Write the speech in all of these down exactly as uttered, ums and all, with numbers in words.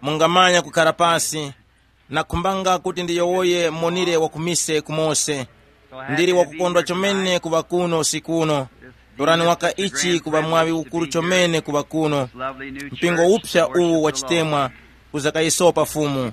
Mungamanya kukhala pasi. Nakhumbanga kuti ndiyowoye monire wa kumise kumose. Ndili wakukondwa chomene kuŵa kuno usiku uno. Torani waka ichi kuŵa mwaŵi ukuru chomene kuŵa kuno. Mpingo upsa uwu wa chitemwa uzakayisopa Fumu.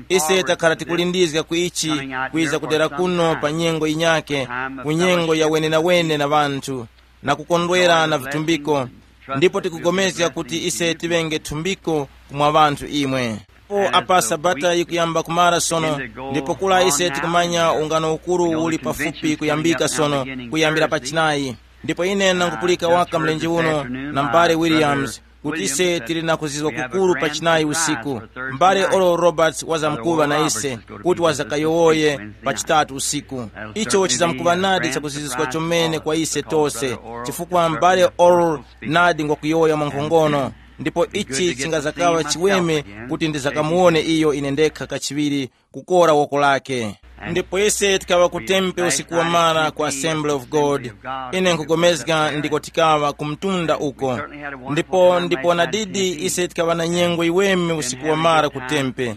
Ise takhala tikulindizga ku ichi, kwiza kudera kuno pa nyengo yinyake, ku nyengo ya wenenawene na ŵanthu, na kukondwera na vitumbiko. Ndipo tikugomezga kuti ise tiŵenge thumbiko kumwa ŵanthu imwe. Po apa sabata yikuyamba kumara sono, ndipo kula ise tikumanya ungano ukuru uli pafupi kuyambika sono, kuyambira pa chinayi. Ndipo ine nangupulika waka mlenje uno na mbale Williams, kuti ise tili na kuzizwa kukuru pa chinayi usiku. Mbale Oral Roberts wazamkuŵa na ise, kuti wazakayowoye pa chitatu usiku. Icho chizamkuŵa nadi chakuzizwa chomene kwa ise tose, chifukwa mbale Oral nadi ngwakuyowoya mwankhongono. Ndipo ichi chingazakaŵa chiweme kuti ndizakamuwone iyo ine ndekha kachiŵiri, kukora woko lake. Ndipo ise tikaŵa ku tempe usiku wamara ku Assembly of God. Ine nkugomezga ndiko tikaŵa ku mtunda uko. Ndipo ndipo nadidi ise tikaŵa na nyengo iweme usiku wamara ku tempe.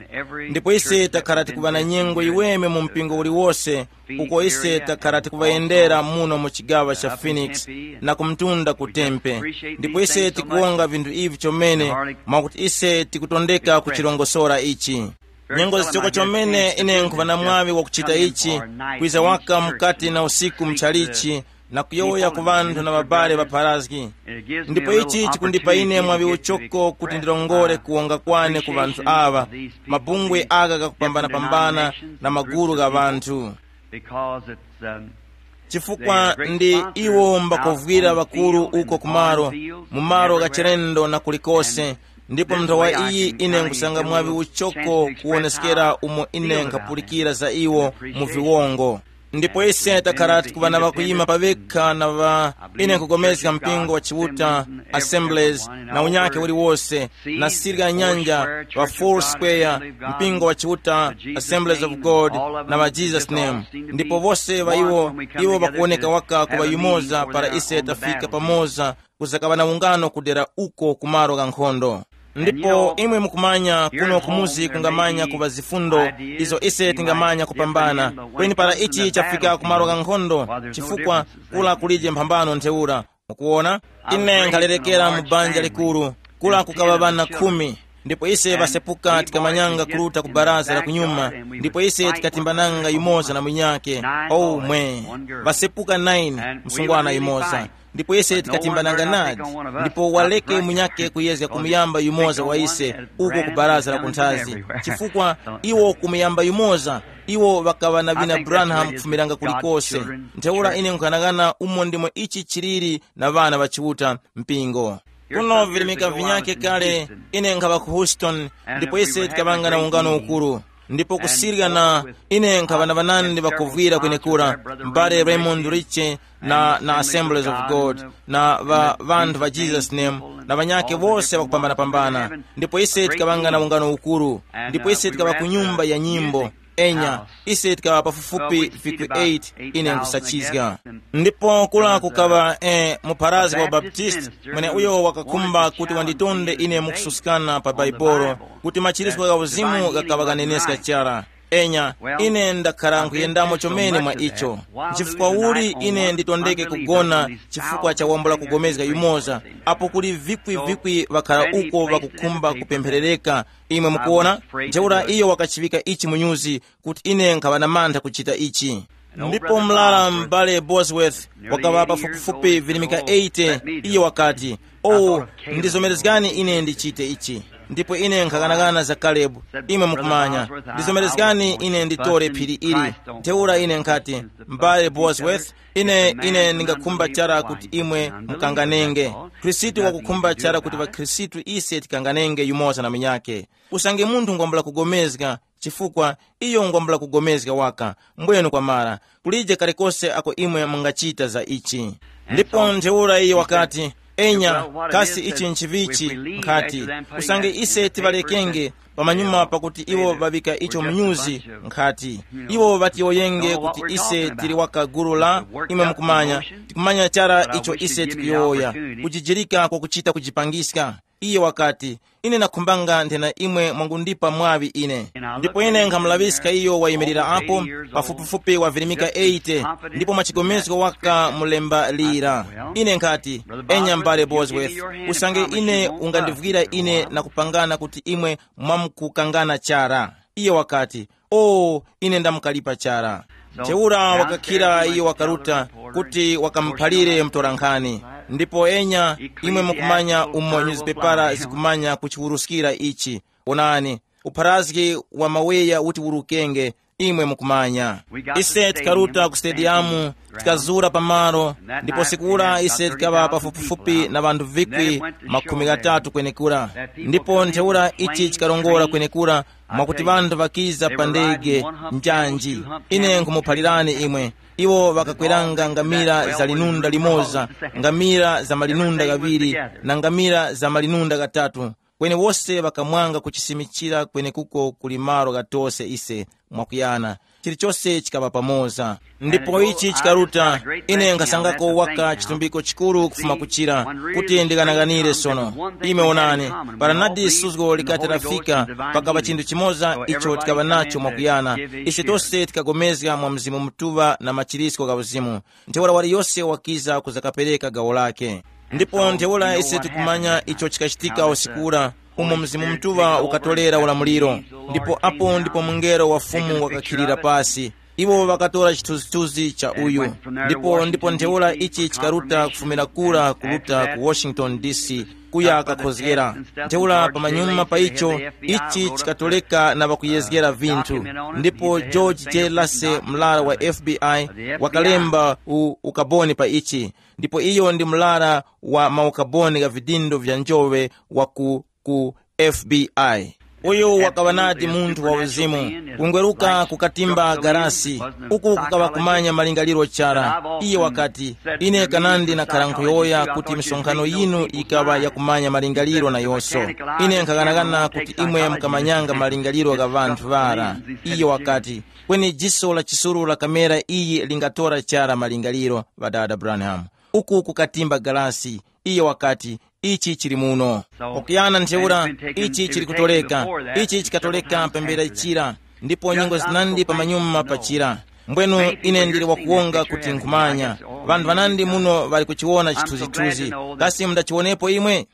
Ndipo ise takhala tikuŵa na nyengo iweme mu mpingo uliwose, uko ise takhala tikuŵayendera muno mu chigawa cha Phoenix na ku mtunda ku tempe. Ndipo ise tikuwonga vinthu ivi chomene, mwakuti ise tikutondeka kuchirongosora ichi. Nyengo zichoko chomene ine nkhuŵa na mwaŵi wakuchita ichi, kwiza waka mukati na usiku mchalichi, na kuyowoya ku ŵanthu na ŵabale ŵapharazgi. Ndipo ichi chikundipa ine mwaŵi uchoko kuti ndilongore kuwonga kwane ku ŵanthu aŵa, mabungwe aka kakupambanapambana na magulu gha ŵanthu. Because it's um, chifukwa ndi iwo mbakovwira ŵakulu uko kumaro, mu malo gha chilendo na kulikose. Ndipo nthawa iyi ine nkusanga mwaŵi uchoko kuwoneskera umo ine nkhapulikira za iwo mu viwongo. Ndipo ise takhala tikuŵa na ŵakuyima pavekha na ŵa ine nkugomezga mpingo wa Chiuta, Assemblies, na unyake uliwose, na sirya nyanja, ŵa Four Square, mpingo wa Chiuta, Assemblies of God, na ŵa Jesus Name. Ndipo vose ŵa iwo, iwo ŵakuwoneka waka kuŵa yumoza para ise tafika pamoza, kuzakaŵa na ungano kudera uko ku malo gha nkhondo. Ndipo imwe mukumanya kuno kumuzi kungamanya kuŵa zifundo izo ise tingamanya kupambana, kweni para ichi chafika ku malo gha nkhondo, chifukwa kula kulije mphambano ntheura. Mukuwona, ine nkhalerekera mu banja likuru, kula kukaŵa ŵana khumi. Ndipo ise ŵasepuka tikamanyanga kuruta ku baraza la kunyuma, ndipo ise tikatimbananga yumoza na munyake. Oh mwe, ŵasepuka nine, msungwana yumoza. Ndipo ise tikatimbananga nadi, ndipo waleke munyake kuyezga kumuyamba yumoza wa ise uko ku baraza la kunthazi, chifukwa iwo kumuyamba yumoza, iwo ŵakaŵa na vina Branham kufumiranga kulikose. Ntheura ine nkhanang'ana umo ndimo ichi chiliri na ŵana ŵa Chiuta mpingo. Kuno virimika vinyake kale, ine nkhaŵa ku Houston, ndipo ise tikaŵanga na ungano ukuru. Ndipo kusirya na ine nkhaŵa na ŵanandi ŵakovwira kwenekura, m'bale Raymond Riche na, na Assemblies of God, na ŵa ŵanthu ŵa Jesus Name, na ŵanyake wose ŵakupambanapambana. Ndipo ise tikaŵanga na ungano ukuru, ndipo ise tikaŵa ku nyumba ya nyimbo. Enya, ise tikaŵa pafupifupi vikwi eight, ine nkusachizga. Ndipo kula kukaŵa eh, mupharazi wa Baptist, mwene uyo wakakhumba kuti wanditonde ine mukususkana pa Baibolo, kuti machirizgo gha uzimu ghakaŵa ghaneneska chara. Enya, ine ndakhala nkhuyendamo chomene mwa icho. Nchifukwa uli ine nditondeke kugona chifukwa cha wambula kugomezga yumoza, apo kuli vikwi-vikwi ŵakhala uko ŵakukhumba kupempherereka? Imwe mukuona, ntheura iyo wakachiŵika ichi mu nyuzi, kuti ine nkhaŵa na mantha kuchita ichi. Ndipo mlala m'bale Bosworth wakaŵa pafupifupi virimika eighty, iye wakati, oh, ndizomerezgani ine ndichite ichi. Ndipo ine nkhaghanaghana za Kalebu, imwe mukumanya, ndizomerezgani ine nditore phiri ili. Ntheura ine nkhati, m'bale Bosworth, ine ine ndingakhumba chara kuti imwe mukanganenge. Khristu wakukhumba chara kuti ŵakhristu ise tikanganenge yumoza na munyake. Usange munthu ngwambula kugomezga, chifukwa iyo ngwambula kugomezga waka, mbwenu kwamara, kulije kalikose ako imwe mungachita za ichi. Ndipo ntheura iye wakati, enya, kasi ichi nchivichi? Nkhati, usange ise tiŵalekenge, pamanyuma pakuti iwo ŵaŵika icho mnyuzi, nkhati, iwo ŵatiyowoyenge kuti ise tili waka gulu la, imwe mukumanya, tikumanya chara icho ise tikuyowoya, kujijirika kwakuchita kujipangiska. Iye wakati, ine nakhumbanga nthena imwe mwangundipa mwaŵi ine. Ndipo ine nkhamulaŵiska iyo wayimirira apo, pafupifupi wavirimika eighty, ndipo mwachigomezgo waka mulemba lira. Ine nkhati, enya mbale Bosworth, usange ine ungandivwira ine na kupangana kuti imwe mwamkukangana chara. Iye wakati, o, ine ndamukalipa chara. Ntheura wakakhira iyo wakaruta kuti wakamuphalire mtorankhani. Ndipo enya, imwe mukumanya umo nyuzipepara zikumanya kuchiwuruskira ichi. Onani, upharazgi wa maweya uti urukenge, imwe mukumanya. Ise tikaruta ku stadiyamu, tikazura pamalo, ndipo sikura ise tikaŵa pafupifupi na ŵanthu vikwi makhumi ghatatu kwenekura. Ndipo ntheura ichi chikarongora kwenekura, mwakuti ŵanthu ŵakiza pa ndege njanji. Ine nkhumuphalirani imwe, iwo ŵakakweranga ngamira za linunda limoza, ngamira za malinunda ghaŵiri, na ngamira za malinunda ghatatu. Kweni wose ŵakamwanga kuchisimichira kwenekuko kuli malo ghatose ise mwakuyana. Chilichose chikaŵa pamoza. Ndipo ichi chikaruta, ine nkasangako waka chitumbiko chikuru kufuma kuchira, kuti ndikanaganire sono. Ime onani, para nadi suzgo likati lafika, pakava chinthu chimoza icho tikaŵa nacho mwakuyana. Ise tose tikagomezga mwa Mzimu Mutuŵa na machirisko gha uzimu. Ntheura waliyose wakiza kuzakapereka gawo lake. Ndipo ntheura ise tikumanya icho chikachitika usiku ura, umo Mzimu Mutuŵa ukatorera ulamuliro. Ndipo apo ndipo mungelo wa Fumu wakakhilira pasi. Iwo ŵakatora chithunzithunzi cha uyu. Ndipo ndipo ntheura ichi chikaruta kufumira kura kuruta ku Washington D C, kuya kakhozgera. Ntheura pamanyuma pa icho, ichi chikatoleka na ŵakuyezgera vinthu. Ndipo George J Lasse, mlara wa F B I, wakalemba u ukaboni pa ichi. Ndipo iyo ndi mlara wa maukaboni gha vidindo vya njowe wa ku ku F B I. Uyu wakaŵa nadi munthu wa uzimu, kungweruka kukatimba garasi, uku kukaŵa kumanya malingaliro chara. Iye wakati, ine kanandi nakhara nkhuyowoya kuti misonkhano yinu yikaŵa yakumanya malingaliro na yoso. Ine nkhaghanaghana kuti imwe mukamanyanga malingaliro gha ŵanthu ŵara. Iye wakati, kweni jiso la chisuru la kamera iyi lingatora chara malingaliro, ŵadada Branham. Uku kukatimba galasi. Iye wakati, ichi chili muno. Pakuyana ntheura, ichi chili kutoleka. Ichi chikatoleka pambere chira, ndipo nyengo zinandi pamanyuma pachira. Mbwenu ine ndili wakuwonga kuti nkhumanya. Ŵanthu ŵanandi muno ŵali kuchiwona chithunzithunzi. Kasi mundachiwonepo imwe?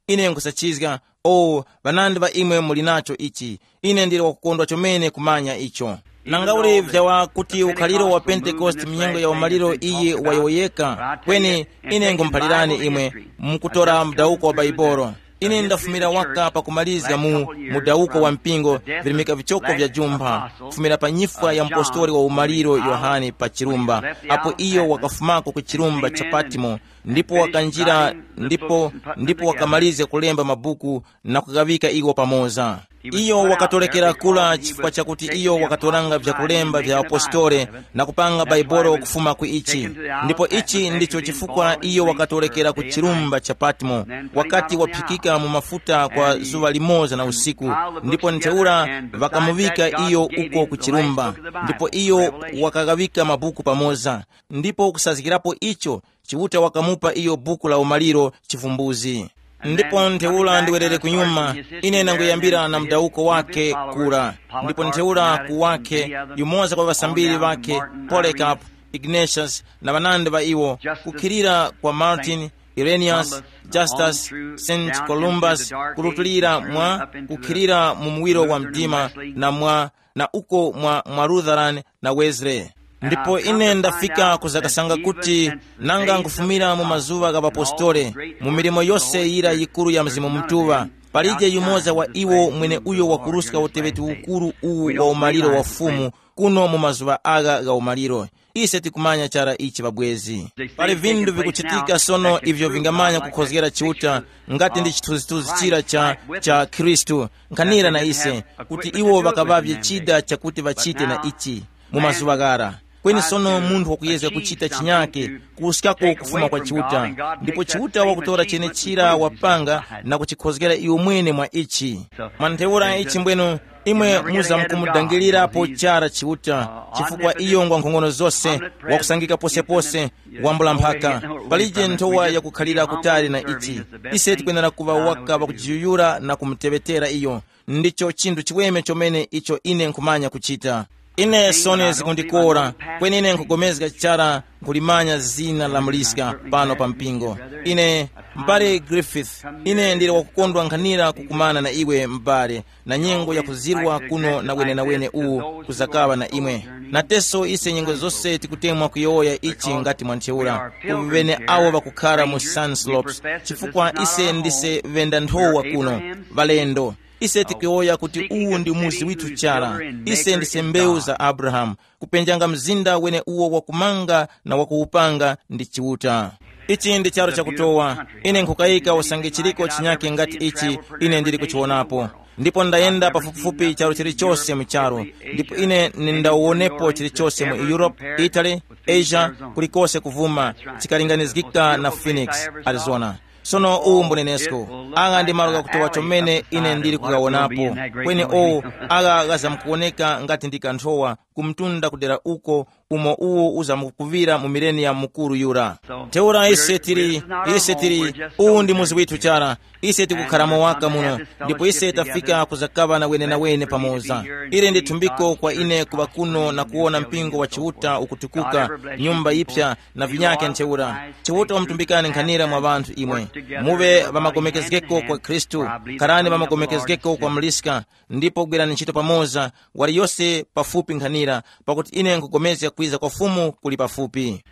Ine nkhusachizga. O, ŵanandi ŵa imwe muli nacho ichi. Ine ndili wakukondwa chomene kumanya icho. Nanga uli vyawa kuti ukhaliro wa Pentekoste mu nyengo ya umaliro iyi wayowoyeka, kweni ine ngumuphalirani imwe, mukutora mudawuko wa Baibolo. Ine ndafumira waka pakumalizga mu mudawuko wa mpingo, virimika vichoko vya jumpha, kufumira pa nyifwa ya mupostoli wa umaliro Yohane pa chirumba, apo iyo wakafumako ku chirumba cha Patimo, ndipo wakanjira, ndipo ndipo wakamalizga kulemba mabuku na kughawika iwo pamoza. Iyo wakatolekera kula chifukwa chakuti iyo wakatoranga vyakulemba vya apostole na kupanga Baibolo kufuma ku ichi. Ndipo ichi ndicho chifukwa iyo wakatolekera ku chirumba cha Patmo, wakati waphikika mu mafuta kwa zuŵa limoza na usiku, ndipo ntheura ŵakamuŵika iyo uko ku chirumba, ndipo iyo wakaghawika mabuku pamoza, ndipo kusazgirapo icho, Chiuta wakamupa iyo buku la umaliro chivumbuzi. Ndipo ntheura ndiwerere kunyuma, ine nanguyambira na mudawuko wake kura, ndipo ntheura ku wake, yumoza kwa ŵasambiri ŵake, Polycarp, Ignatius na ŵanandi ŵa iwo, kukhilira kwa Martin, Irenaeus, Justus, Saint Columbus, kulutulira mwa kukhilira mu muwiro wa mdima, na mwa na uko mwa, mwa Lutheran na Wesley. Ndipo ine ndafika kuzakasanga kuti nanga nkufumira mu mazuŵa gha ŵapostole, mu milimo yose yira yikuru ya Mzimu Mutuŵa, palije yumoza wa iwo mwene uyo wakuruska uteŵeti ukuru uwu wa umaliro wa Fumu kuno mu mazuŵa agha gha umaliro. Ise tikumanya chara ichi ŵabwezi. Pali vindu vikuchitika sono ivyo vingamanya kukhozgera Chiuta, ngati ndi chithunzithunzi chira cha, cha Khristu, nkhanira na ise, kuti iwo ŵakaŵavye chida chakuti ŵachite na ichi mu mazuŵa ghara. Kweni sono munthu wakuyezga kuchita chinyake kuwuskako kufuma kwa Chiuta, ndipo Chiuta wakutora chenechira wapanga na kuchikhozgera iwe mwene mwa ichi. Mwa ntheura ichi mbwenu, Imwe muzamkumudangirirapo chara Chiuta, chifukwa iyo ngwa nkhongono zose, wakusangika posepose, wambula mphaka. Palije nthowa yakukhalira kutali na ichi. Ise tikwenera kuŵa waka wakujiyuyura na kumuteŵetera iyo. Ndicho chinthu chiweme chomene icho ine nkhumanya kuchita. Ine soni zikundikora, kweni ine nkhugomezga chara nkulimanya zina la muliska pano pa mpingo. Ine, m'bale Griffith, ine ndili wakukondwa nkhanira kukumana na iwe m'bale, na nyengo yakuzirwa kuno na wenenawene uwu kuzakaŵa na imwe. Nateso ise nyengo zose tikutemwa kuyowoya ichi ngati mwa ntheura ku ŵene awo ŵakukhara mu Sunslopes, chifukwa ise ndise ŵenda nthowa kuno, ŵalendo. Ise tikuyowoya kuti uwu ndi muzi withu chara. Ise ndise mbewu za Abrahamu, kupenjanga mzinda wene uwo wakumanga na wakuwupanga ndi Chiuta. Ichi ndi charu chakutowa. Ine nkhukayika usange chiliko chinyake ngati ichi ine ndili kuchiwonapo. Ndipo ndayenda pafupifupi charu chilichose mu charu, ndipo ine nindawuwonepo chilichose mu Europe, Italy, Asia, kulikose kuvuma, chikalinganizgika na Phoenix, Arizona. Sono uwu mbunenesko, agha ndi malo ghakutowa chomene ine ndili kughawonapo. Kweni owu, agha ghazamkuwoneka ngati ndi kanthowa kumtunda kudera uko, umo uwo uzamkukuŵira mu mileniya mukuru yura. Ntheura ise tili, ise tili, uwu ndi muzi withu chara. Ise tikukharamo waka muno, ndipo ise tafika kuzakaŵa na wenenawene pamoza. Ili ndi thumbiko kwa ine kuŵa kuno na kuwona mpingo wa Chiuta ukutukuka, nyumba yipya, na vinyake ntheura. Chiuta wamutumbikani nkhanira mwa ŵanthu imwe. Muŵe ŵamagomekezgeko kwa Khristu, kharani ŵamagomekezgeko kwa muliska, ndipo gwirani ntchito pamoza, wali yose pafupi nkhanira, pakuti ine nkupulikana kwiza kwa Fumu kuli pafupi.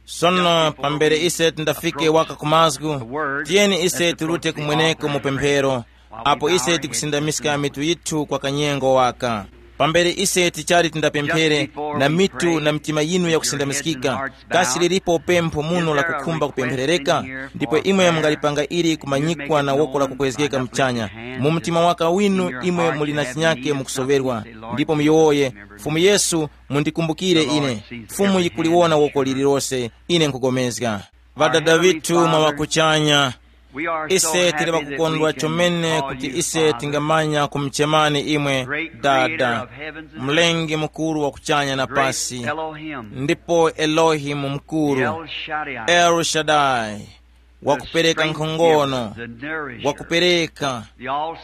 Sono pambere ise tindafike waka ku mazgu, tiyeni ise tirute kumweneko mu pemphero, apo ise tikusindamiska mitu yithu kwa kanyengo waka. Pambere ise tichali tindapemphere, na mitu na mitima yinu yakusindamiskika, kasi lilipo pempho muno la kukhumba kupempherereka? Ndipo imwe mungalipanga ili kumanyikwa na woko la kukwezgeka mchanya. Mu mtima waka winu imwe muli na chinyake mukusoŵerwa, ndipo muyowoye, Fumu Yesu, mundikumbukire ine. Fumu yikuliwona woko lililose, ine nkugomezga. Ŵadada ŵithu mwa ŵakuchanya, ise tili ŵakukondwa chomene kuti ise tingamanya kumuchemani imwe Dada, Mlengi Mukuru wa kuchanya na pasi, ndipo Elohimu Mukuru, El Shaddai, wakupereka nkhongono, wakupereka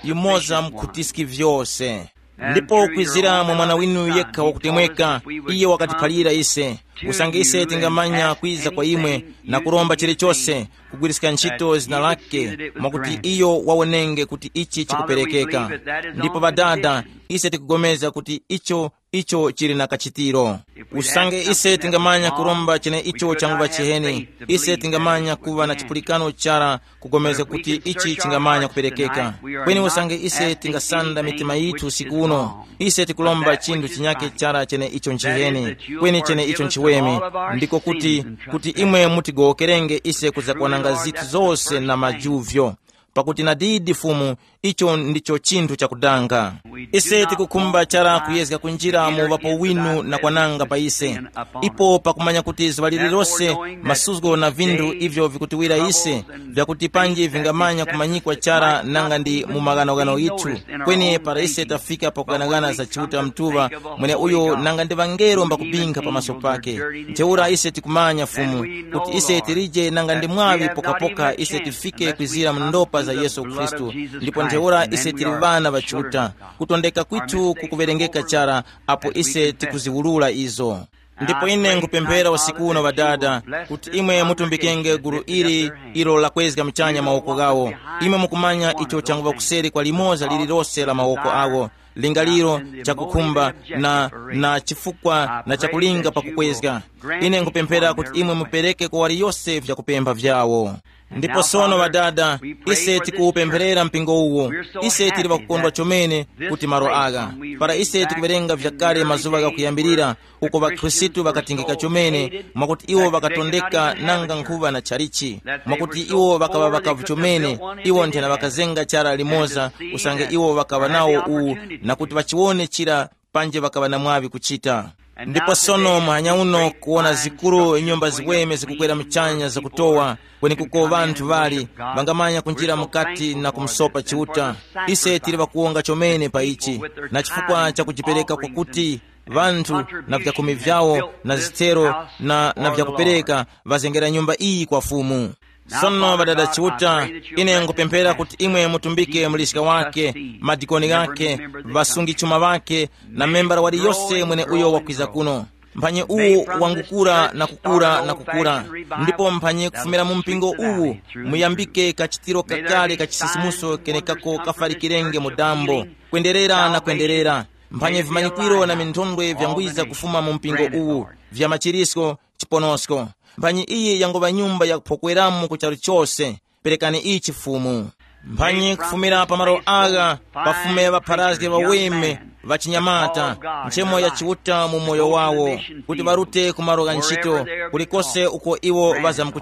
yumoza mkhutiski vyose. Ndipo kwizira mwa mwana winu yekha wakutemweka, iye wakatiphalira ise, usange ise tingamanya kwiza kwa imwe na kuromba chilichose, kugwiriska ntchito zina lake, mwakuti iyo wawonenge kuti ichi chikuperekeka. Ndipo Ŵadada, ise tikugomeza kuti icho icho chili na kachitiro. Usange ise tingamanya kuromba cheneicho changuŵa chiheni, ise tingamanya kuŵa na chipulikano chara kugomeza kuti ichi chingamanya kuperekeka. Kweni usange ise tingasanda mitima yithu usiku uno, ise tikulomba chinthu chinyake chara cheneicho nchiheni, kweni cheneicho nchiweme, ndiko kuti, kuti imwe mutigowokerenge ise kuzakwananga zithu zose na majuvyo. Pakuti nadidi Fumu, icho ndicho chinthu chakudanga. Ise tikukhumba chara kuyezga kunjira mu uŵapo winu na kwananga pa ise. Ipo pakumanya kuti zuŵa lililose, masuzgo na vinthu ivyo vikutiwira ise, vyakuti panji vingamanya kumanyikwa chara nanga ndi mu maghanoghano yithu. Kweni para ise tafika pakughanaghana za Chiuta Mtuŵa, mweneuyo nanga ndi ŵangelo mbakupinkha pamaso pake. Ntheura ise tikumanya Fumu, kuti ise tilije nanga ndi mwaŵi pokapoka ise tifike kwizira mu ndopa za Yesu Khristu, ndipo ntheura ise tili ŵana ŵa Chiuta. Kutondeka kwithu kukuŵerengeka chara apo ise tikuziwulula izo. Ndipo ine nkupemphera usiku uno Ŵadada, kuti imwe mutumbikenge gulu ili ilo lakwezga muchanya mawoko ghawo. Imwe mukumanya icho changuŵa kuseri kwa limoza lililose la mawoko awo, lingaliro, chakukhumba, na, na chifukwa na chakulinga pakukwezga. Ine nkupemphera kuti imwe mupereke kwa waliyose vyakupempha vyawo. Ndipo sono Ŵadada, ise tikuwupempherera mpingo uwo. Ise tili ŵakukondwa chomene kuti malo agha, para ise tikuwerenga vyakale mazuŵa ghakuyambirira, uko ŵakhristu ŵakatingika chomene, mwakuti iwo ŵakatondeka nanga nkhuŵa na chalichi, mwakuti iwo ŵakaŵa ŵakavu chomene, iwo nthena ŵakazenga chara limoza, usange iwo ŵakaŵa nawo uwu, na kuti ŵachiwone chira, panje ŵakaŵa na mwaŵi kuchita. Ndipo sono muhanya uno kuwona zikuru nyumba ziweme zikukwera muchanya zakutowa, kwenekuko ŵanthu ŵali ŵangamanya kunjira mukati na kumsopa Chiuta. Ise tili ŵakuwonga chomene pa ichi, na chifukwa cha kujipereka kwakuti ŵanthu na vyakhumi vyawo na zithero na, na vyakupereka ŵazengera nyumba iyi kwa Fumu. Sono ŵadada Chiuta, ine nkupemphera kuti imwe mutumbike muliska wake, madikoni ghake, ŵasungi chuma ŵake, na membala waliyose mwene uyo wakwiza kuno. Mphanye uwu wangukura na kukura na kukura, ndipo mphanye kufumira mu mpingo uwu muyambike kachitiro kakale ka chisisimuso kenekako kafalikirenge mu dambo, kwenderera na kwenderera. Mphanye vimanyikwiro na minthondwe vyangwiza kufuma mu mpingo uwu, vya machirisko, chiponosko. Mphanye iyi yangoŵa nyumba yakuphokweramo ku charu chose. Perekani ichi Fumu. Mphanye kufumira pa malo agha pafume ŵapharazge ŵaweme ŵachinyamata, nchemo ya Chiuta mu moyo wawo, kuti ŵarute ku malo gha ntchito, kulikose uko iwo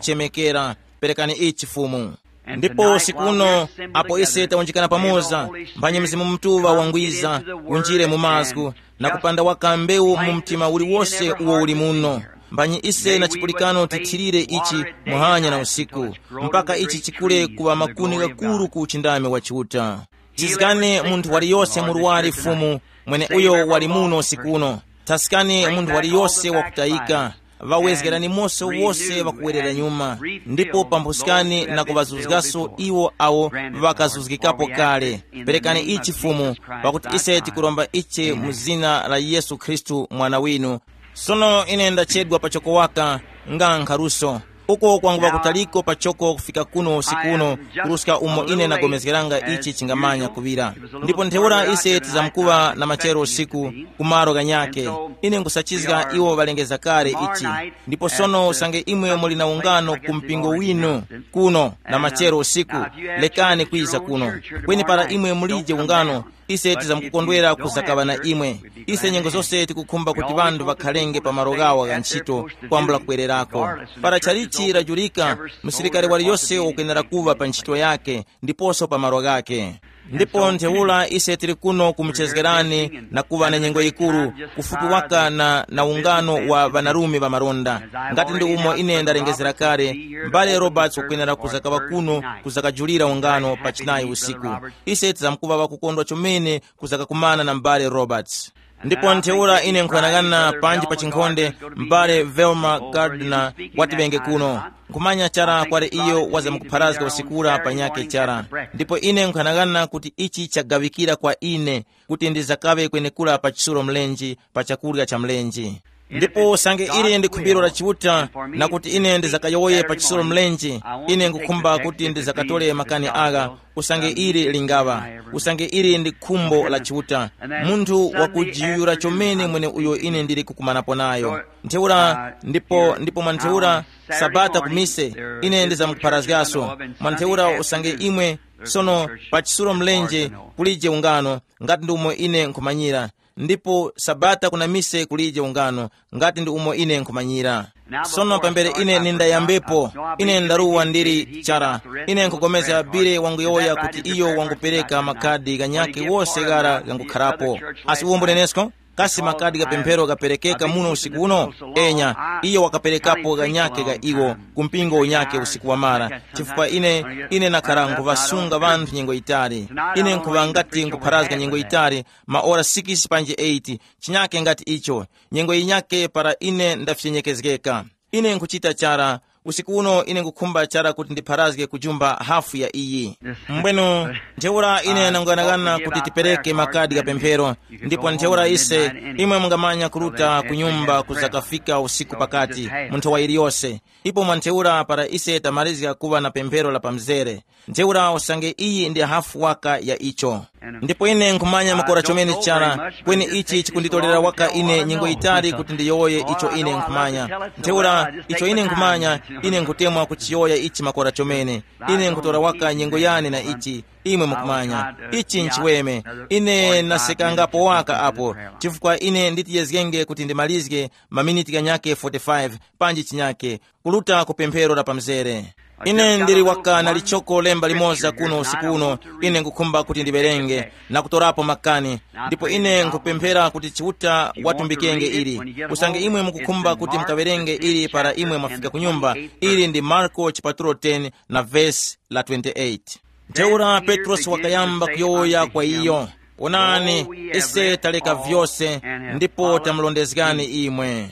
ŵazamkuchemekera. Perekani ichi Fumu. Ndipo usiku uno, apo ise tawunjikana pamoza, mphanye Mzimu Mutuŵa wangwiza, unjire mu mazgu, na kupanda waka mbewu mu mtima uliwose uwo uli muno. Mbanyi ise na chipulikano tithirire ichi muhanya na usiku, mpaka ichi chikule kuŵa makuni ghakuru ku uchindami wa Chiuta. Chizgani munthu waliyose muruwari Fumu, mwene uyo wali muno usiku uno. Thaskani munthu waliyose wakutayika. Ŵawezgerani mose wose ŵakuwerera nyuma, ndipo pambuskani na kuŵazuzgaso iwo awo ŵakazuzgikapo kale. Perekani ichi Fumu, pakuti ise tikuromba ichi mu zina la Yesu Khristu mwana winu. Sono ine ndachedwa pachoko waka, nga nkharuso. Uko kwanguŵa kutaliko pachoko kufika kuno usiku uno, kuruska umo ine ndagomezgeranga ichi chingamanya kuŵira. Ndipo ntheura ise tizamkuŵa na machero usiku, kumaro ghanyake. Ine nkusachizga iwo ŵalengeza kale ichi. Ndipo sono usange imwe muli na ungano ku mpingo winu, kuno na machero usiku, lekani kwiza kuno. Kweni para imwe mulije ungano, ise tizamkukondwera kuzakaŵa na imwe. Ise nyengo zose tikukhumba kuti ŵanthu ŵakhalenge pa malo ghawo gha ntchito, kwambula kwererako. Para chalichi lajulika, musilikari waliyose wakwenera kuŵa pa ntchito yake, ndiposo pa malo ghake. Ndipo ntheura ise tili kuno kumuchezgerani na kuŵa na nyengo yikuru, kufupi waka na, na ungano wa ŵanarume ŵa malonda. Ngati ndi umo ine ndarengezera kale, m'bale Roberts wakwenera kuzakaŵa kuno kuzakajulira ungano pa chinayi usiku. Ise tizamkuŵa ŵakukondwa chomene kuzakakumana na m'bale Roberts. Ndipo ntheura ine nkuyang'ana panji pa chinkhonde, m'bale Velma Gardner wati ŵenge kuno. Nkhumanya chara kwali iyo wazamkupharazga usikura pa nyakhe chara. Ndipo ine nkuyang'ana kuti ichi chagaŵikira kwa ine, kuti ndizakaŵe kwenekura pa chisulo mlenje, pa chakurya cha mlenje. Ndipo usange ili ndi khumbiro la Chiuta, na kuti ine ndizakayowoye pa chisulo mlenje, ine nkukhumba kuti ndizakatole makani agha, usange ili lingaŵa, usange ili ndi khumbo la Chiuta, munthu wakujiyuyura chomene mwene uyo ine ndili kukumanapo nayo. Ntheura, ndipo, ndipo mwa ntheura, sabata ku mise, ine ndizamkupharazgaso. Mwa ntheura usange imwe, sono, pa chisulo mlenje, kulije ungano, ngati ndi umo ine nkhumanyira. Ndipo sabata kuna mise kulije ungano, ngati ndi umo ine nkhumanyira. Sono pambere ine nindayambepo, ine ndaruwa ndili chara. Ine nkugomeza bile wanguyowoya kuti iyo wangupereka makadi ghanyakhe wose ghara ghangukharapo. Asi uwo mbunenesko? Kasi makadi gha pemphero ghaperekeka muno usiku uno? Enya, iyo wakaperekapo ghanyakhe gha iwo ku mpingo unyakhe usiku wamara, chifukwa ine, ine nakhara nkhuŵasunga ŵanthu nyengo yitali. Ine nkhuŵa ngati nkhupharazga nyengo yitali, maora sikisi panji eyiti, chinyake ngati icho. Nyengo yinyake para ine ndafyenyekezgeka. Ine nkhuchita chara, usiku uno ine nkhukhumba chara kuti ndipharazge kujumba hafu ya iyi. Mbwenu, ntheura ine nanguyanaghana kuti tipereke makadi gha pemphero, ndipo ntheura ise, imwe mungamanya kuruta ku nyumba kuzakafika usiku pakati, mu nthowa yiliyose. Ipo mwa ntheura para ise tamalizga kuŵa na pemphero la pamzere, ntheura usange iyi ndi hafu waka ya icho. Ndipo ine nkhumanya makora chomene chara, kweni ichi chikunditorera waka ine nyengo yitali kuti ndiyowoye icho ine nkhumanya. Ntheura, icho ine nkhumanya, ine nkhutemwa kuchiyowoya ichi makora chomene. Ine nkhutora waka nyengo yane na ichi, imwe mukumanya. Ichi nchiweme. Ine nasekangapo waka apo, chifukwa ine nditiyezgenge kuti ndimalizge maminiti ghanyakhe forty-five, panji chinyakhe, kuruta ku pemphero la pamzere. Ine ndili waka na lichoko lemba limoza kuno usiku uno, ine ngukhumba kuti ndiwerenge na kutorapo makani. Ndipo ine nkupemphera kuti Chiuta watumbikenge ili. Usange imwe mukukhumba kuti mukawerenge ili para imwe mwafika ku nyumba, ili ndi Marko chipatulo ten na vesi la twenty-eight. Ntheura Petrosi wakayamba kuyowoya kwa iyo, "Onani, ise taleka vyose, ndipo tamulondezgani imwe."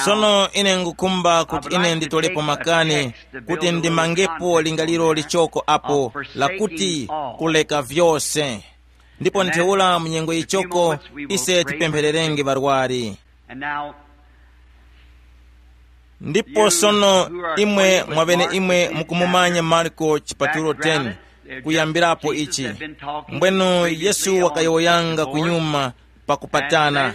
Sono ine ngukhumba kuti ine nditolepo makani kuti ndimangepo lingaliro lichoko apo, lakuti kuleka vyose. Ndipo ntheura mu nyengo yichoko ise tipemphererenge ŵarwari. Ndipo sono, imwe mwavene imwe mukumumanya Marko chipatulo ten, kuyambirapo ichi. Mbwenu Yesu wakayowoyanga kunyuma pakupatana.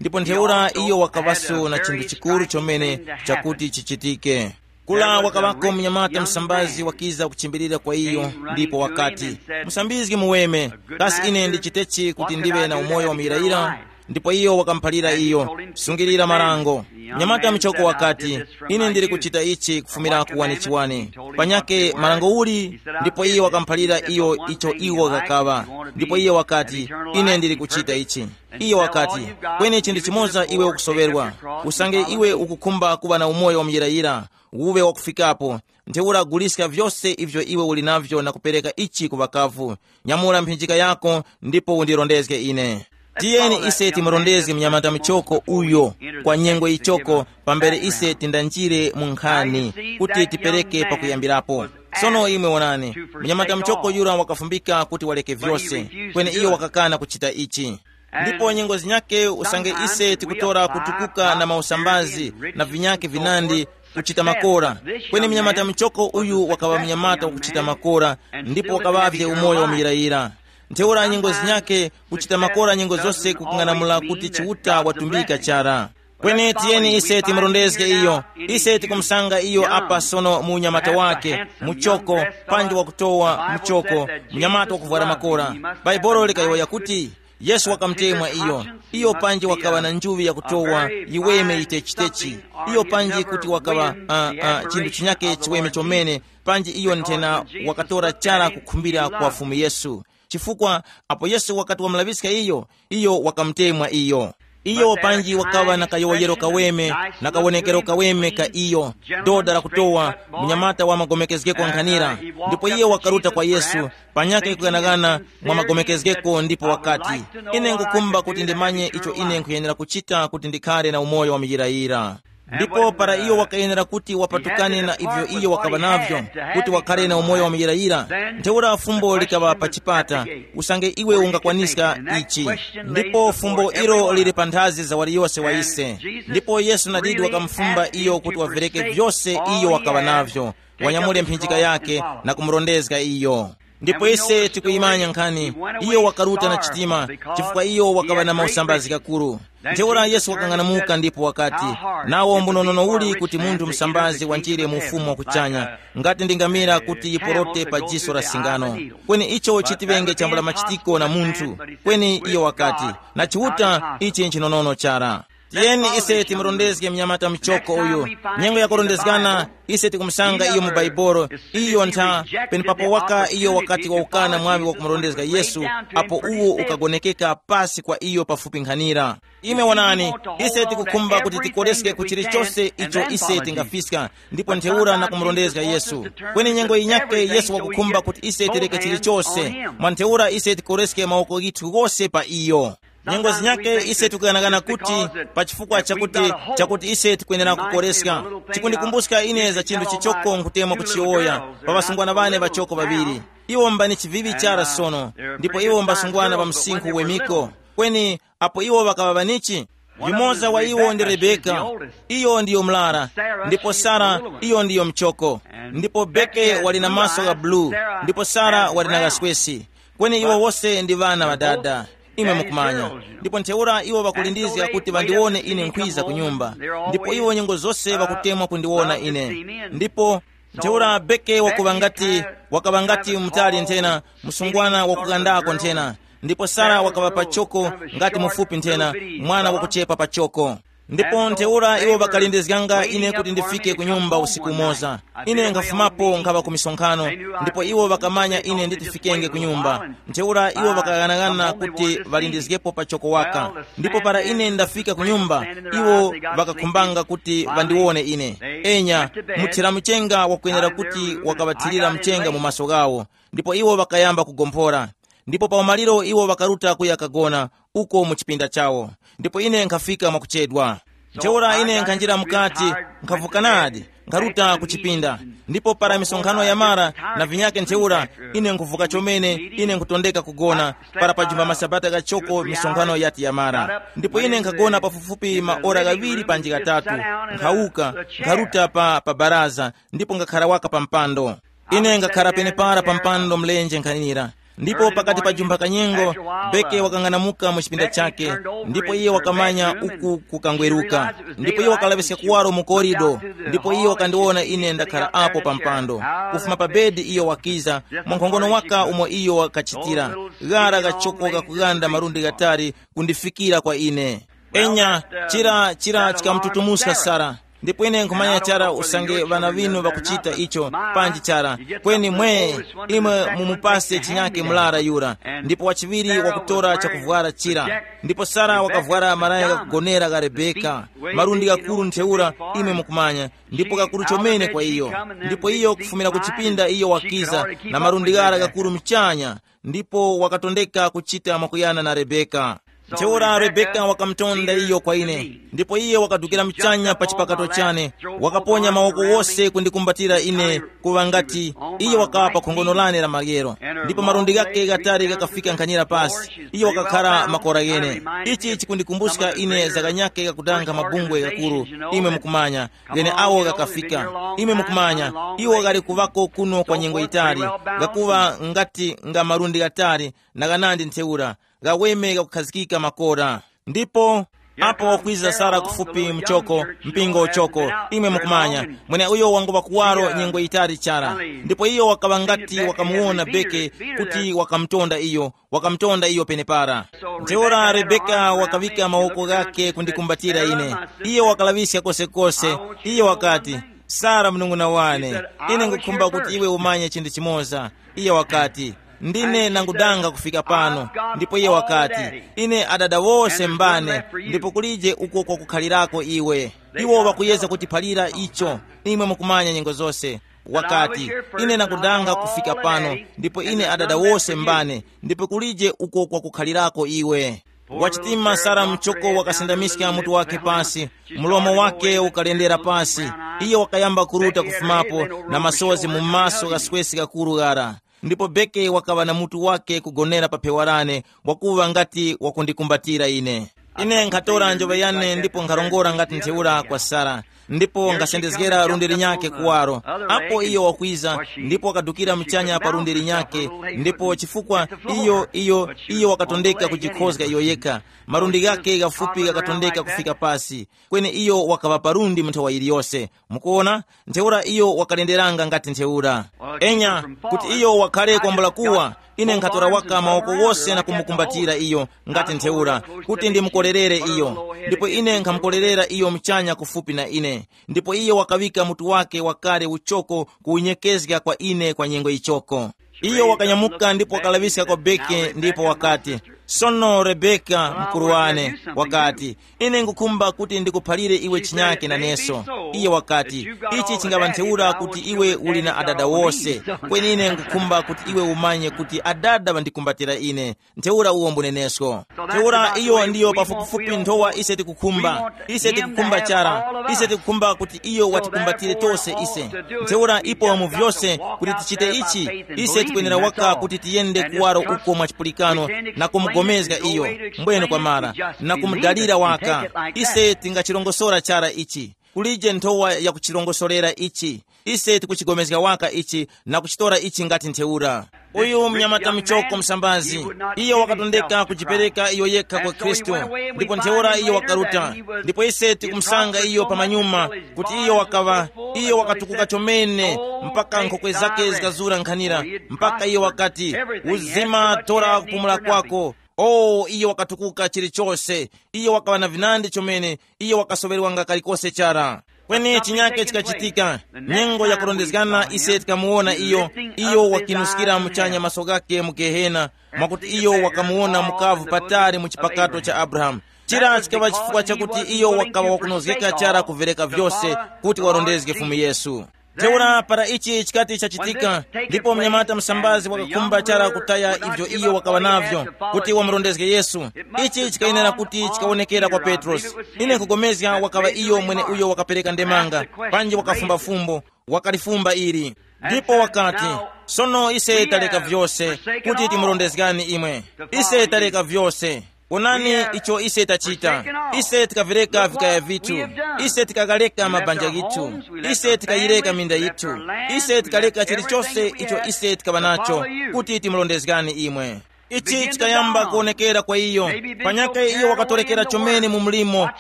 Ndipo ntheura iyo wakaŵaso na chinthu chikuru chomene chakuti chichitike. Kula wakaŵako mnyamata msambazi wakiza kuchimbilira kwa iyo, ndipo wakati, "Musambizgi muweme, kasi ine ndichitechi kuti ndiwe na umoyo wa muyirayira?" Ndipo iyo wakamuphalira iyo, "Sungilira marango." Mnyamata muchoko wakati, "Ine ndili kuchita ichi kufumira ku wani chiwani. Panyake marango uli?" Ndipo iyo wakamuphalira iyo icho iwo ghakaŵa. Ndipo iyo wakati, "Ine ndili kuchita ichi." Iyo wakati, "Kweni chinthu chimoza iwe ukusoŵerwa. Usange iwe ukukhumba kuŵa na umoyo wa muyirayira, uwe wakufikapo, ntheura guliska vyose ivyo iwe uli navyo na kupereka ichi ku ŵakavu. Nyamula mphinjika yako ndipo undirondezge ine." Tiyeni ise timurondezge mnyamata muchoko uyo kwa nyengo yichoko pambere ise tindanjire mu nkhani kuti tipereke pakuyambirapo. Sono imwe wonani, mnyamata muchoko yura wakafumbika kuti waleke vyose, kweni iyo wakakana kuchita ichi. Ndipo nyengo zinyake usange ise tikutora kutukuka na mausambazi na vinyake vinandi kuchita makora, kweni mnyamata muchoko uyu wakaŵa mnyamata wakuchita makora, ndipo wakaŵavye umoyo wa muyirayira. Ntheura nyengo zinyake kuchita makora nyengo zose kukung'anamula kuti Chiuta watumbika chara. Kweni tiyeni ise timurondezge iyo. Ise tikumusanga iyo apa sono mu unyamata wake, muchoko, panji wakutowa muchoko, mnyamata wakuvwara makora. Bhaibuli likayowoya kuti, Yesu wakamutemwa iyo. Iyo panji wakaŵa na njuŵi yakutowa yiweme yitechitechi. Iyo panji kuti wakaŵa uh, uh, chinthu chinyake chiweme chomene, panji iyo nthena wakatora chara kukhumbira kwa Fumu Yesu. Chifukwa apo Yesu wakati wamulaŵiska iyo, iyo wakamutemwa iyo. Iyo panji wakaŵa na kayowoyero kaweme na kawonekero kaweme ka iyo, doda lakutowa, munyamata wa magomekezgeko nkhanira. Ndipo iyo wakaruta kwa Yesu, panyakhe kughanaghana mwa magomekezgeko ndipo wakati, "Ine ngukumba kuti ndimanye icho ine nkhuyenera kuchita kuti ndikhale na umoyo wa muyirayira." Ndipo para iyo wakayenera kuti wapatukane na ivyo iyo wakaŵa navyo, kuti wakhale na umoyo wa muyirayira, ntheura fumbo likaŵa pa chipata, usange iwe ungakwaniska ichi. Ndipo fumbo ilo lili pa nthazi za waliyose wa ise. Ndipo Yesu nadidi wakamufumba iyo kuti wavereke vyose iyo wakaŵa navyo, wanyamule mphinjika yake na kumurondezga iyo. Ndipo ise tikuyimanya nkhani, iyo wakaruta na chitima, chifukwa iyo wakaŵa na mausambazi kakuru. Ntheura Yesu wakang'anamuka ndipo wakati, "Nawo mbunonono uli kuti munthu msambazi wanjire mu ufumu wa kuchanya, ngati ndi ngamira kuti yiporote pa jiso la singano. Kweni icho chitiŵenge chambula machitiko na munthu." Kweni iyo wakati, "Na Chiuta, ichi nchinonono chara." Tiyeni ise timurondezge mnyamata muchoko uyu. Nyengo yakurondezgana, ise tikumusanga iyo mu Baibolo. Iyo ntha, penepapo waka iyo wakati waukana mwaŵi wakumurondezga Yesu, apo uwo ukagonekeka pasi kwa iyo pafupi nkhanira. Ime wonani, ise tikukhumba kuti tikoreske ku chilichose icho ise tingafiska, ndipo ntheura na kumurondezga Yesu. Kweni nyengo yinyake Yesu wakukhumba kuti ise tireke chilichose, mwa ntheura ise tikoreske mawoko ghithu ghose pa iyo. Nyengo zinyake ise tikughanaghana kuti pa chifukwa chakuti, chakuti ise tikwenera kukoreska. Chikundikumbuska ine za chinthu chichoko nkutemwa kuchiyowoya pa ŵasungwana ŵane ŵachoko ŵaŵiri. Iwo mbani chivivi chara sono, ndipo iwo mbasungwana pa msinkhu wemiko. Kweni apo iwo ŵakaŵa ŵanichi, yumoza wa iwo ndi Rebeka, iyo ndiyo mlara, ndipo Sara, iyo ndiyo mchoko, ndipo Beke wali na maso gha bulu, ndipo Sara wali na ghaswesi. Kweni iwo wose ndi ŵana ŵa dada, imwe mukumanya. Ndipo ntheura iwo ŵakulindizga kuti ŵandiwone ine nkhwiza ku nyumba. Ndipo iwo nyengo zose ŵakutemwa kundiwona ine. Ndipo ntheura Beke wakuŵa ngati, wakaŵa ngati mutali nthena, msungwana wakugandako nthena. Ndipo Sara wakaŵa pachoko, ngati mufupi nthena, mwana wakuchepa pachoko. Ndipo ntheura iwo ŵakalindizganga ine kuti ndifike ku nyumba usiku umoza. Ine nkhafumapo nkhaŵa ku misonkhano, ndipo iwo ŵakamanya ine nditifikenge ku nyumba. Ntheura iwo ŵakaghanaghananga kuti ŵalindizgepo pachoko waka. Ndipo para ine ndafika ku nyumba, iwo ŵakakhumbanga kuti ŵandiwone ine. Enya, muthira muchenga wakwenera kuti wakaŵathirira mchenga mu maso ghawo. Ndipo iwo ŵakayamba kugomphora. Ndipo pa umaliro iwo ŵakaruta kuya kagona uko mu chipinda chawo. Ndipo ine nkhafika mwakuchedwa. Ntheura ine nkhanjira mukati, nkhavuka nadi, nkharuta ku chipinda. Ndipo para misonkhano yamara na vinyake ntheura, ine nkhuvuka chomene, ine nkhutondeka kugona. Para pajumba masabata ghachoko misonkhano yati yamara, ndipo ine nkhagona pafupifupi maora ghaŵiri panji ghatatu. Nkhawuka, nkharuta pa, pa baraza, ndipo ngakhara waka pa mpando. Ine ngakhara penepara pa mpando mlenje nkhanira. Ndipo pakati pa jumpha kanyengo, Beke wakang'anamuka mu chipinda chake, ndipo iye wakamanya uku kukangweruka. Ndipo iye wakalaŵiska kuwaro mu korido, ndipo iye wakandiwona ine ndakhara apo pa mpando. Kufuma pa bedi iyo wakiza, mwankhongono waka umo iyo wakachitira, ghara gachoko kakughanda malundi ghatali kundifikira kwa ine. Enya, chira chira chikamututumuska Sara. Ndipo ine nkhumanya chara usange ŵana ŵinu ŵakuchita icho, panji chara. Kweni mwe, imwe mumupase chinyake mlara yura, ndipo wachiŵiri wakutora chakuvwara chira. Ndipo Sara wakavwara malaya ghakugonera gha Rebeka, malundi ghakuru ntheura, imwe mukumanya, ndipo ghakuru chomene kwa iyo. Ndipo iyo kufumira ku chipinda iyo wakiza na malundi ghara ghakuru mchanya, ndipo wakatondeka kuchita mwakuyana na Rebeka. Ntheura Rebeka wakamutonda iyo kwa ine, ndipo iye wakadukira mchanya pa chipakato chane, wakaponya mawoko wose kundikumbatira ine, kuŵa ngati iye wakaŵa pa khongono lane la maryero, ndipo malundi ghake ghatali ghakafika nkhanira pasi. Iye wakakhara makora ghene. Ichi chikundikumbuska ine za kanyake kakutanga mabungwe ghakuru, imwe mukumanya, ghene awo ghakafika. Imwe mukumanya, iwo ghali kuŵako kuno kwa nyengo yitali, ghakuŵa ngati nga malundi ghatali na ghanandi ntheura, ghaweme ghakukhazikika makora. Ndipo apo wakwiza Sara kufupi mchoko, mpingo uchoko, imwe mukumanya, mweneuyo wanguŵa kuwaro nyengo yitali chara. Ndipo iyo wakaŵa ngati wakamuwona Beke kuti wakamutonda iyo, wakamutonda iyo penepara. Ntheura Rebeka wakaŵika mawoko ghake kundikumbatira ine. Iyo wakalaŵiska kosekose. Iyo wakati, Sara, mnung'una wane, ine ngukhumba kuti iwe umanye chinthu chimoza. Iye wakati, ndine nangudanga kufika pano. Ndipo iye wakati, ine adada wose mbane, ndipo kulije uko kwakukhalirako iwe. Iwo ŵakuyeza kutiphalira icho, imwe mukumanya nyengo zose. Wakati, ine nangudanga kufika pano, ndipo ine adada wose mbane, ndipo kulije uko kwakukhalirako iwe. Wachitima Sara mchoko wakasindamiska mutu wake pasi, mlomo wake ukalendera pasi. Iye wakayamba kuruta kufumapo na masozi mu maso gha swesi gakuru ghara. Ndipo Beke wakaŵa na mutu wake kugonera pa phewa lane, wakuŵa ngati wakundikumbatira ine. Ine nkhatora njoŵa yane ndipo nkharongora ngati ntheura kwa Sara, ndipo nkasendezgera lundi linyakhe kuwaro. Apo iyo wakwiza, ndipo wakadukira mchanya pa lundi linyakhe, ndipo chifukwa iyo iyo iyo wakatondeka kujikhozga iyo yekha, malundi ghakhe ghafupi ghakatondeka kufika pasi. Kweni iyo wakaŵa palundi mu nthawa yiliyose. Mukuona, ntheura iyo wakalenderanga ngati ntheura. Enya, kuti iyo wakhale kwambula kuwa, ine nkhatora waka mawoko wose na kumukumbatira iyo ngati ntheura, kuti ndimukorerere iyo. Ndipo ine nkhamukorerera iyo mchanya kufupi na ine. Ndipo iyo wakaŵika mutu wake wakale uchoko kuwunyekezga kwa ine kwa nyengo ichoko. Iyo wakanyamuka ndipo wakalaŵiska kwa Beke ndipo wakati, sono Rebeka, mkuru wane, wakati, ine ngukhumba kuti ndikuphalire iwe chinyake naneso. Iye wakati, ichi chingaŵa ntheura kuti iwe uli na adada wose, kweni ine ngukhumba kuti iwe umanye kuti adada ŵandikumbatira ine. Ntheura uwo mbunenesko. Ntheura iyo ndiyo pafupifupi nthowa ise tikukhumba. Ise tikukhumba chara. Ise tikukhumba kuti iyo watikumbatire tose ise. Ntheura ipo mu vyose kuti tichite ichi, ise tikwenera waka kuti tiyende kuwaro uko mwa chipulikano na kumugomezga iyo mbwene kwa mara, na kumudalira waka. Ise tingachirongosora chara ichi. Kulije nthowa yakuchirongosorera ichi. Ise tikuchigomezga waka ichi na kuchitora ichi ngati ntheura. Uyu mnyamata muchoko msambazi, iyo wakatondeka kujipereka iyo yekha kwa Khristu, ndipo ntheura iyo wakaruta. Ndipo ise tikumusanga iyo pamanyuma kuti iyo wakaŵa, iyo wakatukuka chomene mpaka nkhokwe zake zikazura nkhanira, mpaka iyo wakati, uzima, tora kupumula kwako. O, iyo wakatukuka chilichose. Iyo wakaŵa na vinandi chomene. Iyo wakasoŵerwanga kalikose chara. Kweni chinyake chikachitika. Nyengo yakurondezgana ise tikamuwona iyo. Iyo wakinuskira muchanya maso ghake mu Gehena, mwakuti iyo wakamuwona mukavu patali mu chipakato cha Abrahamu. Chira chikaŵa chifukwa chakuti iyo wakaŵa wakunozgeka chara kuvereka vyose kuti warondezge Fumu Yesu. Ntheura para ichi chikati chachitika, ndipo mnyamata msambazi wakakhumba chara kutaya ivyo iyo wakaŵa navyo, kuti wamurondezge Yesu. Ichi chikayenera kuti chikawonekera kwa Petrosi. Ine nkupulikana wakaŵa iyo mwene uyo wakapereka ndemanga, panji wakafumba fumbo, wakalifumba ili. Ndipo wakati, sono ise taleka vyose kuti timurondezgani imwe. Ise taleka vyose. Wonani icho ise tachita. Ise tikavereka vikaya vithu. Ise tikagaleka mabanja yithu. Ise tikayireka minda yithu. Ise tikaleka chilichose icho ise tikaŵa nacho kuti timurondezgani imwe. Ichi chikayamba kuwonekera kwa iyo. Panyakhe iyo wakatorekera chomene mu mlimo,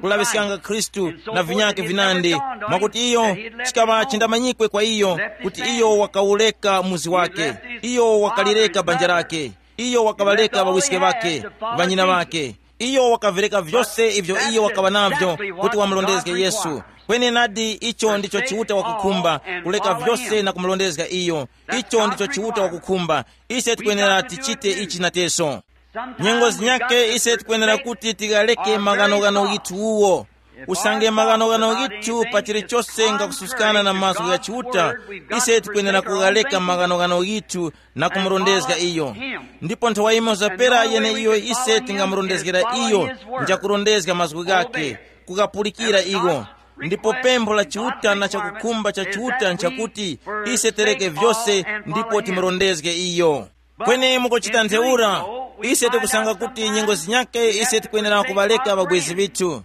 kulaŵiskanga Khristu na vinyakhe vinandi, mwakuti iyo chikaŵa chindamanyikwe kwa iyo kuti iyo wakawureka muzi wake. Iyo wakalireka banja lake. Iyo wakaŵareka ŵawiske ŵakhe, ŵanyina ŵakhe. Iyo wakavireka vyose ivyo iyo wakaŵa navyo kuti wamurondezge Yesu. Kweni nadi icho ndicho Chiuta wakukhumba, kuleka vyose na kumurondezga iyo. Icho ndicho Chiuta wakukhumba. Ise tikwenera tichite ichi nateso. Nyengo zinyake ise tikwenera kuti tighaleke maghanoghano ghithu uwo. Usange maghanoghano ghithu pa chilichose ngakususkana na mazgu gha Chiuta, ise tikwenera kughaleka maghanoghano ghithu na kumurondezga iyo. Ndipo nthawa imo zapera yeneiyo ise tingamurondezgera iyo, njakurondezga mazgu ghakhe, kukapulikira iwo. Ndipo pempho la Chiuta na chakukhumba cha Chiuta nchakuti ise tereke vyose ndipo timurondezge iyo. Kweni mukuchita ntheura, ise tikusanga kuti nyengo zinyake ise tikwenera kuŵaleka ŵabwezi vithu.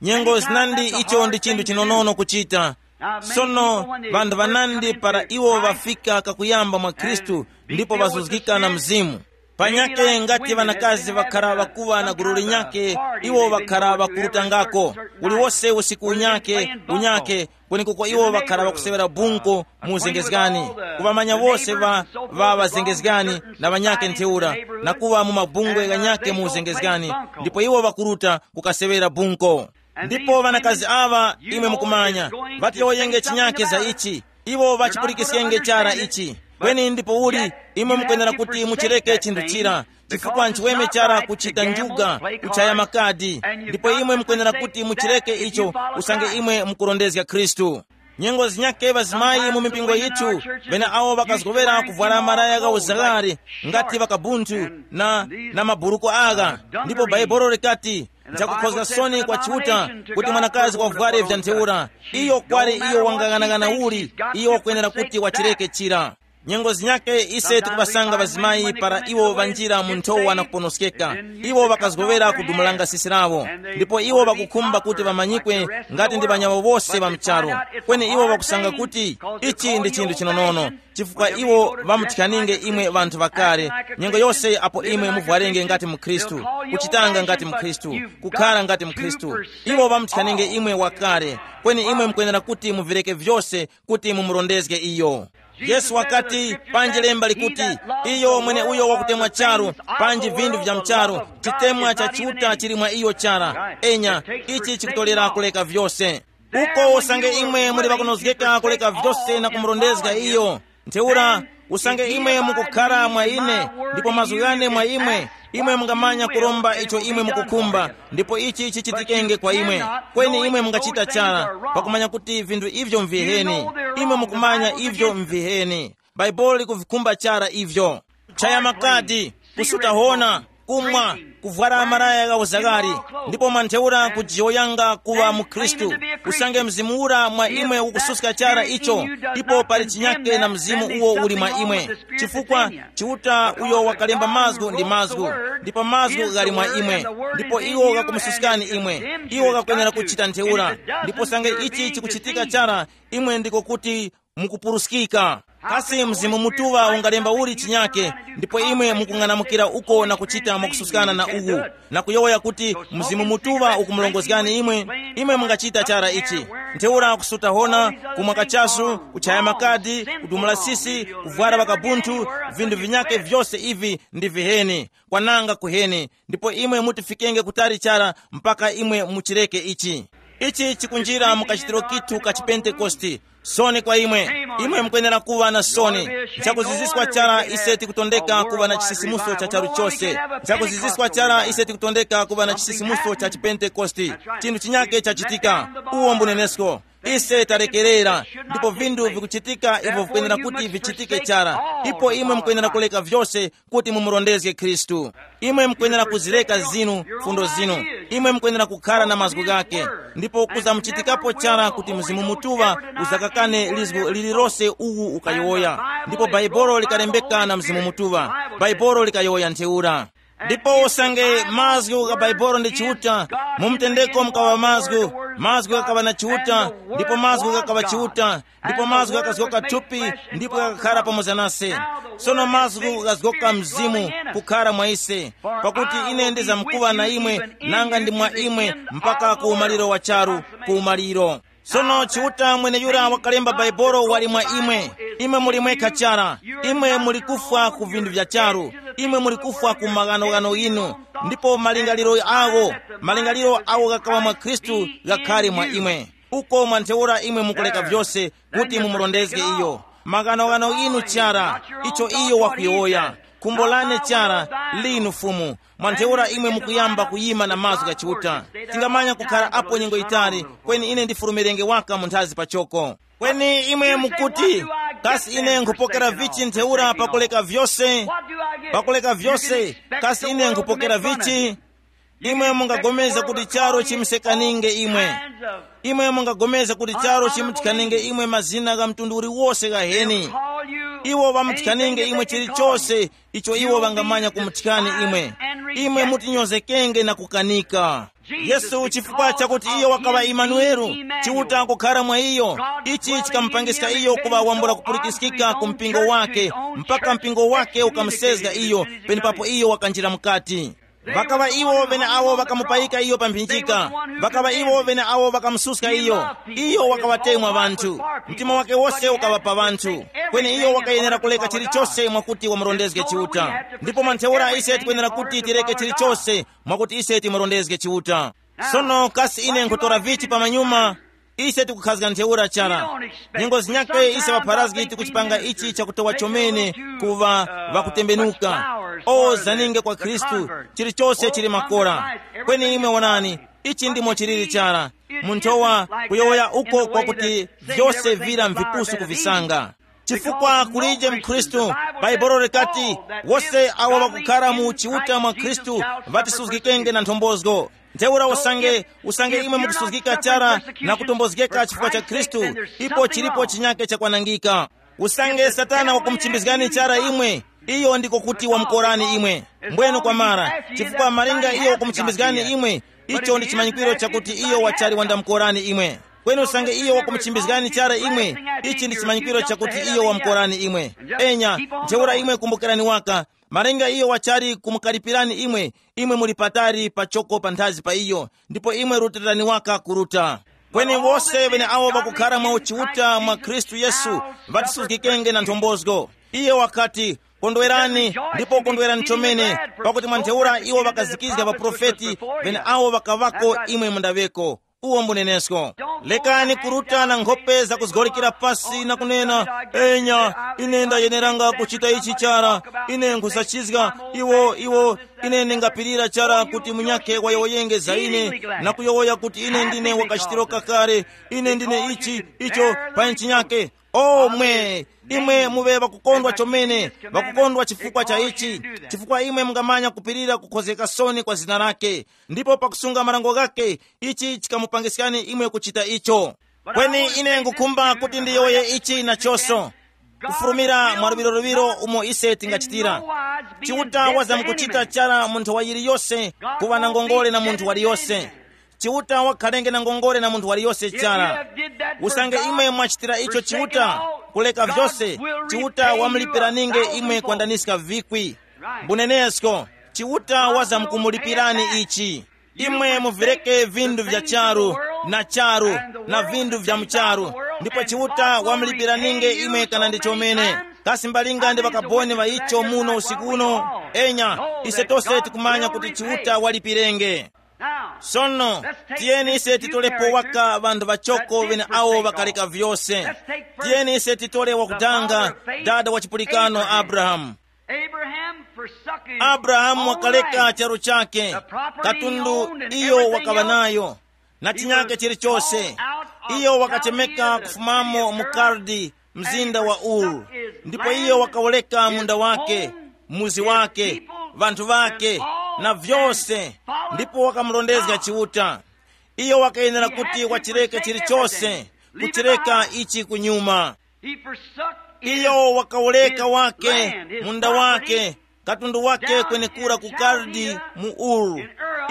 Nyengo zinandi icho ndi chinthu chinonono kuchita. Sono, ŵanthu ŵanandi para iwo ŵafika kakuyamba mwa Khristu ndipo ŵazuzgika na Mzimu. Panyake ngati ŵanakazi ŵakhara ŵakuŵa na gulu linyake, iwo ŵakhara ŵakurutangako. Uliwose usiku unyake, unyake, kwenekuko iwo ŵakhara ŵakusewera bunko mu uzengezgani. Kuŵamanya wose ŵa, ŵa ŵazengezgani na ŵanyake ntheura, na kuŵa mu mabungwe ghanyake mu uzengezgani, ndipo iwo ŵakuruta kukasewera bunko. Ndipo ŵanakazi aŵa, imwe mukumanya, ŵatiyowoyenge chinyake za ichi. Iwo ŵachipulikiskenge chara ichi. Kweni ndipouli, imwe mukwenera kuti muchireke chinthu chira, chifukwa nchiweme chara kuchita njuga, kuchaya makadi. Ndipo imwe mukwenera kuti muchireke icho, usange imwe mukurondezga Khristu. Nyengo zinyake ŵazimayi mu mipingo yithu, ŵene awo ŵakazgowera kuvwara malaya gha uzagari, ngati ŵakabunthu na, na maburuku agha. Ndipo Bhaibuli likati, nchakukhozga soni kwa Chiuta kuti mwanakazi wavware vya ntheura. Iyo kwali iyo wangang'anang'ana uli, iyo wakwenera kuti wachireke chira. Nyengo zinyake ise tikupasanga ŵazimayi para iwo ŵanjira mu nthowa na kuponoskeka. Iwo ŵakazgowera kudumulanga sisi lawo. Ndipo iwo ŵakukhumba kuti ŵamanyikwe ngati ndi ŵanyawo wose ŵa mcharo. Kweni iwo ŵakusanga kuti ichi ndi chinthu chinonono, chifukwa iwo ŵamuthikaninge imwe ŵanthu ŵakale, nyengo yose apo imwe muvwarenge ngati mkhristu, kuchitanga ngati mkhristu, kukhara ngati mkhristu. Iwo ŵamuthikaninge imwe wakale, kweni imwe mukwenera kuti muvireke vyose kuti mumurondezge iyo. Yesu wakati, panji lemba likuti, iyo mwene uyo wakutemwa charu, panji vinthu vya mcharu, chitemwa cha Chiuta chili mwa iyo chara. Enya, ichi chikutolera kuleka vyose. Uko usange imwe muli ŵakunozgeka kuleka vyose na kumurondezga iyo. Ntheura, usange imwe mukukhara mwa ine, ndipo mazgu ghane mwa imwe, imwe mungamanya kuromba icho imwe mukukhumba, ndipo ichi chichitikenge kwa imwe. Kweni imwe mungachita chara, pakumanya kuti vinthu ivyo mviheni. Imwe mukumanya ivyo mviheni. Bhaibuli likuvikhumba chara ivyo. Chaya makadi, kusuta hona, kumwa, kuvwara malaya gha uzagari, ndipo mwa ntheura kujiyoyanga kuŵa mukhristu. Usange mzimu ura mwa imwe ukususka chara icho, ipo pali chinyake na mzimu uwo uli mwa imwe. Chifukwa Chiuta uyo wakalemba mazgu ndi mazgu, ndipo mazgu ghali mwa imwe, ndipo iwo ghakumususkani imwe. Iwo ghakwenera kuchita ntheura. Ndipo usange ichi chikuchitika chara, imwe ndiko kuti mukupuruskika. Kasi Mzimu Mutuŵa ungalemba uli chinyake, ndipo imwe mukung'anamukira uko na kuchita mwakususkana na uwu, na kuyowoya kuti Mzimu Mutuŵa ukumulongozgani imwe? Imwe mungachita chara ichi. Ntheura kusuta hona, kumwa kachasu, kuchaya makadi, kudumula sisi, kuvwara ŵakabunthu, vinthu vinyake vyose ivi ndi viheni, kwananga kuheni. Ndipo imwe mutifikenge kutali chara mpaka imwe muchireke ichi. Ichi chikunjira mu kachitiro kithu ka chipentekoste. Soni kwa imwe. Imwe mukwenera kuva na soni. Nchakuziziswa chara ise tikutondeka kuva na chisisimuso cha charu chose. Nchakuziziswa chara ise tikutondeka kuva na chisisimuso cha chipentekoste. Chinthu chinyake chachitika. Uwo mbunenesko. Ise talekerera. Ndipo vinthu vikuchitika ivyo vikwenera kuti vichitike chara. Ipo imwe mukwenera kuleka vyose kuti mumurondezge Khristu. Imwe mukwenera kuzireka zinu, fundo zinu. Imwe mukwenera kukhara na mazgu ghake. Ndipo kuzamuchitikapo chara kuti Mzimu Mutuŵa uzakakane lizgu lililose uwu ukayowoya. Ndipo Baibolo likalembeka na Mzimu Mutuŵa. Baibolo likayowoya ntheura. Ndipo usange mazgu gha Baibolo ndi Chiuta, mu mtendeko mukaŵa mazgu, mazgu ghakaŵa na Chiuta, ndipo mazgu ghakaŵa Chiuta, ndipo mazgu ghakazgoka thupi, ndipo ghakakhara pamoza nase. Sono mazgu ghazgoka mzimu kukhara mwa ise, pakuti ine ndizamkuŵa na imwe, nanga ndi mwa imwe, mpaka ku umaliro wa charu, ku umaliro. Sono Chiuta mweneyura wakalemba Baibolo wali mwa imwe. Imwe muli mwekha chara. Imwe muli kufwa ku vinthu vya charu. Imwe muli kufwa ku maghanoghano inu. Ndipo malingaliro awo, malingaliro awo ghakaŵa mwa Khristu, ghakhare mwa imwe. Uko mwa ntheura imwe mukuleka vyose kuti mumurondezge iyo. Maghanoghano inu chara, icho iyo wakuyowoya. Khumbo lane chara, linu Fumu. Mwa ntheura imwe mukuyamba kuyima na mazgu gha Chiuta. Tingamanya kukhara apo nyengo yitali, kweni ine ndifulumirenge waka mu nthazi pachoko. Kweni imwe mukuti, kasi ine nkhupokera vichi ntheura pakuleka vyose? Pakuleka vyose, kasi ine nkhupokera vichi? Imwe mungapulikana kuti charu chimsekaninge imwe. Imwe mungapulikana kuti charu chimuthikaninge imwe mazina gha mtundu uliwose ghaheni. Iwo ŵamuthikaninge imwe chilichose icho iwo ŵangamanya kumuthikani imwe. Imwe mutinyozekenge na kukanika. Yesu, chifukwa chakuti iyo wakaŵa Imanueli, Chiuta kukhara mwa iyo, ichi chikamupangiska iyo kuŵa wambula kupulikiskika ku mpingo wake, mpaka mpingo wake ukamusezga iyo, penepapo iyo wakanjira mukati. Ŵakaŵa iwo ŵeneawo ŵakamupayika iyo pa mphinjika. Ŵakaŵa iwo ŵeneawo ŵakamususka iyo. Iyo wakaŵatemwa ŵanthu. Mtima wake wose ukaŵa pa ŵanthu. Kweni iyo wakayenera kuleka chilichose mwakuti wamurondezge Chiuta. Ndipo mwa ntheura ise tikwenera kuti tireke chilichose mwakuti ise timurondezge Chiuta. Sono kasi ine nkhutora vichi pamanyuma? Ise tikukhazga ntheura chara. Nyengo zinyakhe ise ŵapharazgi tikuchipanga ichi chakutowa chomene kuŵa ŵakutembenuka. O zaninge kwa Khristu, chilichose chili makora. Kweni imwe wonani, ichi ndimo chiliri chara. Munthowa kuyowoya uko kwakuti vyose vira mvipusu kuvisanga. Chifukwa kulije mkhristu, Bhaibuli likati, wose awo ŵakukhara mu Chiuta mwa Khristu ŵatisuzgikenge na nthombozo. Ntheura usange, usange imwe mukusuzgika chara na kutombozgeka chifukwa cha Khristu, ipo chilipo chinyake chakwanangika. Usange Satana wakumuchimbizgani chara imwe, iyo ndiko kuti wamukorani imwe. Mbwenu kwamara, chifukwa malinga iyo wakumuchimbizgani imwe, icho ndi chimanyikiro chakuti iyo wachali wandamukorani imwe. Kweni usange iyo wakumuchimbizgani chara imwe, ichi ndi chimanyikiro chakuti iyo wamukorani imwe. Enya, ntheura imwe kumbukirani waka, malinga iyo wachali kumukalipirani imwe, imwe muli patali pachoko panthazi pa iyo, ndipo imwe rutirani waka kuruta. Kweni wose ŵeneawo ŵakukhara mwa uchiuta mwa Khristu Yesu, ŵatisuzgikenge na nthombozo. Iye wakati, kondwerani, ndipo kondwerani chomene, pakuti mwa ntheura iwo ŵakazikizga ŵaprofeti ŵeneawo ŵakaŵako imwe mundaŵeko. Uwo mbunenesko. Lekani kuruta na nkhope zakuzgorekera pasi na kunena, enya, ine ndayeneranga kuchita ichi chara, ine nkhusachizga, iwo, iwo, ine ndingapirira chara kuti munyakhe wayowoyenge za ine, na kuyowoya kuti ine ndine wakachitiro kakale, ine ndine ichi, icho, pa nchinyake. O mwe, imwe muŵe ŵakukondwa chomene, ŵakukondwa chifukwa cha ichi, chifukwa imwe mungamanya kupirira kukhozgeka soni kwa zina lake, ndipo pakusunga marango ghake, ichi chikamupangiskani imwe kuchita icho. Kweni ine ngukhumba kuti ndiyowoye ichi nachonso, kufulumira mwa luŵiroluŵiro umo ise tingachitira. Chiuta wazamkuchita chara munthu wa yiliyose kuŵa na ngongole na munthu waliyose. Chiuta wakhalenge na ngongole na munthu waliyose chara. Usange imwe mwachitira icho Chiuta, kuleka vyose, Chiuta wamulipiraninge imwe kwandaniska vikwi. Mbunenesko, Chiuta wazamkumulipirani ichi. Imwe muvireke vindu vya charu, na charu, na vindu vya mucharu, ndipo Chiuta wamulipiraninge imwe kana ndi chomene. Kasi mbalinga ndi ŵakaboni ŵa icho muno usiku uno? Enya, ise tose tikumanya kuti Chiuta walipirenge. Sono, tiyeni ise titolepo waka ŵanthu ŵachoko ŵene awo ŵakaleka vyose. Tiyeni ise titole wakutanga, dada wa chipulikano Abrahamu. Abrahamu wakaleka charu chake, katundu iyo wakaŵa nayo, na chinyake chilichose. Iyo wakachemeka kufumamo mu Kaldi, mzinda wa Uru, ndipo iyo wakawuleka munda wake, muzi wake, vanthu vake, na vyose, ndipo wakamurondezga Chiuta. Iyo wakayenera kuti wachireke chilichose, kuchireka ichi kunyuma. Iyo wakawuleka wake, munda wake, katundu wake kwenekura ku Kaldi mu Uru.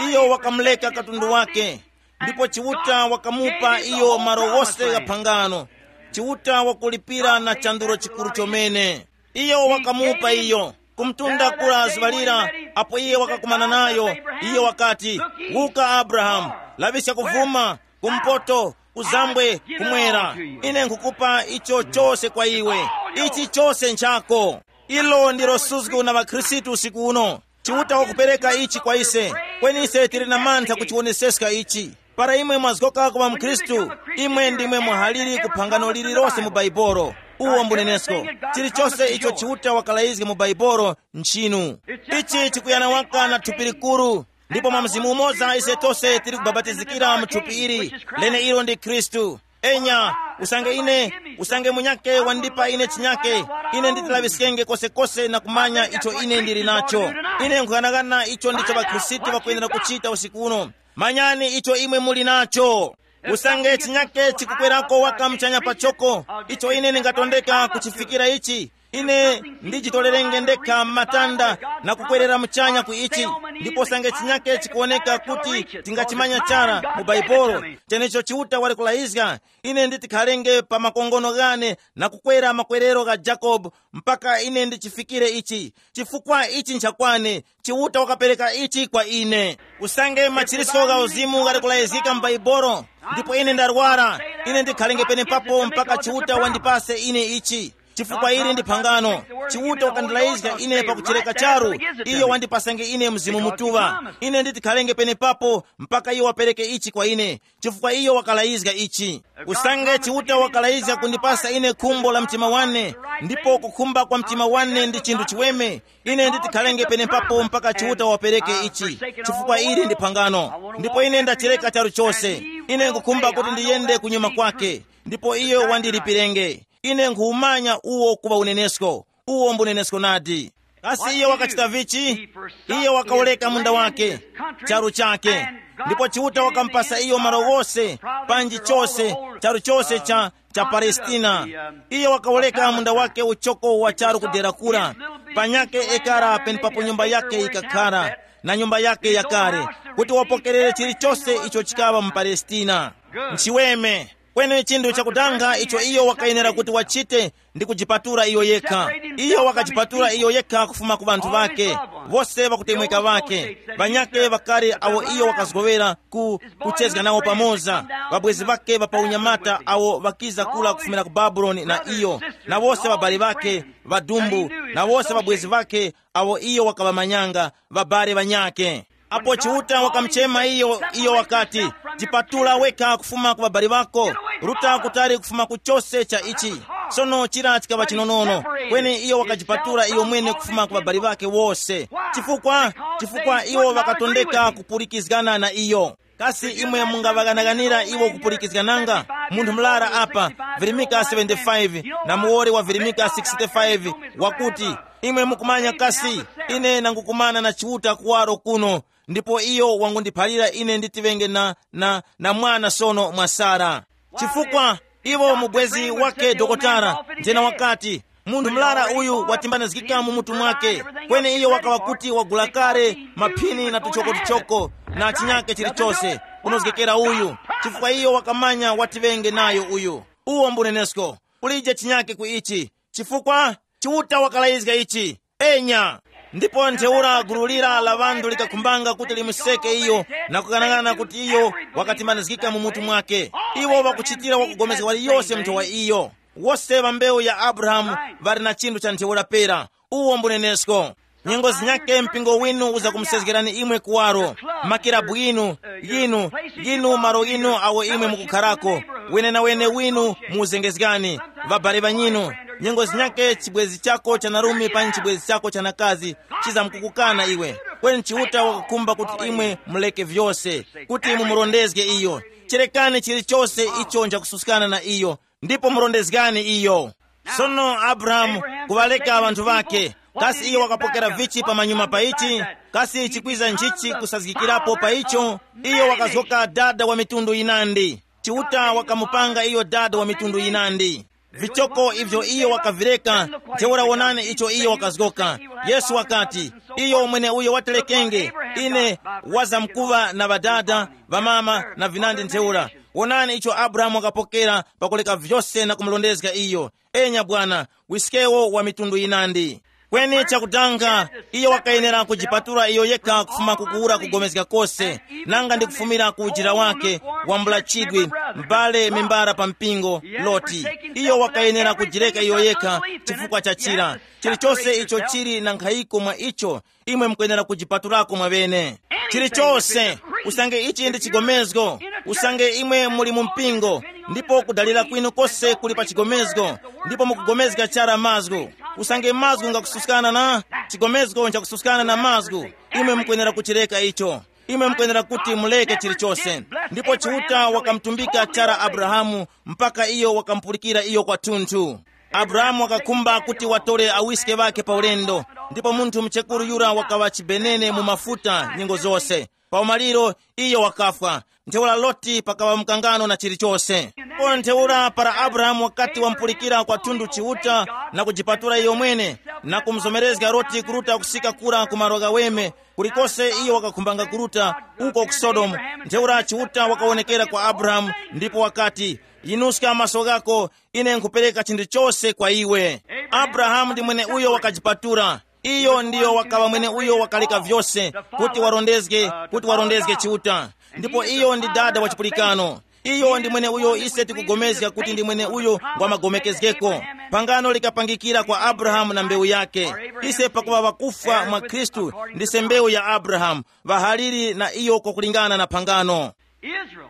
Iyo wakamuleka katundu wake, ndipo Chiuta wakamupa iyo malo wose gha phangano. Chiuta wakulipira na chandulo chikuru chomene. Iyo wakamupa iyo, kumtunda kura zuŵa lira, apo iye wakakumana nayo, iyo wakati, "Wuka Abrahamu, laŵiska kuvuma, kumpoto, kuzambwe, kumwera. Ine nkhukupa icho chose kwa iwe. Ichi chose nchako." Ilo ndilo suzgo na ŵakhristu usiku uno. Chiuta wakupereka ichi kwa ise, kweni ise tili na mantha kuchiwoneseska ichi. Para imwe mwazgoka kuŵa mkhristu, imwe ndimwe muhaliri ku phangano lililose mu Baibolo. Uwo mbunenesko. Chilichose icho Chiuta wakalayizga mu Baibolo nchinu. Ichi chikuyana waka na thupi likuru. Ndipo mwa mzimu umoza ise tose tili kubapatizikira mu thupi ili, lene ilo ndi Khristu. Enya, usange ine, usange munyake wandipa ine chinyake, ine nditilaŵiskenge kosekose na kumanya icho ine ndili nacho. Ine nkughanagana icho ndicho ŵakhristu ŵakwenera kuchita usiku uno. Manyani icho imwe muli nacho. Usange chinyake chikukwerako waka muchanya pachoko, icho ine ndingatondeka kuchifikira ichi, ine ndijitolerenge ndekha m'matanda na kukwerera muchanya ku ichi, ndipo usange chinyake chikuwoneka kuti tingachimanya chara mu Baibolo, chenecho Chiuta wali kulayizga, ine nditikhalenge pa makongono ghane na kukwera makwerero gha Jakobe mpaka ine ndichifikire ichi, chifukwa ichi nchakwane. Chiuta wakapereka ichi kwa ine. Usange machiriso gha uzimu ghali kulayizgika mu Baibolo, ndipo ine ndarwara, ine ndikhalenge penepapo mpaka Chiuta wandipase ine ichi. Chifukwa ili ndi phangano. Chiuta wakandilayizga ine pakuchereka charu, iyo wandipasange ine Mzimu Mutuŵa. Ine nditi khalenge penepapo mpaka iyo wapereke ichi kwa ine, chifukwa iyo wakalayizga ichi. Usange Chiuta wakalayizga kundipasa ine khumbo la mtima wane, ndipo kukhumba kwa mtima wane ndi chinthu chiweme, ine nditi khalenge penepapo mpaka Chiuta wapereke ichi, chifukwa ili ndi phangano. Ndipo ine ndachereka charu chose. Ine nkukhumba kuti ndiyende kunyuma kwake, ndipo iyo wandilipirenge. Ine nkhuwumanya uwo kuŵa unenesko. Uwo mbunenesko nadi. Kasi iyo wakachita vichi? Iyo wakawoleka munda wake, charu chake, ndipo Chiuta wakamupasa iyo malo ghose, panji chose, charu chose cha cha Palestina. Iyo wakawoleka munda wake uchoko wa charu kudera kura, panyake ekara penepapo nyumba yake yikakhara, na nyumba yake yakale, kuti wapokerere chilichose icho chikaŵa mu Palestina. Nchiweme. Kweni chinthu chakudanga icho iyo wakayenera kuti wachite ndi kujipatula iyo yekha. Iyo wakajipatula iyo yekha kufuma ku ŵanthu ake, wose ŵakutemweka ŵake, ŵanyakhe ŵakale awo iyo wakazgowera ku kuchezga nawo pamoza, ŵabwezi ŵake ŵa pa unyamata awo ŵakiza kula kufumira ku Babuloni na iyo, na wose ŵabali ŵake, ŵadumbu, na wose ŵabwezi ŵake awo iyo wakaŵamanyanga, ŵabale ŵanyakhe. Apo Chiuta wakamuchema iyo, iyo wakati, "Jipatula wekha kufuma ku ŵabali ŵako, ruta kutali kufuma ku chose cha ichi." Sono chira chikaŵa chinonono, kweni iyo wakajipatula iyo mwene kufuma ku ŵabali ŵake wose. Chifukwa? Chifukwa iwo ŵakatondeka kupulikizgana na iyo. Kasi imwe mungaŵaghanaghanira iwo kupulikizgananga? Munthu murara apa, virimika seventy-five, na muwoli wa virimika sixty-five, wakuti, "Imwe mukumanya kasi, ine nangukumana na Chiuta kuwaro kuno, ndipo iyo wangundiphalira ine nditiŵenge na, na, na mwana sono mwa Sara." Chifukwa iwo mubwezi wake dokotala, njena wakati, "Munthu murara uyu watimbanizgika mu mutu mwake, kweni iyo wakaŵa kuti wagula kale maphini na tuchokotuchoko na chinyake chilichose, Kunozgekera uyu, chifukwa iyo wakamanya wati ŵenge nayo uyu. Uwo mbunenesko. Kulije chinyake ku ichi, chifukwa Chiuta wakalayizga ichi. Enya. Ndipo ntheura gulu lira la ŵanthu likakhumbanga kuti limuseke iyo, na kukanang'ana kuti iyo wakatimanizgika mu mutu mwake. Iwo wakuchitira wakugomezga waliyose munthu wa iyo. Wose ŵa mbewu ya Abrahamu ŵali na chinthu cha ntheura pera. Uwo mbunenesko. Nyengo zinyake mpingo winu uzakumusezgerani imwe kuwaro. Makirabu inu, yinu, yinu malo inu awo imwe mukukharako, wenenawene winu muuzengezgani, ŵabale ŵanyinu. Nyengo zinyake chibwezi chako cha narume panyi chibwezi chako cha nakazi chizamkukukana iwe. Kweni Chiuta wakakhumba kuti imwe muleke vyose, kuti mumurondezge iyo. Cherekani chilichose icho nchakususkana na iyo, ndipo murondezgani iyo. Sono Abrahamu kuŵaleka ŵanthu ŵakhe, kasi iyo wakapokera vichi pamanyuma pa ichi? Kasi chikwiza nchichi kusazgikirapo pa icho? Iyo wakazgoka dada wa mitundu yinandi. Chiuta wakamupanga iyo dada wa mitundu yinandi. Vichoko ivyo iyo wakavireka, ntheura wonani icho iyo wakazgoka. Yesu wakati, iyo mwene uyo waterekenge, ine wazamkuva na ŵadada, ŵamama na vinandi ntheura. Wonani icho Abrahamu wakapokera pakuleka vyose na kumulondezga iyo. Enya bwana, wiskewo wa mitundu yinandi. Kweni chakudanga, iyo wakayenera kujipatula iyo yekha kufuma kukuwura kugomezga kose, nanga ndi kufumira ku ujira wake wambula chidwi, m'bale membara pa mpingo, Loti. Iyo wakayenera kujireka iyo yekha chifukwa cha chira. Chilichose icho chili na nkhayiko mwa icho, imwe mukwenera kujipatulako mwaŵene. Chilichose, usange ichi ndi chigomezgo, usange imwe muli mu mpingo, ndipo kudalira kwinu kose kuli pa chigomezgo, ndipo mukugomezga chara mazgu, usange mazgu ngakususkana na chigomezgo nchakususkana na mazgu, imwe mukwenera kuchireka icho. Imwe mukwenera kuti muleke chilichose. Ndipo Chiuta wakamutumbika chara Abrahamu, mpaka iyo wakamupulikira iyo kwathunthu. Abrahamu wakakhumba kuti watore awiske ŵakhe pa ulendo, ndipo munthu muchekuru yura wakaŵa chibenene mu mafuta nyengo zose. Pa umaliro, iyo wakafwa. Ntheura Loti pakaŵa mkangano na chilichose. Kona ntheura para Abrahamu wakati wampulikira kwathunthu Chiuta na kujipatula iyo mwene, na kumuzomerezga Loti kuruta kusika kura ku malo ghaweme, kulikose iyo wakakhumbanga kuruta, uko ku Sodomu, ntheura Chiuta wakawonekera kwa Abrahamu, ndipo wakati, yinuska maso ghako, ine nkhupereka chinthu chose kwa iwe. Abrahamu ndi mwene uyo wakajipatula. Iyo ndiyo wakaŵa mwene uyo wakaleka vyose, kuti warondezge, kuti warondezge Chiuta. Ndipo iyo ndi dada wa chipulikano. Iyo ndi mwene uyo ise tikugomezga kuti ndi mwene uyo ngwa magomekezgeko. Phangano likapangikira kwa Abrahamu na mbewu yake. Ise pakuŵa ŵakufwa mwa Khristu, ndise mbewu ya Abrahamu, ŵahaliri na iyo kwakulingana na phangano. Israel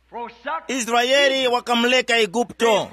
forsook Israeli wakamuleka Eguputo.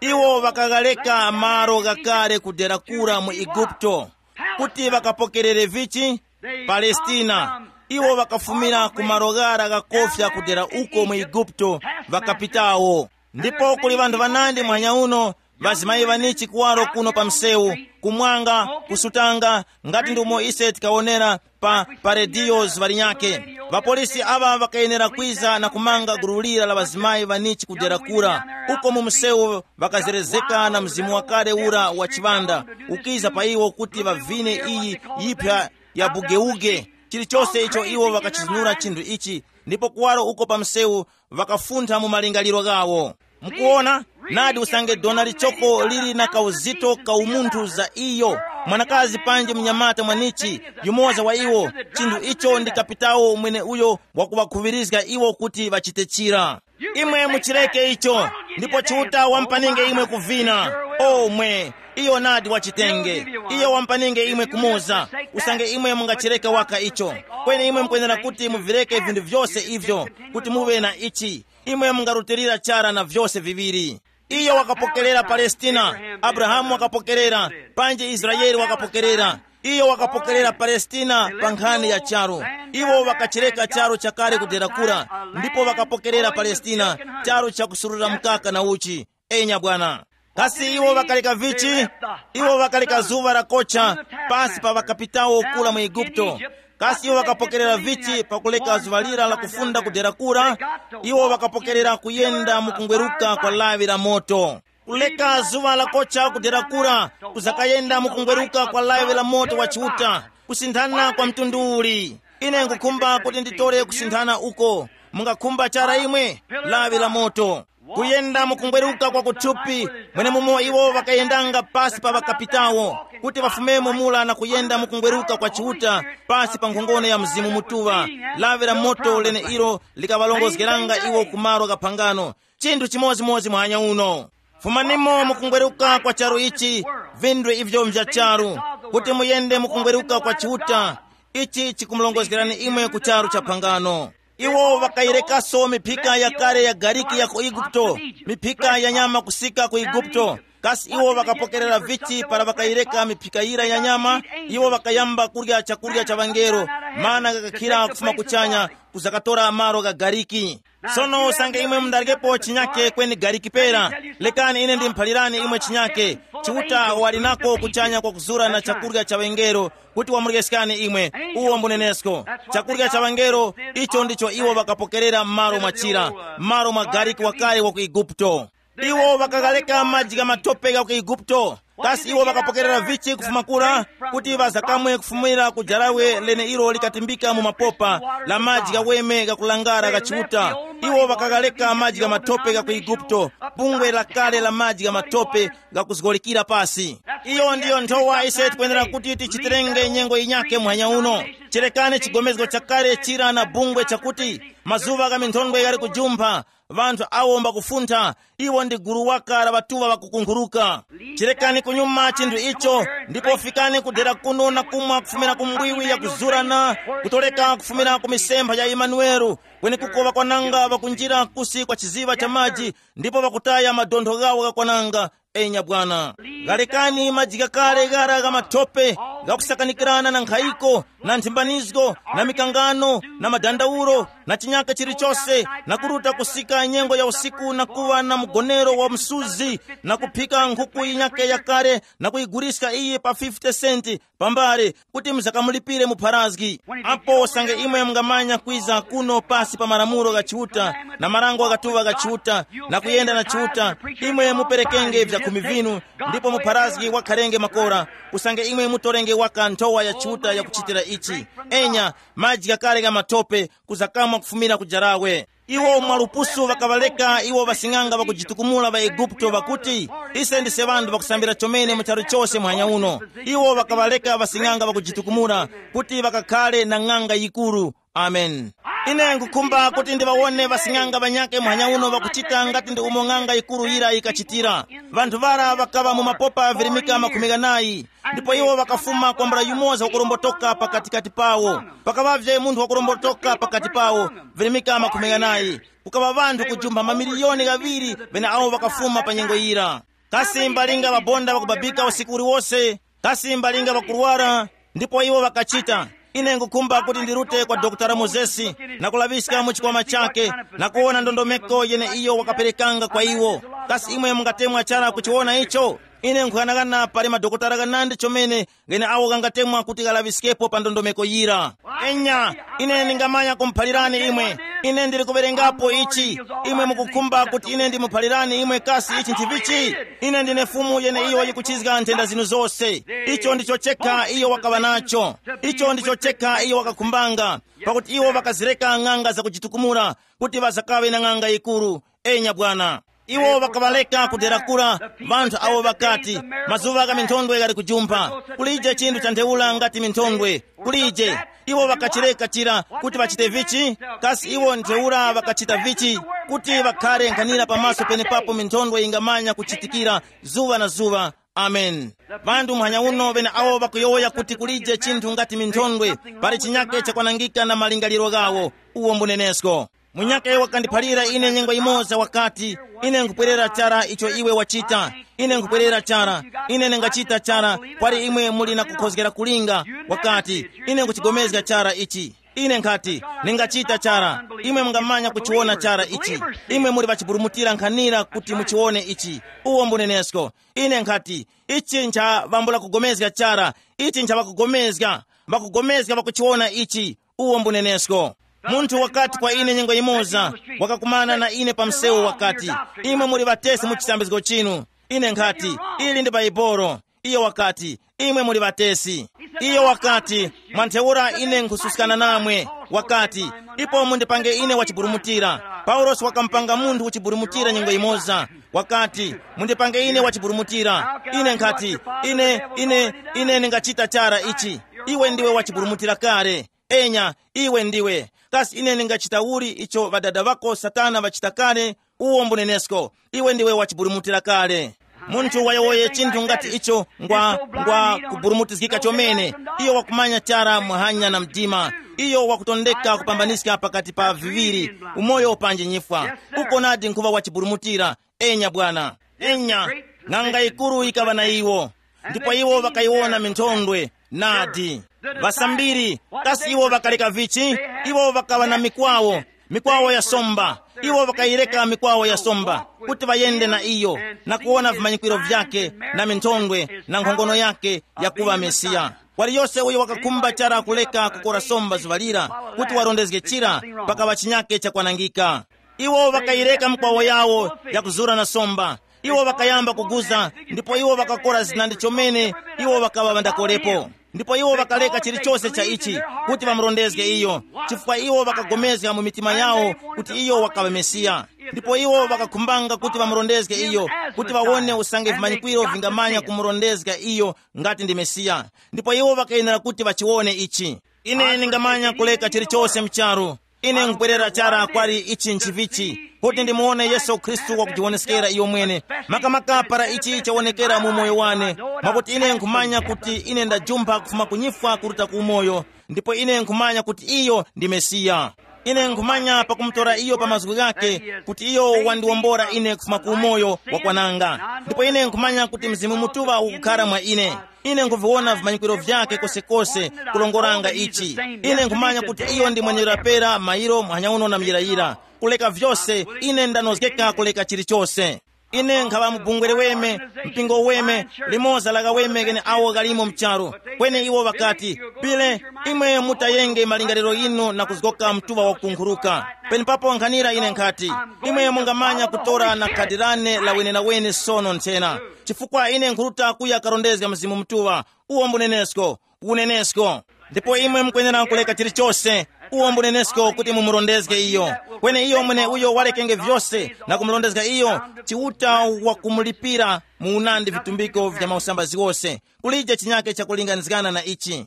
Iwo ŵakaghaleka malo ghakale kudera kura mu Eguputo, kuti ŵakapokerere vichi? Palestina. Iwo ŵakafumira ku malo ghara ghakofya kudera uko mu Eguputo, ŵakapitawo. Ndipo kuli ŵanthu ŵanandi muhanya uno, ŵazimayi ŵanichi kuwaro kuno pa msewu, kumwanga, kusutanga, ngati ndi umo ise tikawonera pa, pa rediyo zuŵa linyakhe. Ŵapolisi aŵa ŵakayenera kwiza na kumanga gulu lira la ŵazimayi ŵanichi kudera kura. Uko mu msewu ŵakazerezeka na mzimu wakale ura wa chiŵanda, ukiza pa iwo kuti ŵavine iyi yiphya ya bugeuge. Chilichose icho iwo ŵakachizunura chinthu ichi, ndipo kuwaro uko pa msewu ŵakafuntha mu malingaliro ghawo. Mukuona, nadi usange dona lichoko lili na kauzito ka umunthu za iyo, mwanakazi panji mnyamata mwanichi, yumoza wa iwo, chinthu icho ndi kapitawo mwene uyo wakuvakhuŵirizga iwo kuti ŵachite chira. Imwe muchireke icho, ndipo Chiuta wampaninge imwe kuvina. Omwe, iyo nadi wachitenge. Iyo wampaninge imwe kumoza, usange imwe mungachireke waka icho. Kweni imwe mukwenera kuti muvireke vinthu vyose ivyo, kuti muve na ichi. Imwe mungarutilira chara na vyose viŵiri. Iyo wakapokerera Palestina, Abrahamu wakapokerera, panji Israeli wakapokerera. Iyo wakapokerera Palestina pa nkhani ya charu. Iwo ŵakachireka charu chakale kudera kura, ndipo ŵakapokerera Palestina, charu chakusurura mkaka na uchi. Enya bwana. Kasi iwo ŵakaleka vichi? Iwo ŵakaleka zuŵa lakocha pasi pa ŵakapitawo kura mu Eguputo. Kasi iwo ŵakapokerera vichi pakuleka zuŵa lira la kufunda kudera kura? Iwo ŵakapokerera kuyenda mu kungweruka kwa lawi la moto. Kuleka zuŵa lakocha kudera kura, kuzakayenda mu kungweruka kwa lawi la moto wa Chiuta. Kusinthana kwa mtundu uli? Ine nkukhumba kuti nditore kusinthana uko. Mungakhumba chara imwe? Lawi la moto. Kuyenda mukungweruka kwa kuthupi, mwenemumo iwo ŵakayendanga pasi pa ŵakapitawo, kuti ŵafumemo mura na kuyenda mukungweruka kwa Chiuta, pasi pa nkhongono ya Mzimu Mutuŵa. Lawi la moto lene ilo likaŵalongozgeranga iwo ku malo gha phangano. Chinthu chimodzimodzi muhanya uno. Fumanimo mukungweruka kwa charu ichi, vindwe ivyo mvya charu, kuti muyende mukungweruka kwa Chiuta. Ichi chikumulongozgerani imwe ku charu cha phangano. Iwo ŵakayirekaso miphika yakale ya gariki ya ku Eguputo, miphika ya nyama kusika ku Eguputo. Kasi iwo ŵakapokerera vichi para ŵakayireka miphika yira ya nyama? Iwo ŵakayamba kurya chakurya cha ŵangelo, mana gakakhira kufuma kuchanya, kuzakatora malo gha gariki. Sono usange imwe mundaryepo chinyake kweni gariki pera, lekani ine ndimuphalirani imwe chinyake. Chiuta wali nako kuchanya kwa kuzura na chakurya cha ŵangelo, kuti wamuryeskani imwe. Uwo mbunenesko. Chakurya cha ŵangelo, icho ndicho iwo ŵakapokerera m'malo mwa chira, m'malo mwa gariki wakale wa ku Eguputo. Iwo ŵakaghaleka maji gha matope gha ku Eguputo. Kasi iwo ŵakapokerera vichi kufuma kura, kuti ŵazakamwe kufumira ku jarawe lene ilo likatimbika mu mapopa, la maji ghaweme ghakulangara gha Chiuta? Iwo ŵakaghaleka maji gha matope gha ku Eguputo, bungwe lakale la maji gha matope, gakuzgolikira pasi. Iyo ndiyo nthowa ise tikwenera kuti tichitirenge nyengo yinyake muhanya uno. Cherekani chigomezgo chakale chira na bungwe chakuti, mazuŵa gha minthondwe ghali kujumpha, ŵanthu awo mbakufuntha, iwo ndi gulu waka la ŵatuŵa ŵakukunkhuruka. Chirekani kunyuma chinthu icho, ndipo fikani kudera kuno na kumwa kufumira ku mbwiwi yakuzurana, kutoleka kufumira ku misempha ya Imanueli, kwenekuko ŵakwananga ŵakunjira kusi kwa chiziŵa cha maji, ndipo ŵakutaya madontho ghawo ghakwananga. Enya bwana, ghalekani maji ghakale ghara gha mathope, ghakusakanikirana na nkhayiko, na nthimbanizgo, na mikangano, na madandaulo, na chinyaka chilichose, na kuruta kusika nyengo ya usiku na kuŵa na mugonero wa msuzi, na kuphika nkhuku yinyake yakale na kuyiguliska iyi pa fifty senti pambale, kuti muzakamulipire mupharazgi. Apo usange imwe mungamanya kwiza kuno pasi pa malamulo gha Chiuta, na marango ghatuŵa gha Chiuta, na kuyenda na Chiuta, imwe muperekenge vyakhumi vinu, ndipo mupharazgi wakharenge makora. Usange imwe mutorenge waka nthowa ya Chiuta yakuchitira ichi. Enya, maji ghakale gha mathope, kuzakamwa kufumira ku jarawe. Iwo mwalupusu ŵakaŵaleka iwo ŵasing'anga ŵakujitukumula ŵa Eguputo ŵakuti, ise ndise ŵanthu ŵakusambira chomene mu charu chose muhanya uno. Iwo ŵakaŵaleka ŵasing'anga ŵakujitukumula, kuti ŵakakhale na ng'anga yikuru. Amen. Ine nkhukhumba kuti ndiŵawone ŵasing'anga ŵanyakhe muhanya uno ŵakuchita ngati ndi umo ng'anga yikuru yira yikachitira. Ŵanthu ŵara ŵakaŵa mu mapopa virimika makhumi ghanayi, ndipo iwo ŵakafuma kwambula yumoza wakurombotoka pakatikati pawo. Pakaŵavye munthu wakurombotoka pakati pawo, virimika makhumi ghanayi. Kukaŵa ŵanthu kujumpha mamiliyoni ghaŵiri ŵeneawo ŵakafuma pa nyengo yira. Kasi mbalinga ŵabonda ŵakubabika usiku uliwose? Kasi mbalinga ŵakurwara? Ndipo iwo ŵakachita. Ine nkukhumba kuti ndirute kwa Dokotala Mozesi, na kulaŵiska mu chikwama chakhe, na kuwona ndondomeko yene iyo wakaperekanga kwa iwo. Kasi imwe mungatemwa chara kuchiwona icho? Ine nkhughanaghana pali madokotala ghanandi chomene gheneawo ghangatemwa kuti ghalaŵiskepo pa ndondomeko yira. Enya, ine ndingamanya kumuphalirani imwe. Ine ndili kuwerengapo ichi. Imwe mukukhumba kuti ine ndimuphalirani imwe kasi ichi nchivichi? Ine ndine Fumu yeneiyo yikuchizga nthenda zinu zose. Icho ndicho chekha iyo wakaŵa nacho. Icho ndicho chekha iyo wakakhumbanga, pakuti iwo ŵakazireka ng'anga zakujitukumula, kuti ŵazakaŵe na ng'anga yikuru. Enya bwana. Iwo ŵakaŵaleka kudera kura, ŵanthu awo ŵakati, mazuŵa gha minthondwe ghali kujumpha. Kulije chinthu cha ntheura ngati minthondwe. Kulije. Iwo ŵakachireka chira kuti ŵachite vichi? Kasi iwo ntheura ŵakachita vichi? Kuti ŵakhare nkhanira pamaso penepapo minthondwe yingamanya kuchitikira zuŵa na zuŵa. Amen. Ŵanthu muhanya uno ŵeneawo ŵakuyowoya kuti kulije chinthu ngati minthondwe, pali chinyake chakwanangika na malingaliro ghawo. Uwo mbunenesko. Munyakhe wakandiphalira ine nyengo yimoza wakati, ine nkupwerera chara icho iwe wachita. Ine nkupwerera chara. Ine ningachita chara. Kwali imwe muli na kukhozgera kulinga. Wakati, ine nkuchigomezga chara ichi. Ine nkhati, ningachita chara. Imwe mungamanya kuchiwona chara ichi. Imwe muli ŵachiburumutira nkhanira kuti muchiwone ichi. Uwo mbunenesko. Ine nkhati, ichi ncha ŵambula kugomezga chara. Ichi ncha ŵakugomezga. Ŵakugomezga ŵakuchiwona ichi. Uwo mbunenesko. Munthu wakati kwa ine nyengo yimoza, wakakumana na ine pa msewu wakati, imwe muli ŵatesi mu chisambizgo chinu. Ine nkhati, ili ndi Baibolo. Iyo wakati, imwe muli ŵatesi. Iyo wakati, Mwa ntheura ine nkhususkana namwe. Wakati, ipo mundipange ine wachiburumutira. Paulosi wakamupanga munthu wachiburumutira nyengo imoza. Wakati, mundipange ine wachiburumutira. Ine nkhati, ine ine ine ndingachita chara ichi. Iwe ndiwe wachiburumutira kale. Enya, iwe ndiwe. Kasi ine ndingachita uli icho ŵadada ŵako Satana ŵachita kale? Uwo mbunenesko. Iwe ndiwe wachiburumutira kale. Munthu wayowoye chinthu ngati icho ngwa ngwa kuburumutizgika chomene. Iyo wakumanya chara muhanya na mdima. Iyo wakutondeka kupambaniska pakati pa viŵiri, umoyo panji nyifwa. Uko nadi nkhuŵa wachiburumutira. Enya bwana. Enya. Ng'anga yikuru yikaŵa na iwo, ndipo iwo ŵakayiwona minthondwe. Nadi. Ŵasambiri, kasi iwo ŵakaleka vichi? Iwo ŵakaŵa na mikwawo, mikwawo ya somba. Iwo ŵakayireka mikwawo ya somba kuti ŵayende na iyo, na kuwona vimanyikiro vyake, na minthondwe, na nkhongono yake yakuŵa Mesiya. Waliyose uyo wakakhumba chara kuleka kukora somba zuŵa lira, kuti warondezge chira, pakaŵa chinyake chakwanangika. Iwo ŵakayireka mkwawo yawo yakuzura na somba. Iwo ŵakayamba kuguza, ndipo iwo ŵakakora zina ndi chomene. Iwo ŵakaŵa ŵandakorepo. Ndipo iwo ŵakaleka chilichose cha ichi kuti ŵamurondezge iyo, chifukwa iwo ŵakagomezga mu mitima yawo kuti iyo wakaŵa Mesiya. Ndipo iwo ŵakakhumbanga kuti ŵamurondezge iyo, kuti ŵawone usange vimanyikwiro vingamanya kumurondezga iyo ngati ndi Mesiya. Ndipo iwo ŵakayenera kuti ŵachiwone ichi. Ine ndingamanya kuleka chilichose mcharu. Ine nkubwerera chara kwali ichi nchivichi, kuti ndimuwone Yesu Khristu wakujiwoneskera iyo mwene. Makamaka para ichi chawonekera mu umoyo wane, mwakuti ine nkhumanya kuti ine ndajumpha kufuma ku nyifwa kuruta ku umoyo, ndipo ine nkhumanya kuti iyo ndi Mesiya. Ine nkhumanya pakumutora iyo pa mazgu ghake, kuti iyo wandiwombora ine kufuma ku umoyo wakwananga. Ndipo ine nkhumanya kuti Mzimu Mutuŵa ukukhara mwa ine. Ine nkhuviwona vimanyikwiro vyake kosekose, kulongoranga ichi. Ine nkhumanya kuti iyo ndi mwenye lapera, mayiro, muhanya uno na muyirayira. Kuleka vyose, ine ndanozgeka kuleka chilichose. Ine nkhaŵa mubungwe liweme, mpingo uweme, limoza la ghaweme ghene awo ghalimo mcharu. Kweni iwo ŵakati, pile, imwe mutayenge malingaliro yinu na kuzgoka mtuŵa wakukunkhuruka. Penepapo nkhanira ine nkhati, imwe mungamanya kutora na khadi lane la wenenawene sono nthena, chifukwa ine nkhuruta kuya karondezga Mzimu Mutuŵa. Uwo mbunenesko, unenesko. Ndipo imwe mukwenera kuleka chilichose, uwo mbunenesko kuti mumurondezge iyo. Kweni iyo mwene uyo walekenge vyose na kumurondezga iyo, Chiuta wakumulipira mu unandi vitumbiko vya mausambazi wose. Kulije chinyake chakulinganizgana na ichi.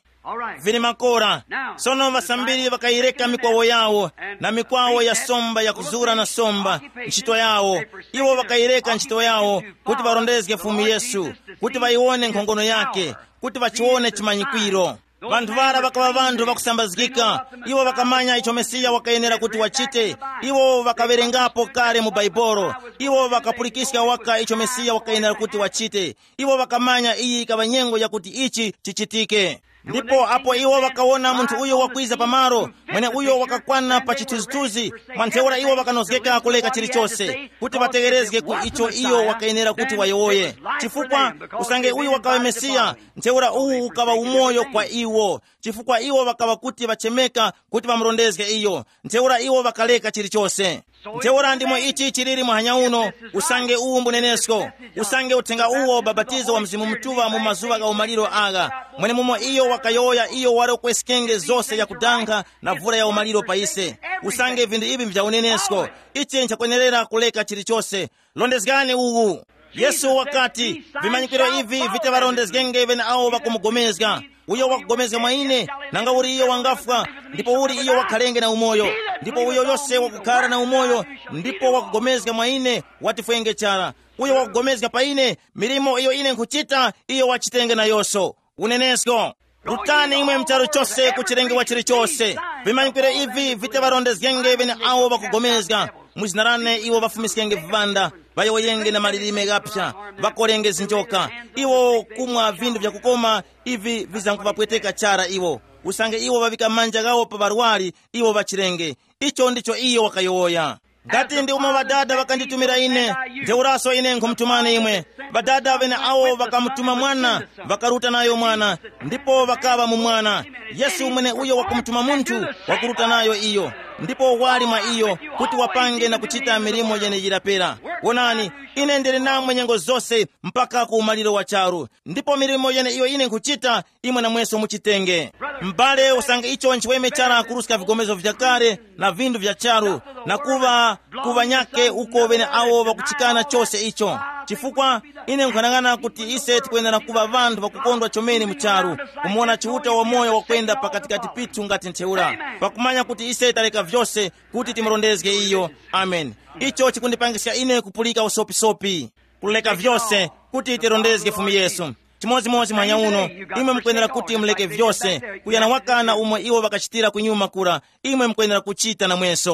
Vili makora. Sono ŵasambiri ŵakayireka mikwawo yawo, na mikwawo ya somba yakuzura na somba, ntchito yawo. Iwo ŵakayireka ntchito yawo kuti ŵarondezge Fumu Yesu, kuti ŵayiwone nkhongono yake, kuti ŵachiwone chimanyikwiro. Vanthu ŵara ŵakaŵa vanthu ŵakusambazgika. Iwo ŵakamanya icho Mesiya wakayenera kuti wachite. Iwo ŵakawerengapo kale mu Baibolo. Iwo ŵakapulikiska waka icho Mesiya wakayenera kuti wachite. Iwo ŵakamanya iyi ikaŵa nyengo yakuti ichi chichitike. Ndipo apo iwo ŵakawona munthu uyo wakwiza pamalo, mwene uyo wakakwana pa chithunzithunzi, mwa ntheura iwo ŵakanozgeka kuleka chilichose kuti ŵategherezge ku icho iyo wakayenera kuti wayowoye. Chifukwa usange uyu wakaŵa Mesiya, ntheura uwu ukaŵa umoyo kwa iwo, chifukwa iwo ŵakaŵa kuti ŵachemeka kuti ŵamurondezge iyo. Ntheura iwo ŵakaleka chilichose. Ntheura ndimo ichi chiliri muhanya uno. Usange uwu mbunenesko, usange uthenga uwo babatizo wa Mzimu Mutuŵa mu mazuŵa gha umaliro agha, mwenemumo iyo wakayowoya iyo wali ukweskenge zose yakudankha na vula ya umaliro pa ise. Usange vinthu ivi mvyanenesko, ichi nchakwenerera kuleka chilichose. Londezgani uwu. Yesu wakati, vimanyikiro ivi viti ŵarondezgenge ŵeneawo ŵakumugomezga. Uyo wakugomezga mwa ine, nanga uli iyo wangafwa, ndipo uli iyo wakhalenge na umoyo. Ndipo uyo yose wakukhara na umoyo, ndipo wakugomezga mwa ine, watifwenge chara. Uyo wakugomezga pa ine, milimo iyo ine nkhuchita, iyo wachitenge nayonso. Unenesko. Rutani imwe mcharu chose ku chilengewa chilichose. Vimanyikiro ivi viti ŵarondezgenge ŵeneawo ŵakugomezga. Mu zina lane iwo ŵafumiskenge viŵanda, ŵayowoyenge na malilime ghaphya, ŵakolenge zinjoka. Iwo kumwa vinthu vyakukoma, ivi vizamkuvapweteka chara iwo. Usange iwo ŵaŵika manja ghawo pa ŵarwari, iwo ŵachirenge. Icho ndicho iyo wakayowoya. Ngati ndi umo Ŵadada ŵakanditumira ine, ntheuraso ine nkhumutumani imwe. Ŵadada ŵeneawo ŵakamutuma Mwana, ŵakaruta nayo Mwana, ndipo ŵakaŵa mu Mwana. Yesu mwene uyo wakumutuma munthu, wakuruta nayo iyo. ndipo wali mwa iyo, kuti wapange na kuchita milimo yeneyira pera. Wonani, ine ndili namwe nyengo zose mpaka ku umaliro wa charu, ndipo milimo yeneiyo ine nkhuchita, imwe namweso muchitenge. M'bale, usange icho nchiweme chara kuruska vigomezo vya kale na vinthu vya charu, na kuŵa ku ŵanyakhe uko ŵeneawo ŵakuchikana chose icho. Chifukwa ine nkhanang'ana kuti ise tikwenera kuŵa ŵanthu ŵakukondwa chomene mu charu, kumona Chiuta wamoyo wakwenda pakatikati pithu ngati ntheura, pakumanya kuti ise taleka vyose kuti timurondezge iyo. Amen. Icho chikundipangiska ine kupulika usopisopi, kuleka vyose kuti tirondezge Fumu Yesu. Chimodzimodzi mwanya uno, imwe mukwenera kuti muleke vyose, kuyana wakana umwe iwo ŵakachitira kunyuma kura, imwe mukwenera kuchita namwenso.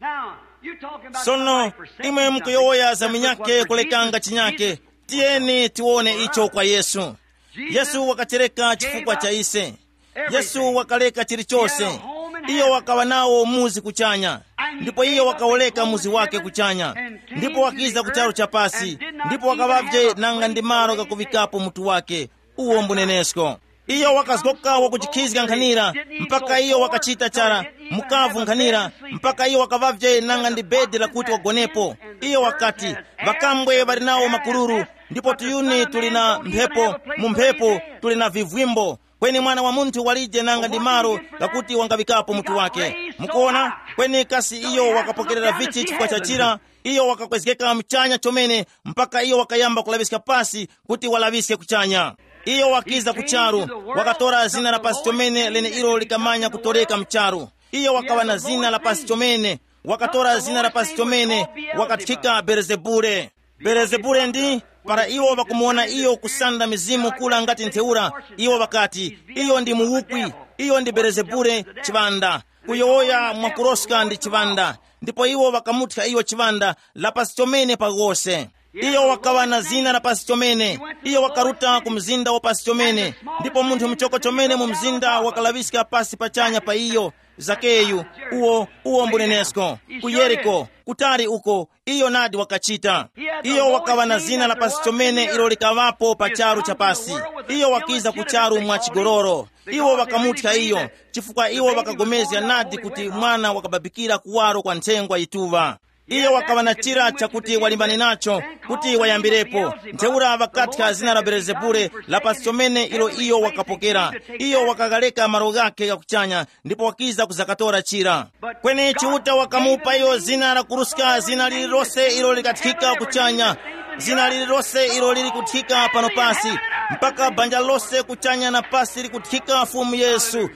Now, you talking about sono, somebody forsaking imwe something. Mukuyowoya za munyake kulekanga chinyake. Tiyeni tiwone icho kwa Yesu. Yesu wakatereka chifukwa cha ise. Yesu wakaleka chilichose. Iyo wakawa nawo muzi kuchanya, ndipo iyo wakawoleka muzi wake kuchanya, ndipo wakiza ku charu cha pasi, ndipo wakaŵavye nanga ndi malo gakuvikapo mutu wake. Uwo mbunenesko. Iyo wakazgoka wakuchikhizga nkhanira, mpaka iyo wakachita chara mukavu nkhanira, mpaka iyo wakaŵavye nanga ndi bedi lakuti wagonepo. Iyo wakati, ŵakambwe ŵali nawo makuluru, ndipo tuyuni tuli na mphepo, mu mphepo tuli na vivwimbo, kweni Mwana wa Munthu walije nanga ndi malo ghakuti wangaŵikapo mutu wake. Mukuona? Kweni kasi iyo wakapokerera vichi chifukwa cha chira? Iyo wakakwezgeka muchanya chomene, mpaka iyo wakayamba kulaŵiska pasi kuti walaŵiske kuchanya. Iyo wakiza ku charu, wakatora zina la pasi chomene lene ilo likamanya kutoreka mu charu. Iyo wakaŵa na zina la pasi chomene, wakatora zina la pasi chomene, wakathika Belezebule. Belezebule ndi, para iwo ŵakumuwona iyo kusanda mizimu kula ngati ntheura, iwo ŵakati, iyo ndi muwukwi, iyo ndi Belezebule chiŵanda, kuyowoya mwakuroska ndi chiŵanda. Ndipo iwo ŵakamuthya iyo chiŵanda la pasi chomene pa ghose. Iyo wakaŵa na zina la pasi chomene. Iyo wakaruta ku mzinda wa pasi chomene, ndipo munthu muchoko chomene mu mzinda wakalaŵiska pasi pachanya pa iyo. Zakeyu, uwo uwo mbunenesko, ku Yeriko, kutali uko, iyo nadi wakachita. Iyo wakaŵa na zina la pasi chomene ilo likaŵapo pa charu cha pasi. Iyo wakiza ku charu mwa chigololo. Iwo ŵakamuthya iyo, chifukwa iwo ŵakagomezga nadi kuti mwana wakababikira kuwaro kwa nthengwa yituŵa. Iyo wakaŵa na chira chakuti walimbane nacho, kuti wayambirepo. Ntheura ŵakathya zina la Belezebule la pasi chomene ilo iyo wakapokera. Iyo wakagaleka malo ghakhe ghakuchanya, ndipo wakiza kuzakatora chira. Kweni Chiuta wakamupa iyo zina la kuruska zina lililose ilo likathika kuchanya, zina lililose ilo lili kuthika pano pasi, mpaka banja lose kuchanya na pasi likuthika Fumu Yesu.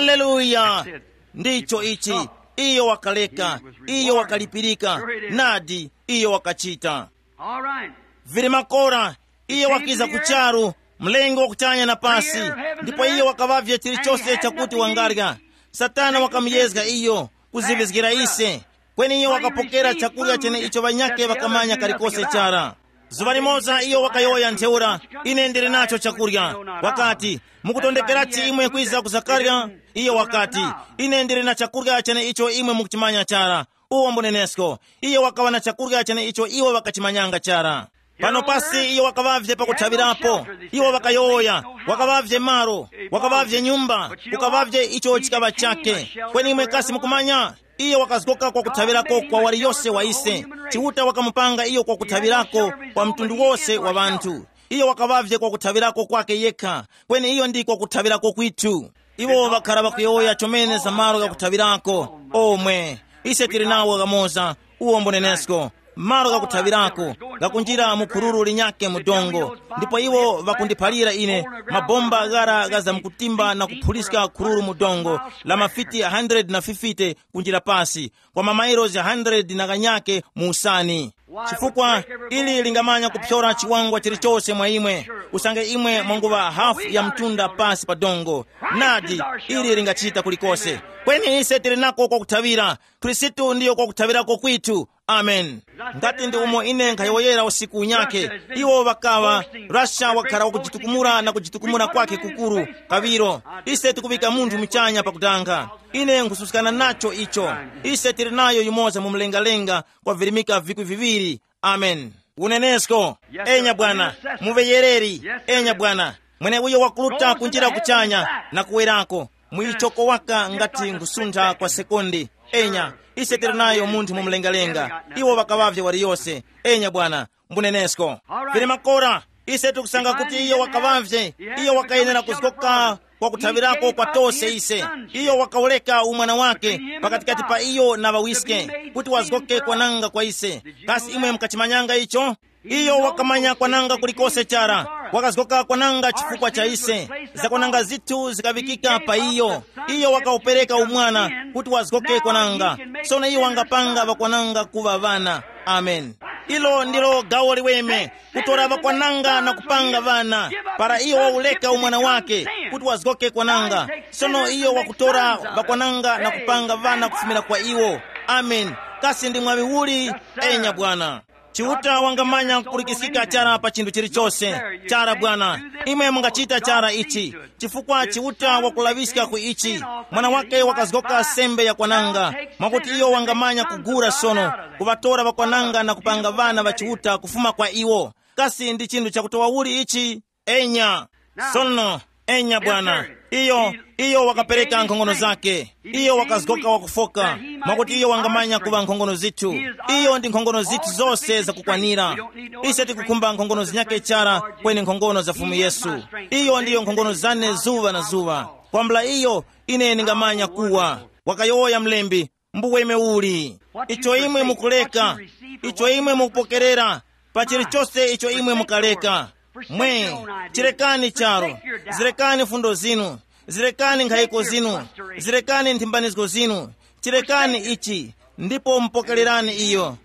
Haleluya! Ndicho ichi. Iyo wakaleka, iyo wakalipirika, nadi, iyo wakachita. All right. Vili makora, iye wakiza ku charu, mlengi wa kuchanya na pasi, ndipo iye wakaŵavye chilichose chakuti wangarya. Satana wakamuyezga iyo, kuziŵizgira ise. Kweni iye wakapokera chakurya chene icho ŵanyakhe ŵakamanya kalikose chara. Zuŵa limoza iyo wakayowoya ntheura, ine ndili nacho chakurya. Wakati, mukutondekerachi imwe kwiza kuzakarya? Iyo wakati, ine ndili na chakurya chene icho imwe mukuchimanya chara. Uwo mbunenesko, iyo wakaŵa na chakurya chene icho iwo ŵakachimanyanga chara. Pano pasi iyo wakaŵavye pakuthaŵirapo. Iwo ŵakayowoya, wakaŵavye malo, wakaŵavye nyumba, kukaŵavye icho chikaŵa chake. Kweni imwe kasi mukumanya? Iyo wakazgoka kwa kuthaŵirako kwa waliyose wa ise. Chiuta wakamupanga iyo kwa kuthaŵirako kwa mtundu wose wa ŵanthu. Iyo wakaŵavye kwa kuthaŵirako kwake yekha, kweni iyo ndiko kuthaŵirako kwithu. Iwo ŵakhara ŵakuyowoya chomene za malo ghakuthawirako. Omwe, ise tili nawo ghamoza, uwo mbunenesko, malo ghakuthawirako, ghakunjira mu phururu linyakhe mu dongo. Ndipo iwo ŵakundiphalira ine, mabomba ghara gha zamkutimba na kuphuliska khururu mu dongo la mafiti hundred na fifty kunjira pasi, kwa mamailosi hundred na ghanyakhe mu usani. Chifukwa ili lingamanya kuphyora chiwangwa chilichose mwa imwe, usange imwe mwanguŵa hafu ya mtunda pasi pa dongo. Nadi, ili lingachita kulikose. Kweni ise tili nako kwakuthawira. Khristu ndiyo kwakuthawirako kwithu. Amen. Ngati ndi umo ine nkhayowoyera usiku unyakhe, iwo ŵakaŵa, Russia wakhala wakujitukumula na kujitukumula kwakhe kukuru. Kaŵiro, ise tikuŵika munthu muchanya pakutanga. Ine nkhususkana nacho icho. Ise tili nayo yumoza mu mlengalenga kwa virimika vikwi viŵiri. Amen. Unenesko. Enya bwana. Muŵeyereri. Enya bwana. Mwene uyo wakuruta kunjira kuchanya na kuwerako, muyichoko waka ngati ngusuntha kwa sekondi. Enya, ise tili nayo munthu mu mlengalenga. Iwo ŵakaŵavye waliyose. Enya bwana, mbunenesko. Vili makora, ise tikusanga kuti iyo wakaŵavye. Iyo wakayenera kuzgoka kwa kuthaŵirako kwa tose ise. Iyo wakawuleka umwana wake pakatikati pa iyo na ŵawiske, kuti wazgoke kwananga kwa ise. Kasi imwe mukachimanyanga icho? Iyo wakamanya kwananga kulikose chara. Wakazgoka kwananga chifukwa cha ise. Zakwananga zithu zikaŵikika pa iyo. Iyo wakawupereka umwana kuti wazgoke kwananga. Sono iyo wangapanga ŵakwananga kuŵa ŵana. Amen. Ilo ndilo gawo liweme, kutora ŵakwananga na kupanga ŵana. Para iyo wawuleka umwana wake kuti wazgoke kwananga, sono iyo wakutora ŵakwananga na kupanga ŵana kufumira kwa iwo. Amen. Kasi ndi mwaŵi uli? Enya bwana. Chiuta wangamanya kupulikisika chara pa chinthu chilichose. Chara bwana, imwe mungachita chara ichi, chifukwa Chiuta wakulaŵiska ku ichi. Mwana wake wakazgoka sembe yakwananga, mwakuti iyo wangamanya kugura sono, kuŵatora ŵakwananga na kupanga ŵana ŵa Chiuta kufuma kwa iwo. Kasi ndi chinthu chakutowa uli ichi? Enya. Sono, enya bwana, iyo, iyo wakapereka nkhongono zake. Iyo wakazgoka wakufoka, mwakuti iyo wangamanya kuŵa nkhongono zithu. Iyo ndi nkhongono zithu zose zakukwanira. Ise tikukhumba nkhongono zinyake chara, kweni nkhongono za Fumu Yesu. Iyo ndiyo nkhongono zane zuŵa na zuŵa. Kwambula iyo, ine ndingamanya kuwa. Wakayowoya mlembi, mbuweme uli. Icho imwe mukuleka, icho imwe mukupokerera, pa chilichose icho imwe mukaleka. Mwe, chirekani charo, zirekani fundo zinu, zirekani nkhayiko zinu, zirekani nthimbanizgo zinu, chirekani ichi, ndipo mupokererani iyo,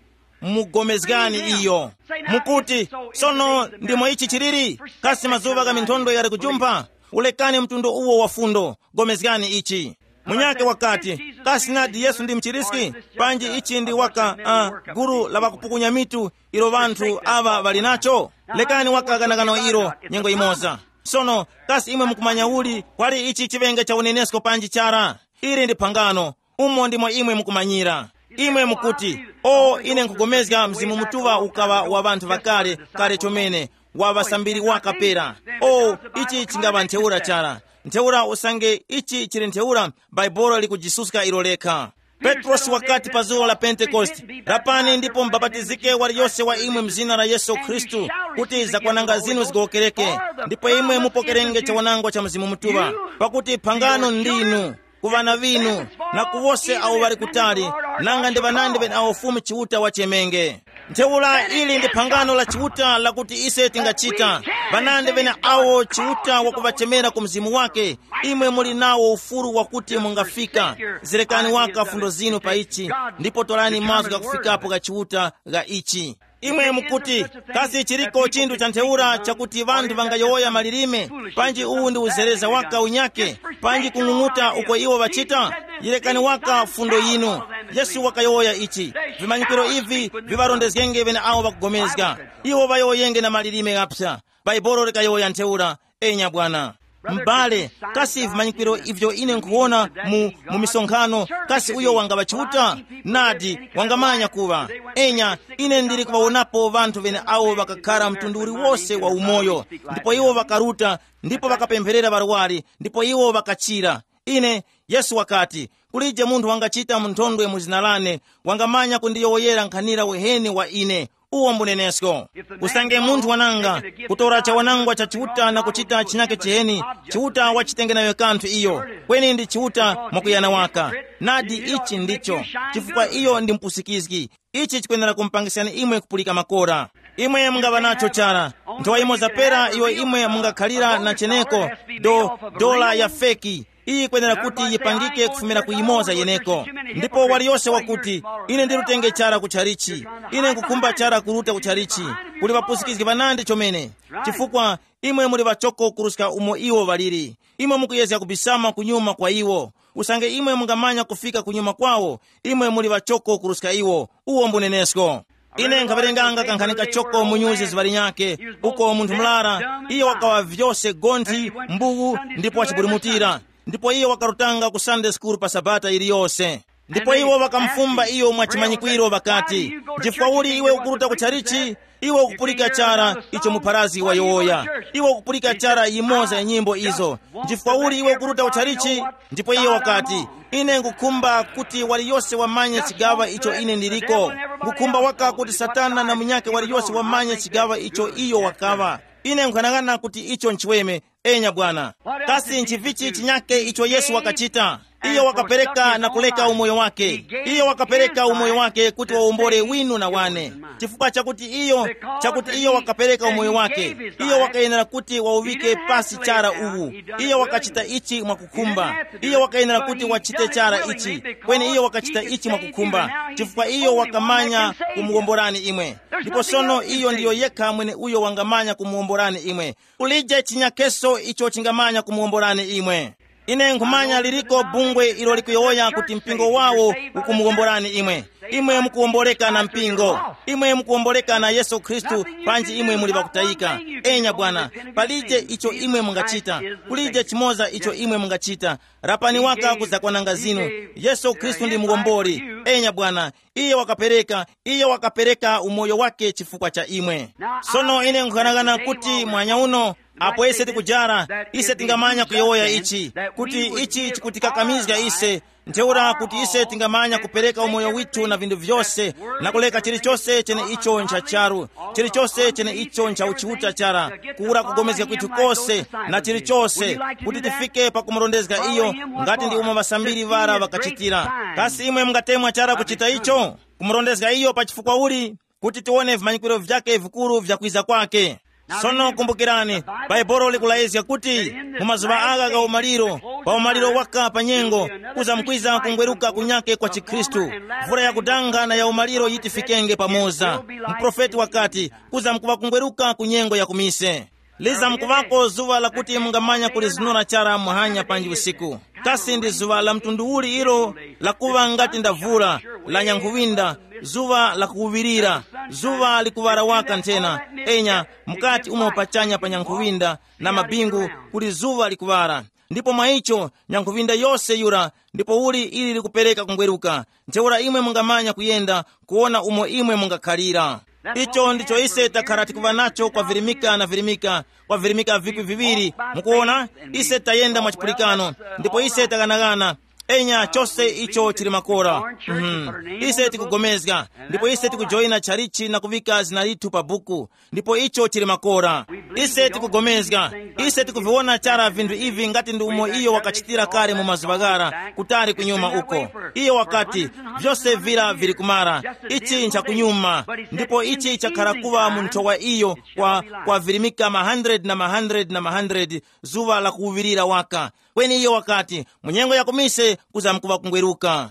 mugomezgani iyo. Mukuti, sono ndimo ichi chiliri? Kasi mazuŵa gha minthondo yali kujumpha? Ulekani mtundu uwo wa fundo, gomezgani ichi. Munyakhe wakati, kasi nadi Yesu ndi mchiriski? Panji ichi ndi waka uh, gulu la ŵakupukunya mitu ilo ŵanthu aŵa ŵali nacho? Lekani waka ganagano ilo nyengo imoza. Sono, kasi imwe mukumanya uli kwali ichi chiŵenge cha unenesko panji chara? Ili ndi phangano, umo ndimo imwe mukumanyira. Imwe mukuti, o ine nkugomezga Mzimu Mutuŵa ukaŵa wa ŵanthu ŵakale, kale chomene, wa ŵasambiri waka pera. O, ichi chingaŵa ntheura chara. Ntheura usange ichi chili ntheura, Bhaibuli likujisuska ilo lekha. Petrosi wakati pa zuwa la Pentekoste, lapani ndipo mubapatizike waliyose wa imwe mzina la Yesu Khristu, kuti zakwananga zinu zigowokereke, ndipo imwe mupokerenge chawanangwa cha Mzimu Mutuŵa, pakuti phangano ndinu ku ŵana ŵinu, na ku wose awo ŵali kutali, nanga ndi ŵanandi ŵeneawo Fumu Chiuta wachemenge. Ntheura ili ndi phangano la Chiuta lakuti ise tingachita. Ŵanandi ŵeneawo Chiuta wakuŵachemera ku mzimu wake, imwe muli nawo ufulu wakuti mungafika. Zirekani waka fundo zinu pa ichi, ndipo torani mazgu ghakufikapo gha Chiuta gha ichi. Imwe mukuti, kasi chiriko chinthu cha ntheura chakuti ŵanthu ŵangayowoya malilime? Panji uwu ndi uzereza waka unyake? Panji kung'ung'uta uko iwo ŵachita? Yerekani waka fundo yinu. Yesu wakayowoya ichi, vimanyikiro ivi viŵarondezgenge ŵeneawo ŵakugomezga. Iwo ŵayowoyenge na malilime ghaphya. Bhaibuli likayowoya ntheura. Enya bwana. M'bale, kasi vimanyikiro ivyo ine nkhuwona mu, mu misonkhano, kasi uyo wangaŵa Chiuta? Nadi, wangamanya kuŵa. Enya, ine ndili kuŵawonapo ŵanthu ŵeneawo ŵakakhara mtundu uliwose wa umoyo, ndipo iwo ŵakaruta, ndipo ŵakapempherera ŵarwari, ndipo iwo ŵakachira. Ine, Yesu wakati, kulije munthu wangachita mu nthondwe mu zina lane, wangamanya kundiyowoyera nkhanira uheni wa ine. Uwo mbunenesko. Usange munthu wananga kutora chawanangwa cha Chiuta na kuchita chinyake chiheni, Chiuta wachitenge nayo kanthu iyo, kweni ndi Chiuta mwakuyana waka. Nadi ichi ndicho, chifukwa iyo ndi mpusikizgi. Ichi chikwenera kumupangisani imwe kupulika makora. Imwe mungaŵa nacho chara nthowa imo zapera iyo imwe mungakhalira na cheneko do, dola ya feki. Iyi kwenera kuti yipangike kufumira ku yimoza yeneko. Ndipo waliyose wakuti, ine ndilutenge chara ku chalichi, ine nkukhumba chara kuruta ku chalichi, kuli ŵapusikizgi ŵanandi chomene. Chifukwa imwe muli ŵachoko kuruska umo iwo ŵaliri. Imwe mukuyezga kubisama kunyuma kwa iwo. Usange imwe mungamanya kufika kunyuma kwawo, imwe muli ŵachoko kuruska iwo. Uwo mbunenesko. Ine nkhawerenganga kankhani kachoko mu nyuzi ziŵali nyake, uko munthu murara, iye wakawa vyose gonthi, mbuwu, ndipo wachibulimutira. Ndipo iye wakarutanga ku Sunday school pa Sabata iliyose. Ndipo iwo ŵakamufumba iyo mwa chimanyikwiro ŵakati, "Nchifukwa uli iwe ukuruta ku chalichi? Iwe ukupulika chara icho mupharazi wayowoya. Iwe ukupulika chara yimoza ya nyimbo izo. Nchifukwa uli iwe ukuruta ku chalichi?" Ndipo iye wakati, "Ine ngukhumba kuti waliyose wamanye chigaŵa icho ine ndiliko. Ngukhumba waka kuti Satana na munyakhe waliyose wamanye chigaŵa icho iyo wakaŵa. Ine nkhanang'ana kuti icho nchiweme." Enya bwana. Kasi nchivichi chinyake icho Yesu wakachita? Iyo wakapereka na kuleka umoyo wake. Iyo wakapereka umoyo wake kuti wawombole winu na wane. Chifukwa chakuti iyo, chakuti iyo wakapereka umoyo wake, iyo wakayenera kuti wawuvike pasi chara uwu. Iyo wakachita ichi mwakukhumba. Iyo wakayenera kuti wachite chara ichi. Kweni iyo wakachita ichi mwakukhumba, chifukwa iyo wakamanya kumuwomborani imwe. Ndipo sono iyo ndiyo yekha mwene uyo wangamanya kumuwomborani imwe. Kulije chinyakeso icho chingamanya kumuwomborani imwe. Ine nkhumanya liliko bungwe ilo likuyowoya kuti mpingo wawo ukumuwomborani imwe. Imwe mukuwomboleka na mpingo. Imwe mukuwomboleka na Yesu Khristu. Panji imwe muli ŵakutayika. Enya bwana, palije icho imwe mungachita. Kulije chimoza icho imwe mungachita. Rapani waka kuzakwananga zinu. Yesu Khristu ndi muwomboli. Enya bwana, iye wakapereka, iye wakapereka umoyo wake chifukwa cha imwe. Sono ine nkhanang'ana kuti mwanya uno, apo ise tikujara, ise tingamanya kuyowoya ichi, kuti ichi chikutikakamizga ise, ntheura kuti ise tingamanya kupereka umoyo withu na vinthu vyose, na kuleka chilichose chene icho ncha charu, chilichose chene icho ncha uchiuta chara, kuwura kugomezga kwithu kose, na chilichose, kuti tifike pakumurondezga iyo, ngati ndi umo ŵasambiri ŵara ŵakachitira. Kasi imwe mungatemwa chara kuchita icho? Kumurondezga iyo pa chifukwa uli? Kuti tiwone vimanyikwiro vyake vikuru vya kwiza kwake. Sono kumbukirani, Bhaibuli likulayizga kuti mu mazuŵa agha gha umaliro, pa umaliro waka pa nyengo, kuzamkwiza kungweruka kunyake kwa chikhristu. Mvura yakudanga na ya umaliro yitifikenge pamoza. Muprofeti wakati, kuzamkuŵa kungweruka ku nyengo ya kumise. Lizamkuŵako zuŵa lakuti mungamanya kulizunura chara muhanya panji usiku. Kasi ndi zuŵa la mtundu uli ilo, lakuŵa ngati ndavula, la nyankhuŵinda, zuŵa lakuwuŵirira, zuŵa likuŵara waka nthena? Enya, mukati umo pachanya pa nyankhuŵinda na mabingu kuli zuŵa likuŵara. Ndipo mwa icho, nyankhuŵinda yose yura, ndipo uli ili likupereka kungweruka. Ntheura imwe mungamanya kuyenda, kuwona umo imwe mungakhalira. Icho ndicho ise takhara tikuŵa nacho kwa virimika na virimika, kwa virimika vikwi viŵiri. Mukuwona, ise tayenda mwa chipulikano, ndipo ise taghanaghana. Enya, chose icho chili makora. Mhm. Ise tikugomezga, ndipo ise tikujoyina chalichi na kuvika zina lithu pa buku, ndipo icho chili makora. Ise tikugomezga, ise tikuviwona chara vinthu ivi ngati ndi umo iyo wakachitira kale mu mazuŵa ghara kutali kunyuma uko. Iyo wakati, vyose vira vili kumara, ichi nchakunyuma. Ndipo ichi chakhala kuŵa mu nthowa iyo kwa, kwa virimika ma hundred na ma hundred na ma hundred, zuŵa la kuwuŵirira waka. Kweni iyo wakati, mu nyengo ya kumise kuzamkuŵa kungweruka.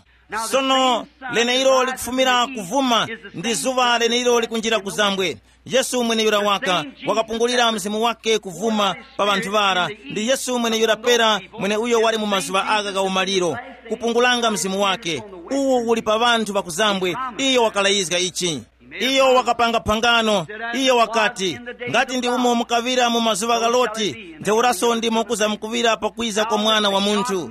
Sono, leneilo likufumira kuvuma, ndi zuŵa leneilo likunjira kuzambwe. Yesu mweneyura waka wakapungulira mzimu wake kuvuma pa ŵanthu ŵara. Ndi Yesu mweneyura pera, mwene uyo wali mu mazuŵa agha gha umaliro, kupungulanga mzimu wake. Uwu uli pa ŵanthu ŵakuzambwe. Iyo wakalayizga ichi. Iyo wakapanga phangano. Iyo wakati, ngati ndi umo mukaŵira mu mazuŵa gha Loti, ntheuraso ndimo kuza mukuŵira pakwiza kwa Mwana wa Munthu.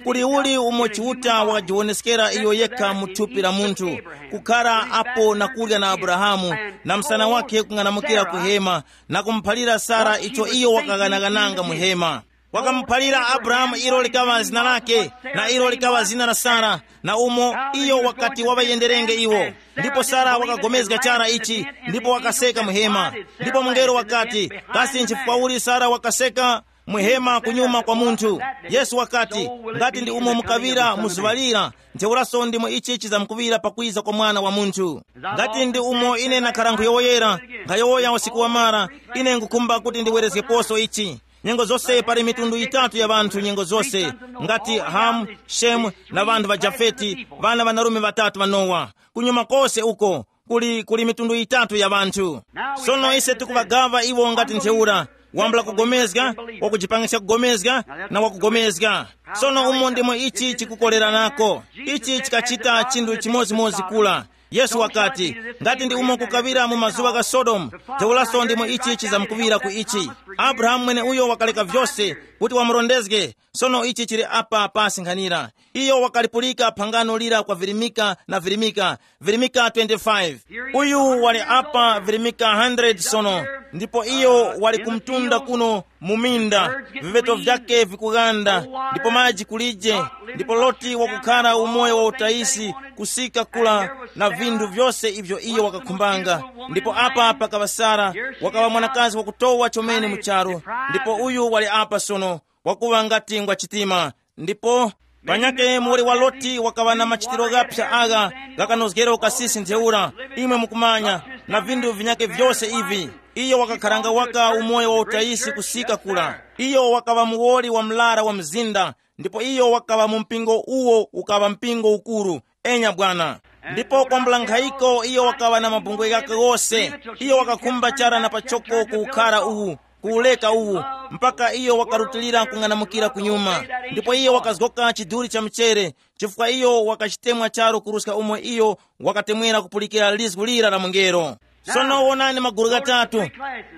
Kuli uli umo Chiuta wakajiwoneskera iyo yekha mu thupi la munthu, kukhara apo na kurya na Abrahamu, na msana wakhe kung'anamukira ku hema, na kumuphalira Sara icho iyo wakaghanaghananga mu hema. Wakamuphalira Abrahamu ilo likaŵa zina lake, na ilo likaŵa zina la Sara, na umo iyo wakati waŵayenderenge iwo. Ndipo Sara wakagomezga chara ichi, ndipo wakaseka mu hema. Ndipo mungelo wakati, kasi nchifukwa uli Sara wakaseka mu hema kunyuma kwa munthu? Yesu wakati, ngati ndi umo mukaŵira mu zuŵa lira, ntheuraso ndimo ichi chizamkuŵira pakwiza kwa Mwana wa Munthu. Ngati ndi umo ine nakhara nkhuyowoyera, nkhayowoya usiku wamara, ine ngukhumba kuti ndiwerezgeposo ichi. Nyengo zose pali mitundu yitatu ya ŵanthu nyengo zose, ngati Hamu, Shemu, na ŵanthu ŵa Jafeti, ŵana ŵanarume ŵatatu ŵa Nowa. Kunyuma kose uko, kuli, kuli mitundu yitatu ya ŵanthu. Sono ise tikuŵagaŵa iwo ngati ntheura, wambula kugomezga, wakujipangiska kugomezga, na wakugomezga. Sono umo ndimo ichi chikukoleranako. Ichi chikachita chinthu chimodzimodzi kula. Yesu wakati, ngati ndi umo kukaŵira mu mazuŵa gha Sodomu, ntheuraso ndimo ichi chizamkuŵira ku ichi. Abrahamu mweneuyo wakaleka vyose kuti wamurondezge. Sono ichi chili apa pasi nkhanira. Iyo wakalipulika phangano lira kwa virimika na virimika, virimika twenty-five. Uyu wali apa virimika hundred sono, ndipo iyo wali kumtunda kuno mu minda, viveto vyake vikughanda, ndipo maji kulije, ndipo Loti wakukhara umoyo wa utayisi kusika kula, na vinthu vyose ivyo iyo wakakhumbanga. Ndipo apa pakaŵa Sara, wakaŵa mwanakazi wakutowa chomene mu charu, ndipo uyu wali apa sono, wakuŵa ngati ngwa chitima. Ndipo panyake muwoli wa Loti wakaŵa na machitiro ghaphya agha ghakanozgero kasisi ntheura, imwe mukumanya, na vinthu vinyake vyose ivi. Iyo wakakharanga waka umoyo wa utayisi kusika kula. Iyo wakaŵa muwoli wa mlara wa mzinda, ndipo iyo wakaŵa mu mpingo uwo ukaŵa mpingo ukuru. Enya bwana. Ndipo kwambula nkhayiko iyo wakaŵa na mabungwe ghake ghose. Iyo wakakhumba chara na pachoko kuwukhara uwu, kuwuleka uwu, mpaka iyo wakarutilira kung'anamukira kunyuma. Ndipo iyo wakazgoka chiduri cha mchere, chifukwa iyo wakachitemwa charu kuruska umo iyo wakatemwera kupulikira lizgu lira la mungelo. Sono wonani magulu ghatatu,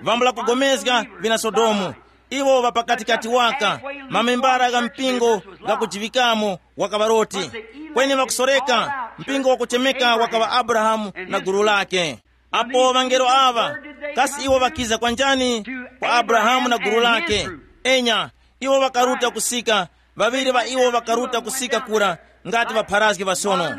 vambula kugomezga vina Sodomu. Iwo ŵa pakatikati waka, mamembara gha mpingo ghakujiŵikamo wakaŵa Loti. Kweni ŵakusoreka, mpingo wakuchemeka wakaŵa Abrahamu na gulu lake. Apo ŵangelo aŵa, kasi iwo ŵakiza kwa njani? Kwa Abrahamu na gulu lake. Enya, iwo ŵakaruta kusika, ŵaŵiri ŵa iwo ŵakaruta kusika kura, ngati ŵapharazgi ŵasono.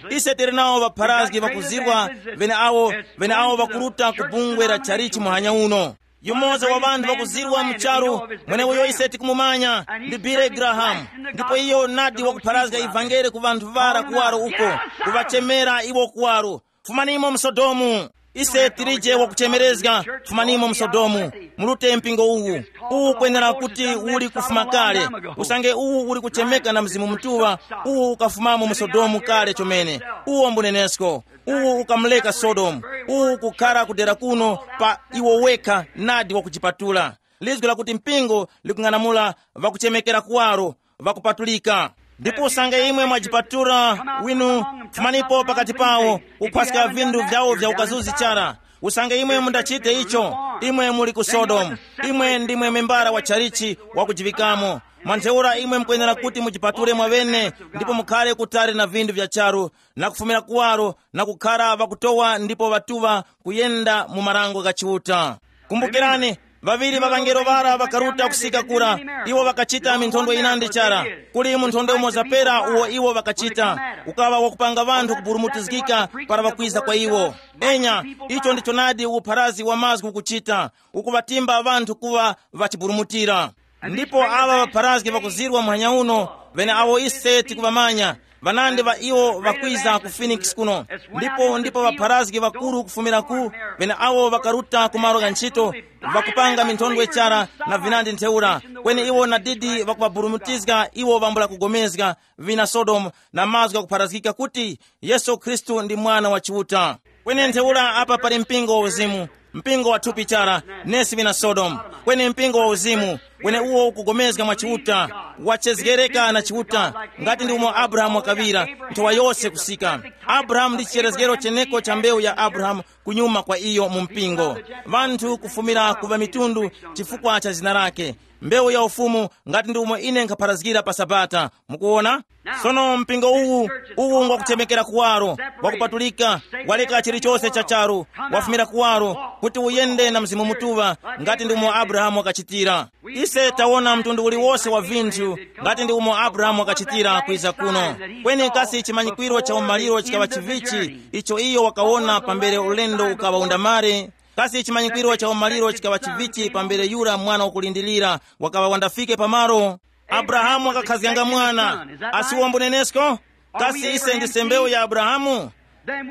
Ise tili nawo ŵapharazgi ŵakuzirwa, ŵeneawo ŵeneawo ŵakuruta ku bungwe la chalichi muhanya uno. Yumoza wa ŵanthu ŵakuzirwa mu charu, mweneuyo ise tikumumanya, ndi Billy Graham. Ndipo iyo nadi wakupharazga ivangeli ku ŵanthu ŵara kuwaro uko, kuŵachemera iwo kuwaro. Fumanimo mu Sodomu. Ise tilije wakuchemerezga. Fumanimo mu Sodomu. Mulute mpingo uwu. Uwu kwenera kuti uli kufuma kale. Usange uwu uli kuchemeka na Mzimu Mutuŵa, uwu ukafumamo mu Sodomu kale chomene. Uwo mbunenesko. Uwu ukamuleka Sodomu. Uwu kukhara kudera kuno pa iwo wekha nadi wakujipatula. Lizgu lakuti mpingo likung'anamula ŵakuchemekera kuwaro, ŵakupatulika. Ndipo usange imwe mwajipatula winu, fumanipo pakati pawo, kuphwaska vinthu vyawo vya ukazuzi chara. Usange imwe mundachite icho, imwe muli ku Sodomu. Imwe ndimwe membara wa chalichi wakujiŵikamo. Mwa ntheura imwe mukwenera kuti mujipatule mwaŵene, ndipo mukhare kutali na vinthu vya charu, na kufumira kuwaro, na kukhara ŵakutowa ndipo ŵatuŵa kuyenda mu marango gha Chiuta. Kumbukirani, ŵaŵiri ŵa ŵangelo ŵara ŵakaruta kusika kura. Iwo ŵakachita minthondwe yinandi chara. Kuli munthondwe umoza pera uwo iwo ŵakachita, ukaŵa wakupanga ŵanthu kuburumutizgika para ŵakwiza kwa iwo. Enya, icho ndicho nadi upharazi wa mazgu ukuchita, ukuŵatimba ŵanthu kuŵa ŵachiburumutira. Ndipo aŵa ŵapharazgi ŵakuzirwa muhanya uno, ŵeneawo ise tikuŵamanya, ŵanandi ŵa iwo ŵakwiza ku Phoenix kuno. Ndipo ndipo ŵapharazgi ŵakuru kufumira ku, ŵeneawo ŵakaruta ku malo gha ntchito, ŵakupanga minthondwe chara na vinandi ntheura. Kweni iwo nadidi ŵakuŵaburumutizga iwo ŵambula kugomezga, vina Sodomu, na mazgu ghakupharazgika kuti Yesu Khristu ndi Mwana wa Chiuta. Kweni ntheura apa pali mpingo wa uzimu, mpingo wa thupi chara, nesi vina Sodomu. Kweni mpingo wa uzimu, kweni uwo ukugomezga mwa Chiuta, wachezgereka na Chiuta, ngati ndi umo Abrahamu wakaŵira, nthowa yose kusika. Abrahamu ndi chicherezgero cheneko cha mbewu ya Abrahamu kunyuma kwa iyo mu mpingo. Vanthu kufumira ku ŵamitundu chifukwa cha zina lake. Mbewu ya ufumu, ngati ndi umo ine nkhapharazgira pa Sabata. Mukuwona? Sono mpingo uwu, uwu ngwakuchemekera kuwaro, wakupatulika, waleka chilichose cha charu, wafumira kuwaro, kuti uyende na Mzimu Mutuŵa, ngati ndi umo Abrahamu wakachitira. Ise tawona mtundu uliwose wa vinthu, ngati ndi umo Abrahamu wakachitira kwiza kuno. Kweni kasi chimanyikwiro cha umaliro chikaŵa chivichi, icho iyo wakawona pambere ulendo ukaŵa undamare? Kasi chimanyikwiro cha umaliro chikaŵa chivichi pambere yura mwana wakulindirira wakaŵa wandafike pamalo? Abrahamu wakakhazganga mwana. Asiwombo nenesko? Kasi ise ndise mbewu ya Abrahamu?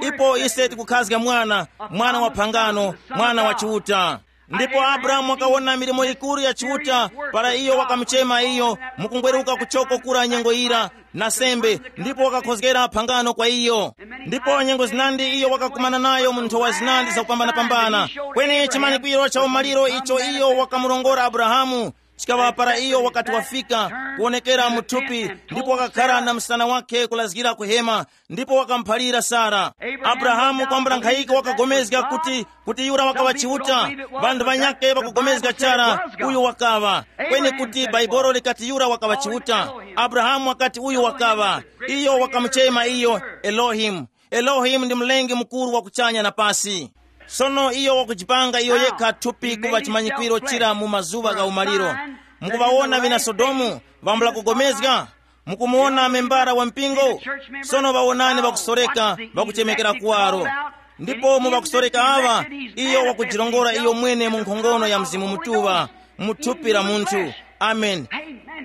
Ipo ise tikukhazga mwana, mwana wa phangano, mwana wa Chiuta. Ndipo Abrahamu wakawona milimo yikuru ya Chiuta para iyo wakamuchema iyo mukungweruka kuchoko kura nyengo yira, na sembe, ndipo wakakhozgera phangano kwa iyo. Ndipo nyengo zinandi iyo wakakumana nayo mu nthowa zinandi zakupambanapambana. Kweni chimanyikwiro cha umaliro icho iyo wakamurongora Abrahamu Chikaŵa para iyo wakati wafika, kuwonekera mu thupi, ndipo wakakhala na msana wake kulazgira kuhema, ndipo wakamuphalira Sara. Abrahamu kwambula nkhayiko wakagomezga kuti, kuti yura wakaŵa Chiuta. Vanthu vanyakhe ŵakugomezga chara, uyu wakaŵa. Kweni kuti Baibolo likati yura wakaŵa Chiuta. Abrahamu wakati uyu wakaŵa. Iyo wakamuchema iyo Elohimu. Elohimu ndi Mlengi mukuru wa kuchanya na pasi. Sono iyo wakujipanga iyo yekha thupi kuŵa chimanyikwiro chira mu mazuŵa gha umaliro. Mukuŵawona vina Sodomu, vambula kugomezga? Mukumuwona membara wa mpingo? Sono ŵawonani ŵakusoreka, ŵakuchemekera kuwaro. Ndipo mu ŵakusoreka aŵa, iyo wakujirongora iyo mwene mu nkhongono ya Mzimu Mutuŵa, mu thupi la munthu. Amen.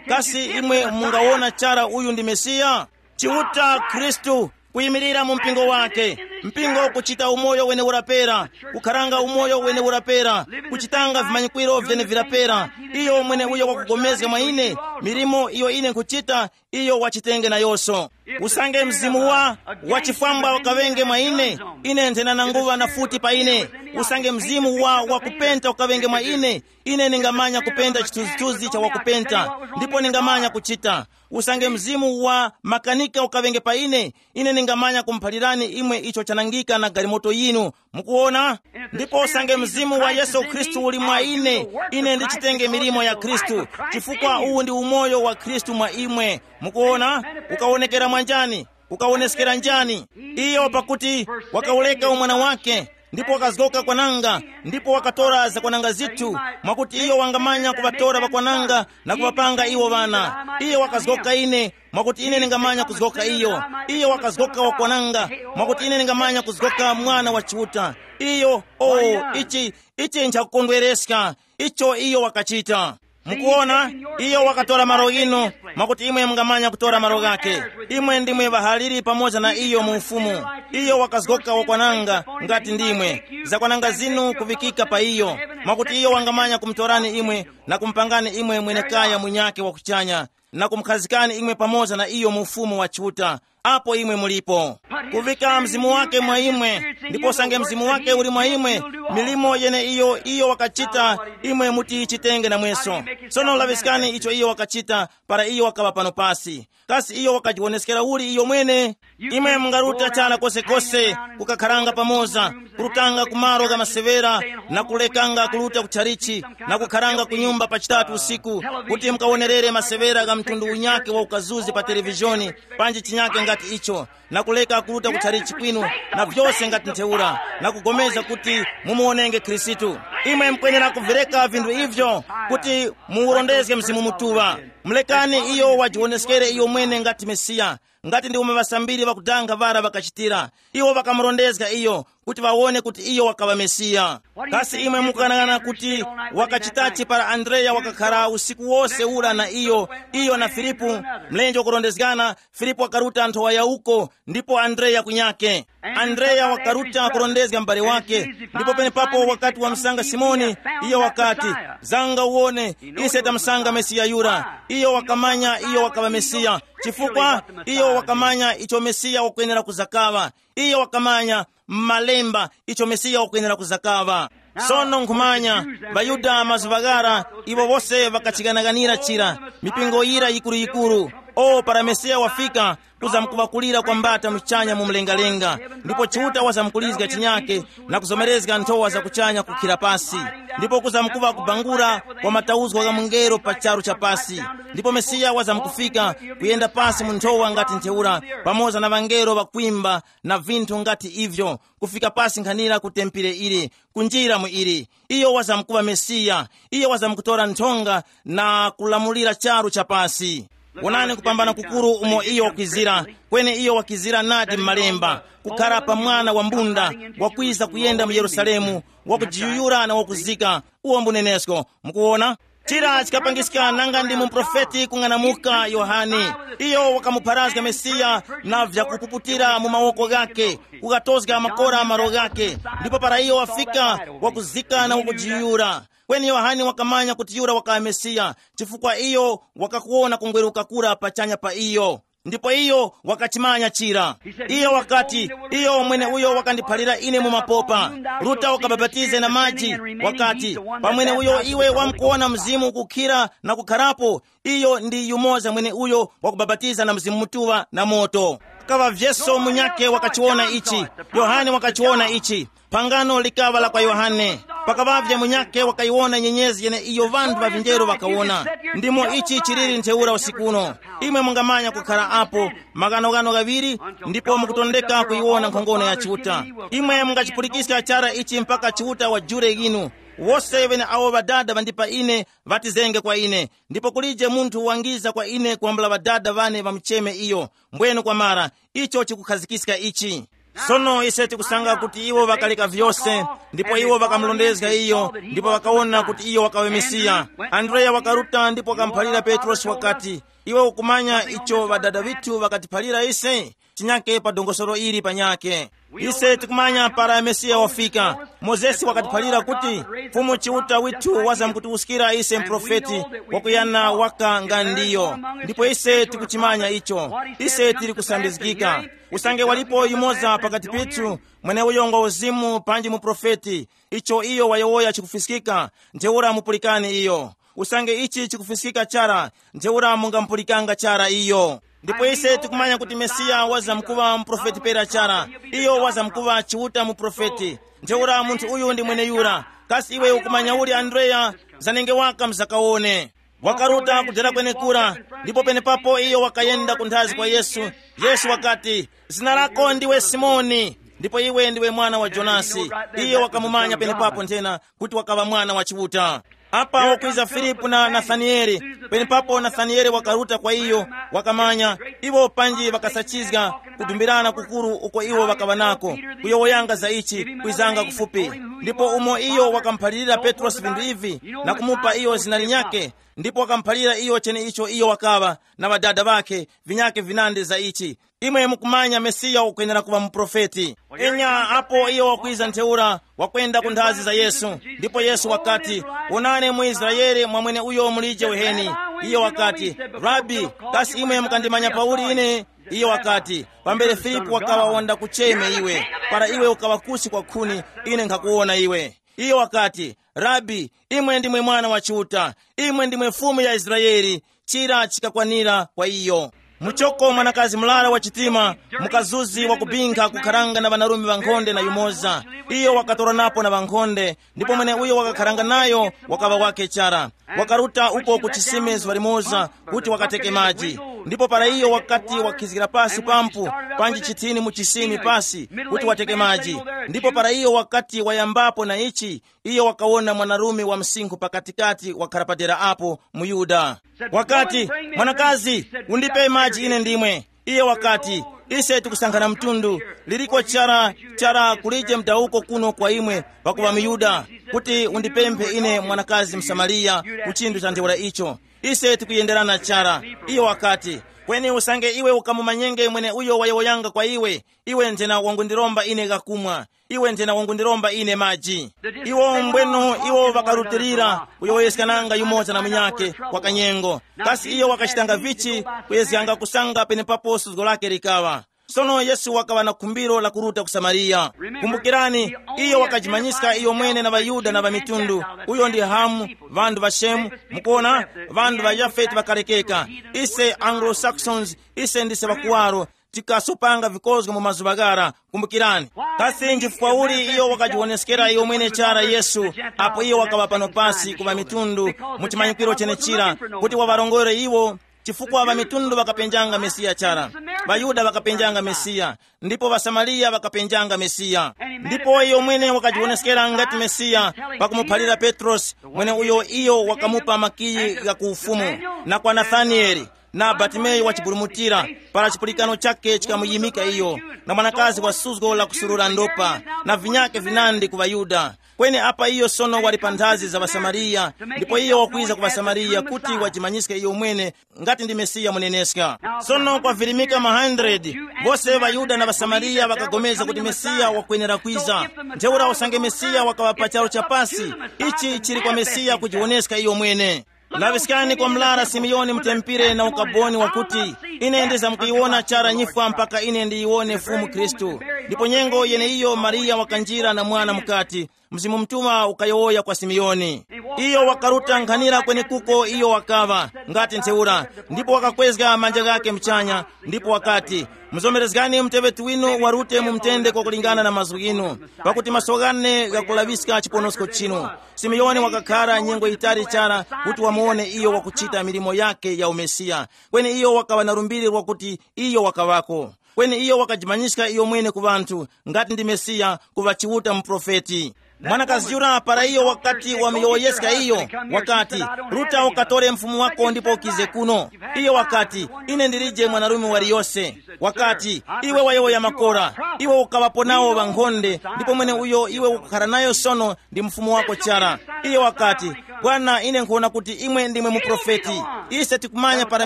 Kasi imwe mungawona chara uyu ndi Mesiya? Chiuta Khristu, kuyimirira mu mpingo wake. Mpingo kuchita umoyo wene urapera, kukharanga umoyo wene urapera, kuchitanga vimanyikwiro vyenevirapera. Iyo mwene uyo wakugomezga mwa ine, milimo iyo ine nkhuchita, iyo wachitenge nayonso. Usange mzimu wa, wa chifwambwa ukaŵenge mwa ine, ine nthena nanguŵa na futi pa ine. Usange mzimu wa, wa kupenta ukaŵenge mwa ine, ine ningamanya kupenta chithunzithunzi cha wakupenta, ndipo ningamanya kuchita. Usange mzimu wa makanika ukaŵenge pa ine, ine ningamanya kumuphalirani imwe icho chanangika na galimoto yinu. Mukuona? Ndipo usange mzimu wa Yesu Khristu uli mwa ine, ine ndichitenge milimo ya Khristu, chifukwa uwu ndi umoyo wa Khristu mwa imwe. Mukuona? Ukawonekera mwanjani? Ukawoneskera njani? Iyo pakuti wakawuleka umwana wake, ndipo wakazgoka kwananga, ndipo wakatora zakwananga zithu, mwakuti iyo wangamanya kuŵatora ŵakwananga na kuŵapanga iwo ŵana. Iyo wakazgoka ine, mwakuti ine ningamanya kuzgoka iyo. Iyo wakazgoka wakwananga, mwakuti ine ningamanya kuzgoka mwana wa Chiuta. Iyo, o, ichi, ichi nchakukondwereska, icho iyo wakachita. Mukuona, iyo wakatora malo ghinu, mwakuti imwe mungamanya kutora malo ghake. Imwe ndimwe ŵahaliri pamoza na iyo mu ufumu. Iyo wakazgoka wakwananga ngati ndimwe. Zakwananga zinu kuvikika pa iyo, mwakuti iyo wangamanya kumutorani imwe na kumupangani imwe mwenekaya munyake wa kuchanya, na kumukhazikani imwe pamoza na iyo mu ufumu wa Chiuta, apo imwe mulipo. Kuvika mzimu wake mwa imwe, ndipo usange mzimu wake uli mwa imwe, milimo yene iyo iyo wakachita, imwe mutiyichitenge namweso. Sono laŵiskani icho iyo wakachita para iyo wakaŵa pano pasi. Kasi iyo wakajiwoneskera uli iyo mwene? Imwe mungaruta chara kosekose, kukakharanga pamoza, kurutanga ku malo gha masewera, na kulekanga kuruta ku tchalichi, na kukharanga ku nyumba pa chitatu usiku, kuti mukawonerere masewera gha mtundu unyake wa ukazuzi pa televizhoni, panji chinyake ngati icho, na kuleka kuruta ku tchalichi kwinu, na vyose ngati ntheura, na kugomeza kuti mumuwonenge Khristu. Imwe mukwenera kuvireka vinthu ivyo kuti muwurondezge Mzimu Mutuŵa. Mulekani iyo wajiwoneskere iyo mwene ngati Mesiya, ngati ndi umo ŵasambiri ŵakudanga ŵara ŵakachitira. Iwo ŵakamurondezga iyo kuti ŵawone kuti iyo wakaŵa Mesiya. Kasi imwe mukughanaghana kuti wakachitachi para Andreya wakakhara usiku wose ura na iyo, iyo na Filipu, mlenje wakurondezgana, Filipu wakaruta nthowa ya uko, ndipo Andreya kunyake. Andreya wakaruta kurondezga m'bale wake, ndipo penepapo wakati wamsanga Simoni, iyo wakati, "Zanga uwone, ise tamsanga Mesiya yura." Iyo wakamanya iyo wakaŵa Mesiya, chifukwa iyo wakamanya icho Mesiya wakwenera kuzakaŵa. Iyo wakamanya m'Malemba icho Mesiya wakwenera kuzakaŵa. Sono nkhumanya, ŵaYuda mazuŵa ghara, iwo wose ŵakachighanaghanira chira, mipingo yira yikuru-yikuru. O, para Mesiya wafika, kuzamkuŵakulira kwa mbata muchanya mu mlengalenga, ndipo Chiuta wazamkulizga chinyake na kuzomerezga nthowa za kuchanya kukhira pasi, ndipo kuzamkuŵa kubangula kwa matauzgo gha mungelo pa charu cha pasi, ndipo Mesiya wazamkufika kuyenda pasi mu nthowa ngati ntheura, pamoza na ŵangelo ŵakwimba na vinthu ngati ivyo, kufika pasi nkhanira ku tempere ili, kunjira mu ili. Iyo wazamkuŵa Mesiya. Iyo wazamkutora nthonga na kulamulira charu cha pasi. Wonani kupambana kukuru umo iyo wakwizira, kweni iyo wakizira nadi m'Malemba, kukhara pa mwana wa mbunda, wakwiza kuyenda mu Yerusalemu, wakujiyuyura na wakuzika. Uwo mbunenesko. Mukuwona? Chira chikapangiska nanga ndi muprofeti kung'anamuka Yohane. Iyo wakamupharazga Mesiya na vyakupuputira mu mawoko ghake, kukatozga makora malo ghake. Ndipo para iyo wafika, wakuzika na wakujiyura. Kweni Yohane wakamanya kuti yura wakaŵa Mesiya, chifukwa iyo wakakuwona kungweruka kura pachanya pa iyo. Ndipo iyo wakachimanya chira. Iyo wakati, iyo mweneuyo wakandiphalira ine mu mapopa, ruta ukabapatize na maji. Wakati, pamweneuyo iwe wamkuwona mzimu ukukhira na kukharapo, iyo ndi yumoza mweneuyo wakubapatiza na Mzimu Mutuŵa na moto. Kaŵavyeso munyakhe wakachiwona ichi. Yohane wakachiwona ichi. Phangano likaŵa la kwa Yohane. Pakaŵavye munyakhe wakayiwona nyenyezi yene iyo ŵanthu ŵa vinjeru ŵakawona. Ndimo ichi chiliri ntheura usikuno. Imwe mungamanya kukhala apo maghanoghano ghaŵiri, ndipo mukutondeka kuyiwona nkhongono ya Chiuta. Imwe mungachipulikiska chara ichi mpaka Chiuta wajure inu. Wose ŵene awo Ŵadada ŵandipa ine, ŵatizenge kwa ine. Ndipo kulije munthu wangiza kwa ine kwambula Ŵadada ŵane ŵamucheme iyo. Mbwenu kwamara, icho chikukhazikiska ichi. Sono ise tikusanga kuti iwo ŵakaleka vyose, ndipo iwo ŵakamulondezga iyo, ndipo ŵakawona kuti iyo wakaŵa Mesiya. Andreya wakaruta ndipo wakamuphalira Petrosi wakati, iwe ukumanya icho Ŵadada ŵithu ŵakatiphalira ise? Chinyake pa dongosolo ili panyake. Ise tikumanya para Mesiya wafika. Mozesi wakatiphalira kuti, Fumu Chiuta withu wazamkutiwuskira ise muprofeti wakuyana waka nga ndiyo. Ndipo ise tikuchimanya icho. Ise tili kusambizgika. Usange walipo yumoza pakati pithu, mweneuyo ngwa uzimu panji muprofeti. Icho iyo wayowoya chikufiskika, ntheura mupulikani iyo. Usange ichi chikufiskika chara, ntheura mungamupulikanga chara iyo. Ndipo ise tikumanya kuti Mesiya wazamkuŵa muprofeti pera chara. Iyo wazamkuŵa Chiuta muprofeti. Ntheura munthu uyu ndi mweneyura. Kasi iwe ukumanya uli Andreya? Zanenge waka mzakawone. Wakaruta kudera kwenekura, ndipo penepapo iyo wakayenda kunthazi kwa Yesu. Yesu wakati, zina lako ndiwe Simoni, ndipo iwe ndiwe mwana wa Jonasi. Iyo wakamumanya penepapo nthena kuti wakaŵa mwana wa Chiuta. Apa wakwiza Filipu na Nathanieli. Penepapo Nathanieli wakaruta kwa iyo, wakamanya iwo panji ŵakasachizga kudumbirana kukuru uko iwo ŵakaŵa nako, kuyowoyanga za ichi, kwizanga kufupi. Ndipo umo iyo wakamuphalirira Petrosi vinthu ivi, na kumupa iyo zina linyakhe, ndipo wakamuphalira iyo cheneicho iyo wakaŵa na ŵadada ŵakhe, vinyakhe vinandi za ichi. Imwe mukumanya Mesiya ukwenera kuŵa muprofeti. Enya apo iyo wakwiza ntheura, wakwenda ku nthazi za Yesu. Ndipo Yesu wakati, wonani mu Israele mwamwene uyo mulije uheni. Iyo wakati, Rabi, kasi imwe mukandimanya pauli ine? Iyo wakati, pambere Filipu wakaŵa wanda kucheme iwe, para iwe ukaŵa kusi kwa khuni, ine nkhakuwona iwe. Iyo wakati, Rabi, imwe ndimwe mwana wa Chiuta, imwe ndimwe Fumu ya Israele. Chira chikakwanira kwa iyo. Muchoko mwanakazi murara wa chitima, mukazuzi wakubinkha kukharanga na ŵanarume ŵankhonde na yumoza. Iyo wakatoranapo na ŵankhonde, ndipo mweneuyo wakakharanga nayo wakaŵa wakhe chara. Wakaruta uko ku chisime zuŵa limoza kuti wakateke maji. Ndipo para iyo wakati wakhizgira pasi pampu, panji chithini mu chisime pasi kuti wateke maji. Ndipo para iyo wakati wayambapo na ichi, iyo wakawona mwanarume wa msinkhu pakatikati wakhara padera apo, muYuda. Wakati, mwanakazi, undipe maji ine ndimwe. Iye wakati, ise tikusankhana mtundu, liliko chara chara kulije mdawuko kuno kwa imwe pakuva muYuda, kuti undipemphe ine mwanakazi Msamariya ku chinthu cha ntheura icho. Ise tikuyenderana chara. Iye wakati, kweni usange iwe ukamumanyenge mwene uyo wayowoyanga kwa iwe, iwe nthena wangundiromba ine ghakumwa. Iwe nthena wangundiromba ine maji. Iwo mbweno iwo ŵakarutilira kuyowoyeskananga yumoza na munyakhe kwa kanyengo. Kasi iyo wakachitanga vichi? Kuyezganga kusanga penepapo suzgo lake likaŵa. Sono Yesu wakaŵa na khumbiro la kuruta ku Samariya. Kumbukirani, iyo wakajimanyiska iyo mwene na ŵaYuda na ŵamitundu. Uyo ndi Hamu, ŵanthu ŵa Shemu, mukuona, ŵanthu ŵa Yafeti ŵakalekeka. Ise Anglo-Saxons, ise ndise ŵakuwaro, tikasopanga vikozgo mu mazuŵa ghara. Kumbukirani, kasi nchifukwa uli iyo wakajiwoneskera iyo mwene chara Yesu, apo iyo wakaŵa pano pasi ku ŵamitundu mu chimanyikiro chenechira, kuti waŵarongore iwo? Chifukwa ŵamitundu ŵakapenjanga Mesiya chara, ŵaYuda ŵakapenjanga Mesiya, ndipo ŵaSamariya ŵakapenjanga Mesiya. Ndipo iyo mwene wakajiwoneskera ngati Mesiya, pakumuphalira Petrosi, mwene uyo iyo wakamupa makiyi gha ku ufumu, na kwa Nathanieli, na Bartimeyu wa chiburumutira, para chipulikano chakhe chikamuyimika iyo, na mwanakazi wa suzgo la kusurura ndopa, na vinyakhe vinandi ku ŵaYuda. Kweni apa iyo sono wali pa nthazi za ŵaSamariya, ndipo iyo wakwiza ku ŵaSamariya kuti wajimanyiske iyo mwene ngati ndi Mesiya muneneska. Sono kwavirimika ma hundred, bose ŵaYuda na ŵaSamariya ŵakagomeza kuti Mesiya wakwenera kwiza. Ntheura usange Mesiya wakaŵa pa charu cha pasi, ichi chili kwa Mesiya kujiwoneska iyo mwene. Laŵiskani kwa mlara Simiyoni mutempire na ukaboni wakuti, ine ndizamkuyiwona chara nyifwa mpaka ine ndiyiwone Fumu Khristu. Ndipo nyengo yeneiyo Mariya wakanjira na mwana mukati, Mzimu Mutuŵa ukayowoya kwa Simiyoni. Iyo wakaruta nkhanira kwenekuko iyo wakaŵa, ngati ntheura, ndipo wakakwezga manja ghake muchanya, ndipo wakati, muzomerezgani muteŵeti winu warute mu mtende kwakulingana na mazgu ghinu, pakuti maso ghane ghakulaŵiska chiponosko chinu. Simiyoni wakakhara nyengo yitali chara kuti wamuwone iyo wakuchita milimo yakhe ya umesiya. Kweni iyo wakaŵa na lumbiri lwakuti iyo wakaŵako. Kweni iyo wakajimanyiska iyo mwene ku ŵanthu, ngati ndi Mesiya, kuŵa Chiuta muprofeti. Mwanakazi yura para iyo wakati wamuyowoyeska iyo, wakati, ruta ukatore mfumu wako ndipo ukize kuno. Iyo wakati, ine ndilije mwanarume waliyose. Wakati, iwe wayowoya makora, iwe ukaŵapo nawo ŵankhonde, ndipo mwene uyo iwe ukukhara nayo sono ndi mfumu wako chara. Iyo wakati, bwana, ine nkhuwona kuti imwe ndimwe muprofeti. Ise tikumanya para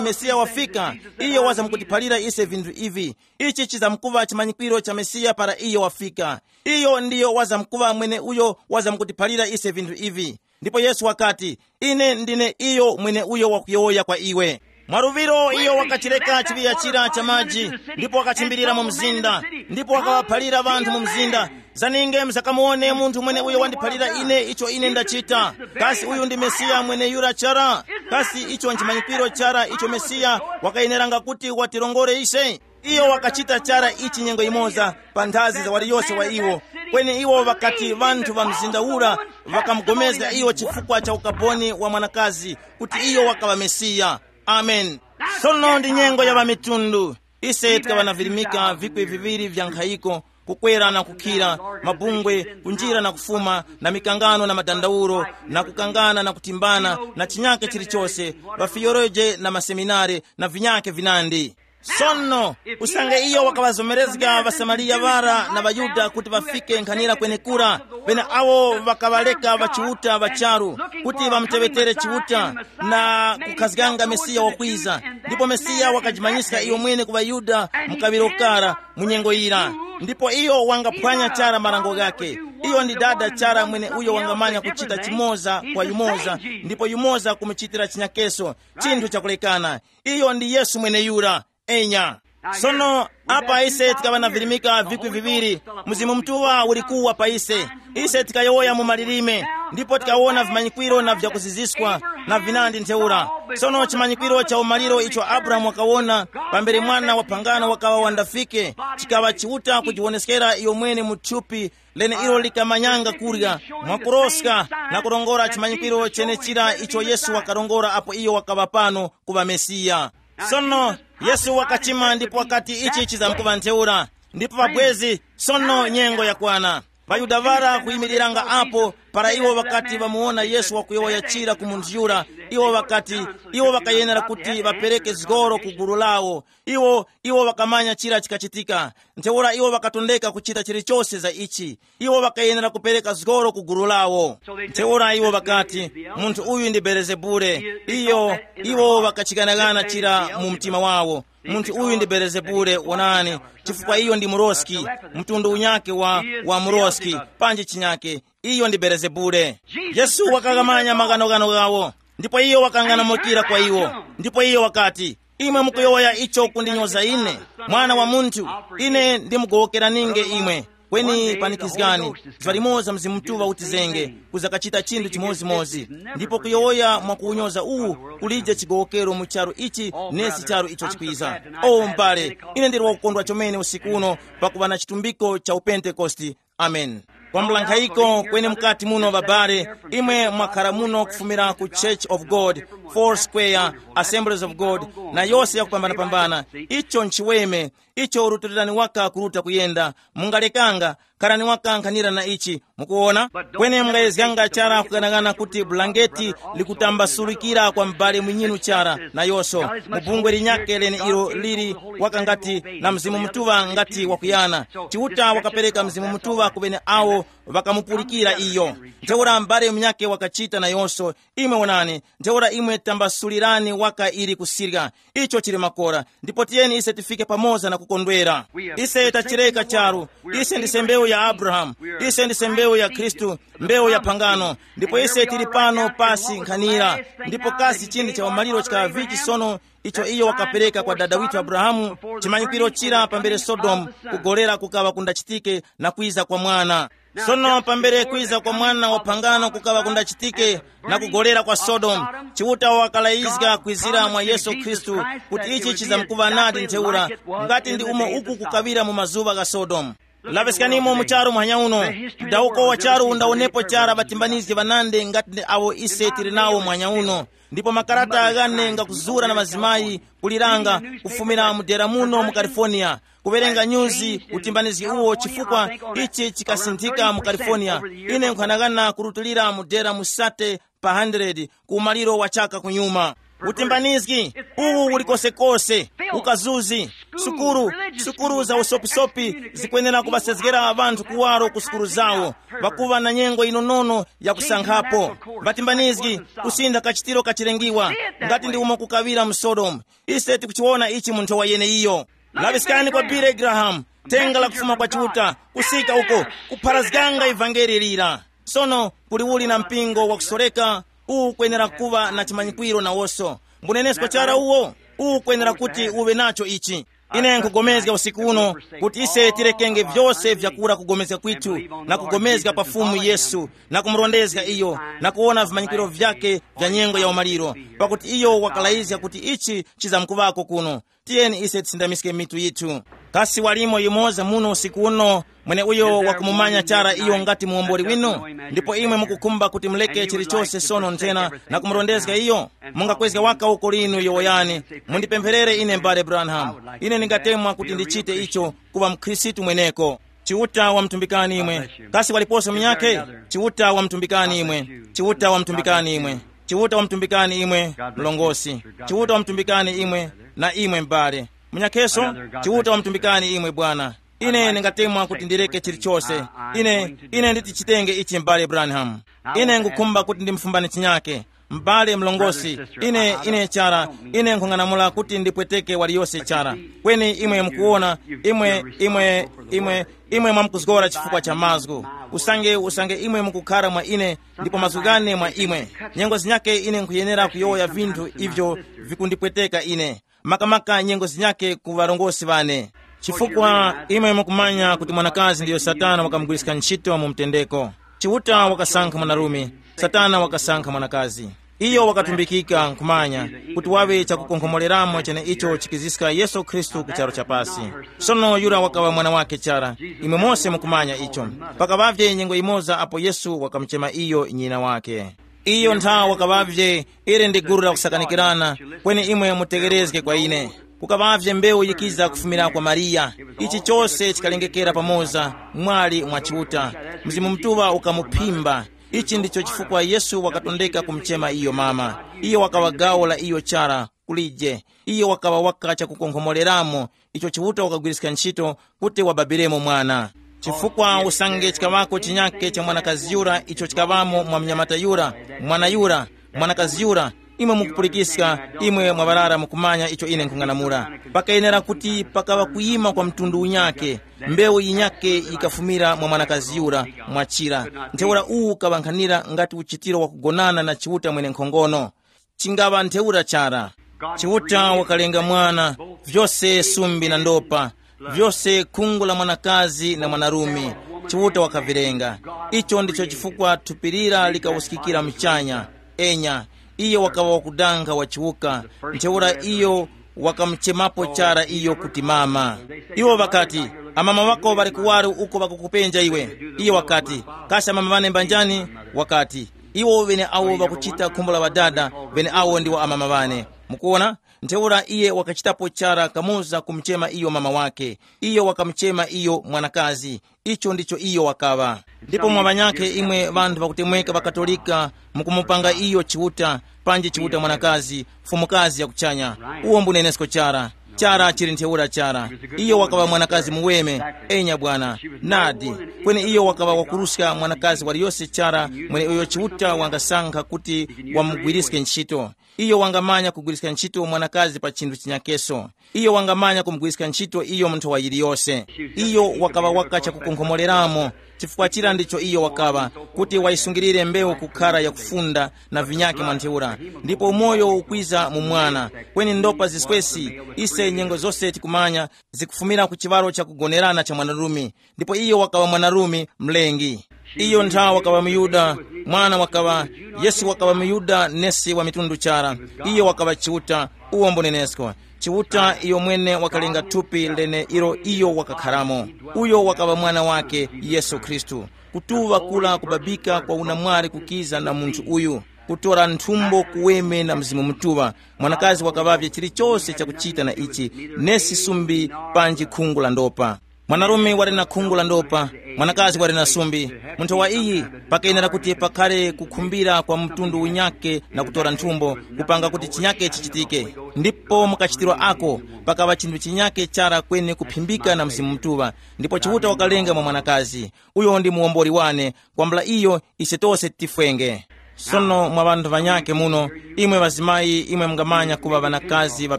Mesiya wafika, iyo wazamkutiphalira ise vinthu ivi. Ichi chizamkuŵa chimanyikwiro cha Mesiya para iyo wafika. Iyo ndiyo wazamkuŵa mwene uyo wazamkutiphalira ise vinthu ivi. Ndipo Yesu wakati, ine ndine iyo mwene uyo wakuyowoya kwa iwe. Mwaluŵiro iyo wakachireka chiŵiya chira cha maji, ndipo wakachimbirira mu mzinda, ndipo wakaŵaphalira ŵanthu mu mzinda, zaninge muzakamuwone munthu mwene uyo wandiphalira ine icho ine ndachita. Kasi uyu ndi Mesiya mwene yura chara? Kasi icho nchimanyikwiro chara icho Mesiya wakayeneranga kuti watirongore ise? Iyo wakachita chara ichi nyengo yimoza pa nthazi za waliyose wa iwo. Kweni iwo ŵakati ŵanthu ŵa mzinda ura ŵakamugomezga iyo chifukwa cha ukaboni wa mwanakazi, kuti iyo wakaŵa Mesiya. Amen. Sono ndi nyengo ya ŵamitundu. Ise tikaŵa na virimika vikwi viŵiri vya nkhayiko, kukwera na kukhira, mabungwe, kunjira na kufuma, na mikangano na madandaulo, na kukangana na kutimbana, na chinyake chilichose, ŵafiyoroje na maseminare, na vinyake vinandi. Sono, usange iyo wakaŵazomerezga ŵasamariya ŵara na ŵayuda kuti ŵafike nkhanira kwenekura, pene awo ŵakaŵareka ŵachiuta ŵa charu kuti ŵamuteŵetere Chiuta na kukhazganga Mesiya wakwiza, ndipo Mesiya wakajimanyiska iyo mwene ku ŵaYuda mu kaŵiro kara mu nyengo yira. Ndipo iyo wangaphwanya chara marango ghakhe. Iyo ndi dada chara mwene uyo wangamanya kuchita chimoza kwa yumoza, ndipo yumoza kumuchitira chinyakeso, chinthu chakulekana. Iyo ndi Yesu mweneyura. Enya. Sono, apa ise tikaŵa na virimika vikwi viŵiri, Mzimu Mutuŵa uli kuwa pa ise. Ise tikayowoya mu malilime, ndipo tikawona vimanyikwiro na vyakuziziskwa na vinandi ntheura. Sono chimanyikwiro cha umaliro icho Abrahamu wakawona pambere mwana wa phangano wakaŵa wandafike, chikaŵa Chiuta kujiwoneskera iyo mwene mu thupi lene ilo likamanyanga kurya mwakuroska na kurongora chimanyikwiro chenechira icho Yesu wakarongora apo iyo wakaŵa pano kuŵa Mesiya. Sono, Yesu wakachima ndipo wakati ichi chizamkuŵa ntheura. Ndipo pabwezi, sono nyengo yakwana. ВaYuda ŵara kuyimiriranga apo, para iwo ŵakati ŵamuwona Yesu wakuyowoya chira ku munthu yura, iwo ŵakati, iwo ŵakayenera kuti ŵapereke zgoro ku gulu lawo. Iwo, iwo ŵakamanya chira chikachitika. Ntheura iwo ŵakatondeka kuchita chilichose za ichi. Iwo ŵakayenera kupereka zgoro ku gulu lawo. Ntheura iwo ŵakati, munthu uyu ndi Belezebule. Iyo, iwo ŵakachighanaghana chira mu mtima wawo. Munthu uyu ndi Belezebule, wonani, chifukwa iyo ndi muroski, mtundu unyake wa, wa muroski, panji chinyake. Iyo ndi Belezebule. Yesu wakaghamanya maghanoghano ghawo, ndipo iyo wakang'anamukira kwa iwo. Ndipo iyo wakati, imwe mukuyowoya icho kundinyoza ine, Mwana wa Munthu? Ine ndimugowokeranenge imwe. Kweni panikizgani, zuŵa limoza Mzimu Mutuŵa utizenge, kuzakachita chinthu chimodzimodzi, ndipo kuyowoya mwakuwunyoza uwu kulije chigowokero mu charu ichi nesi charu icho chikwiza. O m'bale, ine ndili wakukondwa chomene usiku uno pakuŵa na chitumbiko cha upentekosti. Amen. Kwambula nkhayiko kweni mukati muno, babale, imwe mwakhara muno kufumira ku Church of God, Four Square, Assemblies of God, na yose yakupambanapambana. Icho nchiweme, icho rutilirani waka kuruta kuyenda. Mungalekanga, kharani waka nkhanira na ichi. Mukuwona? Kweni mungayezganga chara kughanaghana kuti bulangeti likutambasurikira kwa m'bale mwinyinu chara, nayonso mu bungwe linyakhe lene ilo lili waka ngati na Mzimu Mutuŵa ngati wakuyana. Chiuta wakapereka Mzimu Mutuŵa ku ŵene awo ŵakamupulikira iyo. Ntheura m'bale munyakhe wakachita nayonso. Imwe wonani, ntheura imwe Tambasulirani waka ili kusirya. Icho chili makora, ndipo tiyeni ise tifike pamoza na kukondwera. Ise tachireka charu. Ise ndise mbewu ya Abrahamu. Ise ndise mbewu ya Khristu, mbewu ya phangano. Ndipo ise tili pano pasi nkhanira. Ndipo kasi chindi cha umaliro chikaŵa vichi sono, icho iyo wakapereka kwa dada withu Abrahamu, chimanyikwiro chira pambere Sodomu, kugolera kukaŵa kundachitike, na kwiza kwa mwana. Sono pambere kwiza kwa mwana wa phangano kukaŵa kundachitike, na kugolera kwa Sodomu, Chiuta wakalayizga kwizira mwa Yesu Khristu, kuti ichi chizamkuŵa nadi ntheura, ngati ndi umo uku kukaŵira mu mazuŵa gha Sodomu. Laŵiskanimo mu charu muhanya uno, mdawuko wa charu undawonepo chara ŵatimbanizgi ŵanandi ngati ndi awo ise tili nawo muhanya uno. Ndipo makarata ghane ngakuzura na mazimayi kuliranga, kufumira mu dera muno mu California, kuwerenga nyuzi utimbanizgi uwo, chifukwa ichi chikasinthika mu California. Ine nkhanagana kurutulira mu dera musate pa hundred ku umaliro wa chaka kunyuma. Utimbanizgi uwu uli kosekose, ukazuzi, sukuru, sukuru za usopisopi zikwenera kuŵasezgera ŵanthu kuwaro ku sukuru zawo, ŵakuŵa na nyengo inonono ya kusankhapo. Ŵatimbanizgi, kusintha kachitiro kachilengiwa, ngati ndi umo kukaŵira mu Sodomu. Ise tikuchiwona ichi mu nthowa yeneiyo. Laŵiskani kwa Billy Graham, thenga la kufuma kwa Chiuta, kusika uko, kupharazganga ivangeli lira. Sono kuli uli na mpingo wakusoreka, uwu ukwenera kuŵa na chimanyikwiro nawoso. Mbunenesko chara uwo, uwu ukwenera kuti uwe nacho ichi. Ine nkugomezga usiku uno kuti ise tirekenge vyose vyakura kugomezga kwithu, na kugomezga pa Fumu Yesu, na kumurondezga iyo, na kuwona vimanyikwiro vyake vya nyengo ya umaliro, pakuti iyo wakalayizga kuti ichi chizamkuŵako kuno. Tiyeni ise tisindamiske mitu yithu. Kasi walimo yumoza muno usiku uno, mweneuyo wakumumanya chara iyo ngati muwomboli winu? Ndipo imwe mukukhumba kuti muleke chilichose sono nthena na kumurondezga iyo? Mungakwezga waka uko linu yowoyani, mundipempherere ine, m'bale Branham. Ine ndingatemwa kuti ndichite icho, kuŵa mkhristu mweneko. Chiuta wamtumbikani imwe. Kasi waliposo munyakhe? Chiuta wamtumbikani imwe. Chiuta wamtumbikani imwe. Chiuta wamtumbikani imwe, mlongosi. Chiuta wamtumbikani imwe, na imwe m'bale. Munyakheso, Chiuta wamtumbikani imwe bwana. Ine ndingatemwa kuti ndireke chilichose. Ine ine nditi chitenge ichi, m'bale Branham. Ine ngukhumba kuti ndimfumbani chinyake. M'bale mlongosi, ine ine chara, ine nkhung'anamula kuti ndipweteke waliyose chara. Kweni imwe mukuwona, imwe imwe imwe imwe mwamkuzgora chifukwa cha mazgu. Usange usange imwe mukukhara mwa ine, ndipo mazgu ghane mwa imwe. Nyengo zinyake ine nkhuyenera kuyowoya vinthu ivyo vikundipweteka ine, makamaka nyengo zinyake ku ŵarongozgi ŵane. Chifukwa imwe mukumanya kuti mwanakazi ndiyo Satana wakamugwiriska ntchito mu mtendeko. Chiuta wakasankha mwanarume, Satana wakasankha mwanakazi. Iyo wakatumbikika nkhumanya kuti waŵe chakukonkhomoreramo cheneicho chikiziska Yesu Khristu ku charu cha pasi. Sono yura wakaŵa mwana wake chara. Imwe mose mukumanya icho. Pakaŵavye nyengo yimoza apo Yesu wakamuchema iyo nyina wake. Iyo nthawa wakaŵavye, ili ndi gulu la kusakanikirana, kweni imwe mutegherezge kwa ine. Kukaŵavye mbewu yikiza kufumira kwa Mariya. Ichi chose chikalengekera pamoza mwali mwa Chiuta. Mzimu Mutuŵa ukamuphimba. Ichi ndicho chifukwa Yesu wakatondeka kumuchema iyo mama. Iyo wakaŵa gawo la iyo chara. Kulije, iyo wakaŵa waka chakukonkhomoreramo, icho Chiuta wakagwiriska ntchito kuti wababiremo mwana. Chifukwa usange chikaŵako chinyake cha mwanakazi yura icho chikaŵamo mwa mnyamata yura, mwana yura, mwanakazi yura, imwe mukupulikiska, imwe mwaŵarara mukumanya icho ine nkhung'anamula. Pakayenera kuti pakaŵa kuyima kwa mtundu unyake, mbewu yinyake yikafumira mwa mwanakazi yura, mwachira. Ntheura uwu ukaŵankhanira ngati uchitiro wakugonana na Chiuta mwenenkhongono. Chingaŵa ntheura chara. Chiuta wakalenga mwana, vyose sumbi na ndopa, vyose khungu la mwanakazi na mwanarume, Chiuta wakavilenga. Icho ndicho chifukwa thupi lira likawuskikira muchanya. Enya, iyo wakaŵa wakudanga wachiwuka, ntheura iyo wakamuchemapo chara iyo kuti mama. Iwo ŵakati, amama ŵako ŵali kuwaro uko ŵakukupenja iwe. Iyo wakati, kasi amama ŵane mbanjani? Wakati, iwo ŵeneawo ŵakuchita khumbo la Ŵadada, ŵeneawo ndiwo amama ŵane. Mukuwona? Ntheura iye wakachitapo chara kamoza kumuchema iyo mama wake. Iyo wakamuchema iyo mwanakazi. Icho ndicho iyo wakaŵa. Ndipo mwa ŵanyakhe imwe ŵanthu ŵakutemweka ŵaKatolika, mukumupanga iyo Chiuta, panji Chiuta mwanakazi, mfumukazi ya kuchanya. Uwo mbunenesko chara. Chara chili ntheura chara. Iyo wakaŵa mwanakazi muweme. Enya bwana. Nadi. Kweni iyo wakaŵa wakuruska mwanakazi waliyose chara mweneuyo Chiuta wangasankha kuti wamugwiriske ntchito. Iyo wangamanya kugwiriska ntchito mwanakazi pa chinthu chinyakeso. Iyo wangamanya kumugwiriska ntchito iyo mu nthowa yiliyose. Iyo wakaŵa waka chakukonkhomoreramo, chifukwa chira ndicho iyo wakaŵa, kuti wayisungirire mbewu kukhara yakufunda na vinyake mwa ntheura. Ndipo umoyo ukwiza mu mwana. Kweni ndopa ziswesi, ise nyengo zose tikumanya, zikufumira ku chiŵaro chakugonerana cha mwanarume. Ndipo iyo wakaŵa mwanarume mlengi. Iyo nthawe wakaŵa muyuda, mwana wakaŵa, Yesu wakaŵa muyuda nesi wa mitundu chara. Iyo wakaŵa Chiuta, uwo mbunenesko. Chiuta iyo mwene wakalenga thupi lene ilo iyo wakakharamo. Uyo wakaŵa mwana wake, Yesu Khristu. Kutuŵa kula kubabika kwa unamwali kukiza na munthu uyu, kutora nthumbo kuweme na Mzimu Mutuŵa. Mwanakazi wakaŵavye chilichose chakuchita na ichi, nesi sumbi, panji khungu la ndopa. Mwanarume wali na khungu la ndopa, mwanakazi wali na sumbi. Munthu wa iyi, pakenera kuti pakhale kukhumbira kwa mtundu unyake na kutora nthumbo, kupanga kuti chinyake chichitike. Ndipo mukachitiro ako, pakaŵa chinthu chinyake chara kweni kuphimbika na Mzimu Mutuŵa. Ndipo Chiuta wakalenga mwa mwanakazi. Uyo ndi muwombori wane. Kwambula iyo, ise tose tifwenge. Sono mwa ŵanthu ŵanyakhe muno, imwe ŵazimayi, imwe mungamanya kuŵa ŵanakazi ŵa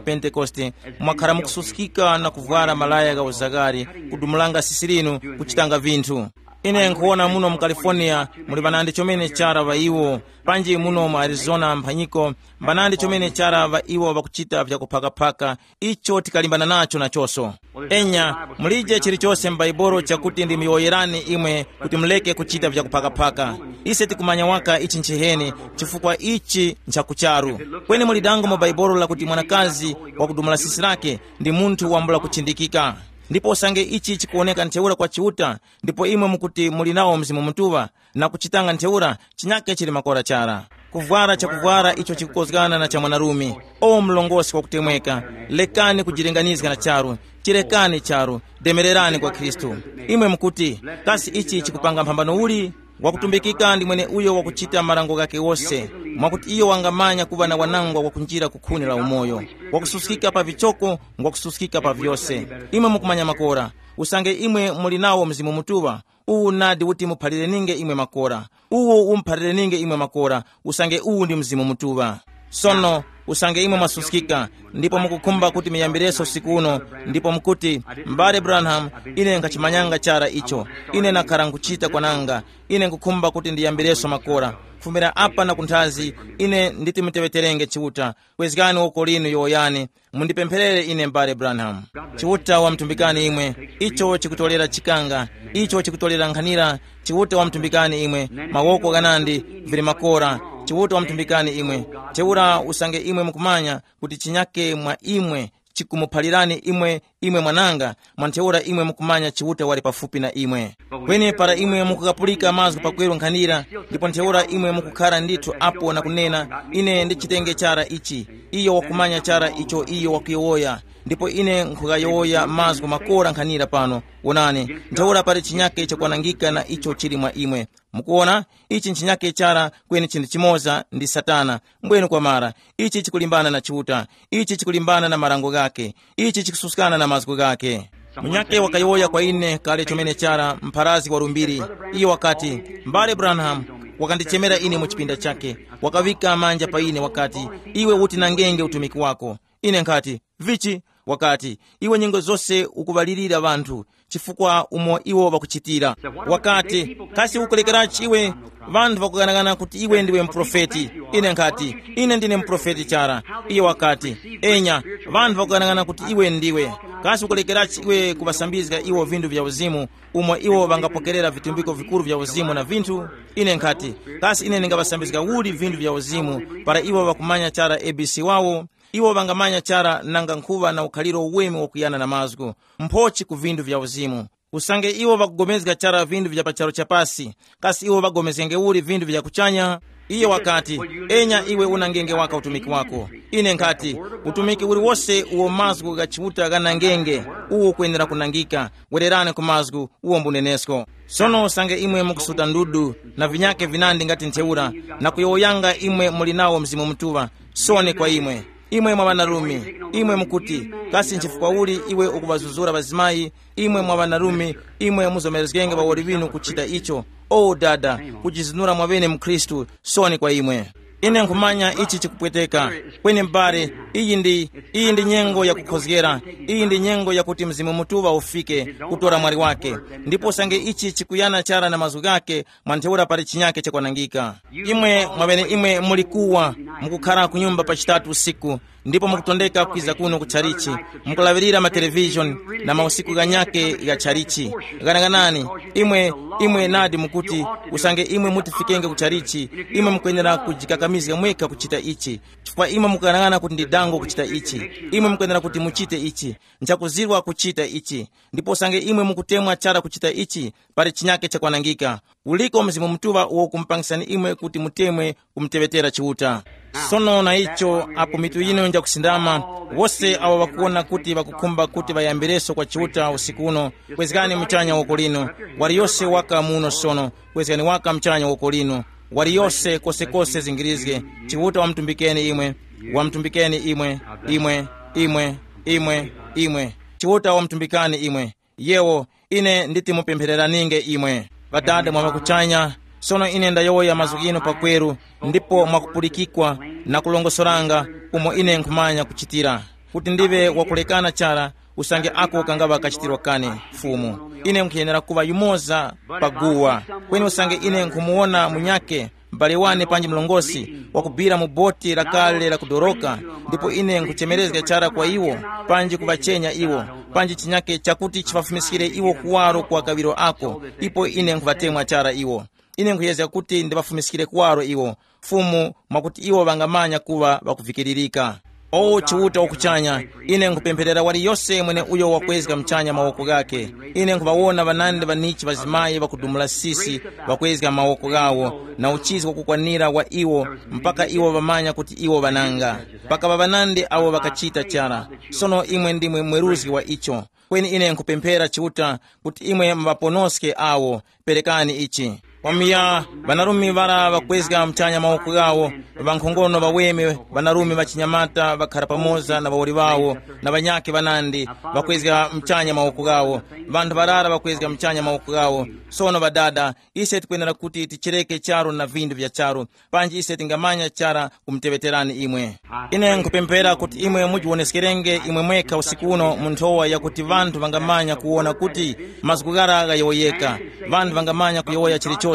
Pentekoste, mwakhara mukususkika na kuvwara malaya gha uzagari, kudumulanga sisi linu, kuchitanga vinthu. Ine nkhuwona muno mu California muli ŵanandi chomene chara ŵa iwo, panji muno mu Arizona mphanyiko, mbanandi chomene chara ŵa iwo ŵakuchita vyakuphakaphaka, icho tikalimbana nacho nachonso. Enya, mulije chilichose m'Baibulo chakuti ndimuyowoyerani imwe kuti muleke kuchita vyakuphakaphaka. Ise tikumanya waka ichi nchiheni, chifukwa ichi nchakucharu. Kweni muli dango mu Baibulo lakuti mwanakazi wakudumula sisi lake ndi munthu wambula kuchindikika. Ndipo usange ichi chikuwoneka ntheura kwa Chiuta, ndipo imwe mukuti muli nawo Mzimu Mutuŵa, na kuchitanga ntheura, chinyake chili makora chara. Kuvwara chakuvwara icho chikukozgana na cha mwanarume. O mlongosi wakutemweka, lekani kujilinganizga na charu, chirekani charu, demererani kwa Khristu. Imwe mukuti, kasi ichi chikupanga mphambano uli? Wakutumbikika ndi mwene uyo wakuchita marango ghake wose, mwakuti iyo wangamanya kuŵa na wanangwa wakunjira ku khuni la umoyo, wakususkika pa vichoko, ngwakususkika pa vyose. Imwe mukumanya makora, usange imwe muli nawo Mzimu Mutuŵa, uwu nadi uti muphalire ninge imwe makora. Uwu umuphalire ninge imwe makora, usange uwu ndi Mzimu Mutuŵa. Sono, usange imwe mwasuskika, ndipo mukukhumba kuti muyambireso usiku uno, ndipo mukuti, m'bale Branham, ine nkhachimanyanga chara icho, ine nakhara nkuchita kwananga, ine nkukhumba kuti ndiyambireso makora. Kufumira apa na kunthazi, ine nditi muteŵeterenge Chiuta. Kwezgani woko linu yowoyani, mundipempherere ine m'bale Branham. Chiuta wamtumbikani imwe, icho chikutolera chikanga, icho chikutolera nkhanira. Chiuta wamtumbikani imwe, mawoko ghanandi, vili makora. Chiuta wamtumbikani imwe. Ntheura usange imwe mukumanya kuti chinyake mwa imwe chikumuphalirani imwe, imwe mwananga, mwa ntheura imwe mukumanya Chiuta wali pafupi na imwe. Kweni para imwe mukukapulika mazgu pakweru nkhanira, ndipo ntheura imwe mukukhara ndithu apo na kunena, ine ndichitenge chara ichi, iyo wakumanya chara icho iyo wakuyowoya, ndipo ine nkhuyowoya mazgu makora nkhanira pano. Wonani, ntheura pali chinyake chakwanangika na icho chili mwa imwe. Mukuona, ichi nchinyake chara, kweni chinthu chimoza ndi Satana. Mbwenu kwamara, ichi chikulimbana na Chiuta, ichi chikulimbana na marango ghake, ichi chikususkana na mazgu ghake. Munyake wakayowoya kwa ine kale chomene chara, mpharazi wa lumbiri. Iyo wakati, m'bale Branham wakandichemera ine mu chipinda chake, wakaŵika manja pa ine, wakati, iwe uti nangenge utumiki wako. Ine nkhati, vichi? Wakati, iwe nyengo zose ukuŵalirira ŵanthu, chifukwa umo iwo ŵakuchitira. Wakati, kasi ukulekererachi iwe? Ŵanthu ŵakughanagana kuti iwe ndiwe muprofeti. Ine nkhati, ine ndine muprofeti chara. Iye wakati, enya, ŵanthu ŵakughanagana kuti iwe ndiwe. Kasi ukulekererachi iwe kuŵasambizga iwo vinthu vya uzimu, umo iwo ŵangapokerera vitumbiko vikuru vya uzimu na vinthu? Ine nkhati, kasi ine ndingaŵasambizga uli vinthu vya uzimu, para iwo ŵakumanya chara A B C wawo? Iwo ŵangamanya chara nanga nkhuŵa na ukhaliro uweme wakuyana na mazgu, mphochi ku vinthu vya uzimu. Usange iwo ŵakugomezga chara vinthu vya pa charu cha pasi, kasi iwo ŵagomezgenge uli vinthu vya kuchanya? Iye wakati, enya iwe unangenge waka utumiki wako. Ine nkhati, utumiki uliwose uwo mazgu gha Chiuta ghanangenge, uwo ukwenera kunangika. Wererani ku mazgu, uwo mbunenesko. Sono usange imwe mukusuta ndudu na vinyake vinandi ngati ntheura, na kuyowoyanga imwe muli nawo Mzimu Mutuŵa, soni kwa imwe. Imwe mwa ŵanarume, imwe mukuti, kasi nchifukwa uli iwe ukuŵazuzura ŵazimayi? Imwe mwa ŵanarume, imwe muzomerezgenge ŵawoli ŵinu kuchita icho. O dada, kujizinura mwaŵene mu Khristu, soni kwa imwe. Ine nkhumanya ichi chikupweteka. Kweni m'bale, iyi ndi iyi ndi nyengo yakukhozgera. Iyi ndi nyengo yakuti Mzimu Mutuŵa ufike, kutora mwali wake. Ndipo usange ichi chikuyana chara na mazgu ghake, mwa ntheura pali chinyake chakwanangika. Imwe mwaŵeneimwe muli kuwa, mukukhara ku nyumba pa chitatu usiku, ndipo mukutondeka kwiza kuno ku tchalichi, mukulaŵirira matelevishoni na mausiku ghanyake gha tchalichi. Ghanaghanani, imwe imwe nadi mukuti, usange imwe mutifikenge ku tchalichi, imwe mukwenera kujikakamizga mwekha kuchita ichi, chifukwa imwe mukughanag'ana kuti ndi dango kuchita ichi. Imwe mukwenera kuti muchite ichi. Nchakuzirwa kuchita ichi. Ndipo usange imwe mukutemwa chara kuchita ichi, pali chinyake chakwanangika. Uliko Mzimu Mutuŵa uwo ukumupangisani imwe kuti mutemwe kumuteŵetera Chiuta. Sono na icho, apo mitu yinu njakusindama, wose awo ŵakuwona kuti ŵakukhumba kuti ŵayambireso kwa Chiuta usiku uno, kwezgani muchanya woko linu. Waliyose waka muno sono, kwezgani waka muchanya woko linu. Waliyose kosekose zingirizge. Chiuta wamutumbikeni imwe, wamutumbikeni imwe, imwe, imwe, imwe, imwe. Chiuta wamutumbikani imwe. Yewo, ine nditi mupemphereraninge imwe. Ŵadada mwa ŵakuchanya, sono ine ndayowoya mazgu ghinu pakweru, ndipo mwakupulikikwa na kulongosoranga umo ine nkhumanya kuchitira, kuti ndiŵe wakulekana chara, usange ako kangaŵa kachitiro kane. Fumu, ine nkhuyenera kuŵa yumoza pa guwa. Kweni usange ine nkhumuwona munyake, m'bale wane panji mlongosi, wakubira mu boti lakale lakudoroka, ndipo ine nkhuchemerezga chara kwa iwo, panji kuŵachenya iwo, panji chinyake chakuti chiŵafumiskire iwo kuwaro kwa kaŵiro ako, ipo ine nkhuŵatemwa chara iwo. Ine nkhuyezga kuti ndiŵafumiskire kuwaro iwo, Fumu, mwakuti iwo ŵangamanya kuŵa ŵakuvikiririka. O Chiuta wakuchanya, ine nkhupempherera waliyose mweneuyo wakwezga muchanya mawoko ghakhe. Ine nkhuŵawona ŵanandi ŵanichi ŵazimayi ŵakudumula sisi, ŵakwezga mawoko ghawo, na uchizi wakukwanira wa iwo, mpaka iwo ŵamanya kuti iwo ŵananga. Pakaŵa ŵanandi awo ŵakachita chara. Sono imwe ndimwe mweruzgi wa icho. Kweni ine nkhupemphera Chiuta kuti imwe muŵaponoske awo. Perekani ichi. Kwamiya, ŵanarume ŵara ŵakwezga muchanya mawoko ghawo, ŵankhongono ŵaweme, ŵanarume ŵachinyamata ŵakhara pamoza na ŵawoli ŵawo, na ŵanyakhe ŵanandi, ŵakwezga muchanya mawoko ghawo. Ŵanthu ŵarara ŵakwezga muchanya mawoko ghawo. Sono ŵadada, ise tikwenera kuti tichereke charu na vindu vya charu, panji ise tingamanya chara kumuteŵeterani imwe. Ine nkupemphera kuti imwe mujiwoneskerenge imwe mwekha usiku uno mu nthowa yakuti ŵanthu ŵangamanya kuwona kuti mazgu ghara ghayowoyeka. Ŵanthu ŵangamanya kuyowoya chilichose.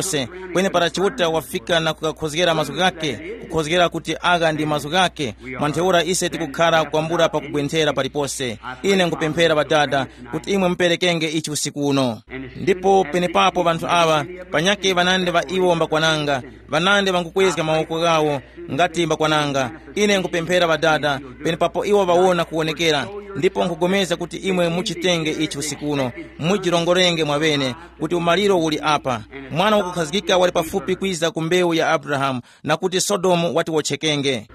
Kweni para Chiuta wafika na kukakhozgera mazgu ghakhe, kukhozgera kuti agha ndi mazgu ghakhe, mwa ntheura ise tikukhara kwambula pakugwenthera palipose. Ine nkupemphera Ŵadada kuti imwe muperekenge ichi usiku uno. Ndipo penepapo ŵanthu aŵa, panyakhe ŵanandi ŵa iwo mbakwananga, ŵanandi ŵangukwezga mawoko ghawo, ngati mbakwananga. Ine nkupemphera Ŵadada, penepapo iwo ŵawona kuwonekera, ndipo nkugomeza kuti imwe muchitenge ichi usiku uno, mujirongorenge mwaŵene kuti umaliro uli apa. Mwana wakukhazgika wali pafupi kwiza ku mbewu ya Abrahamu, na kuti Sodomu wati wotchekenge.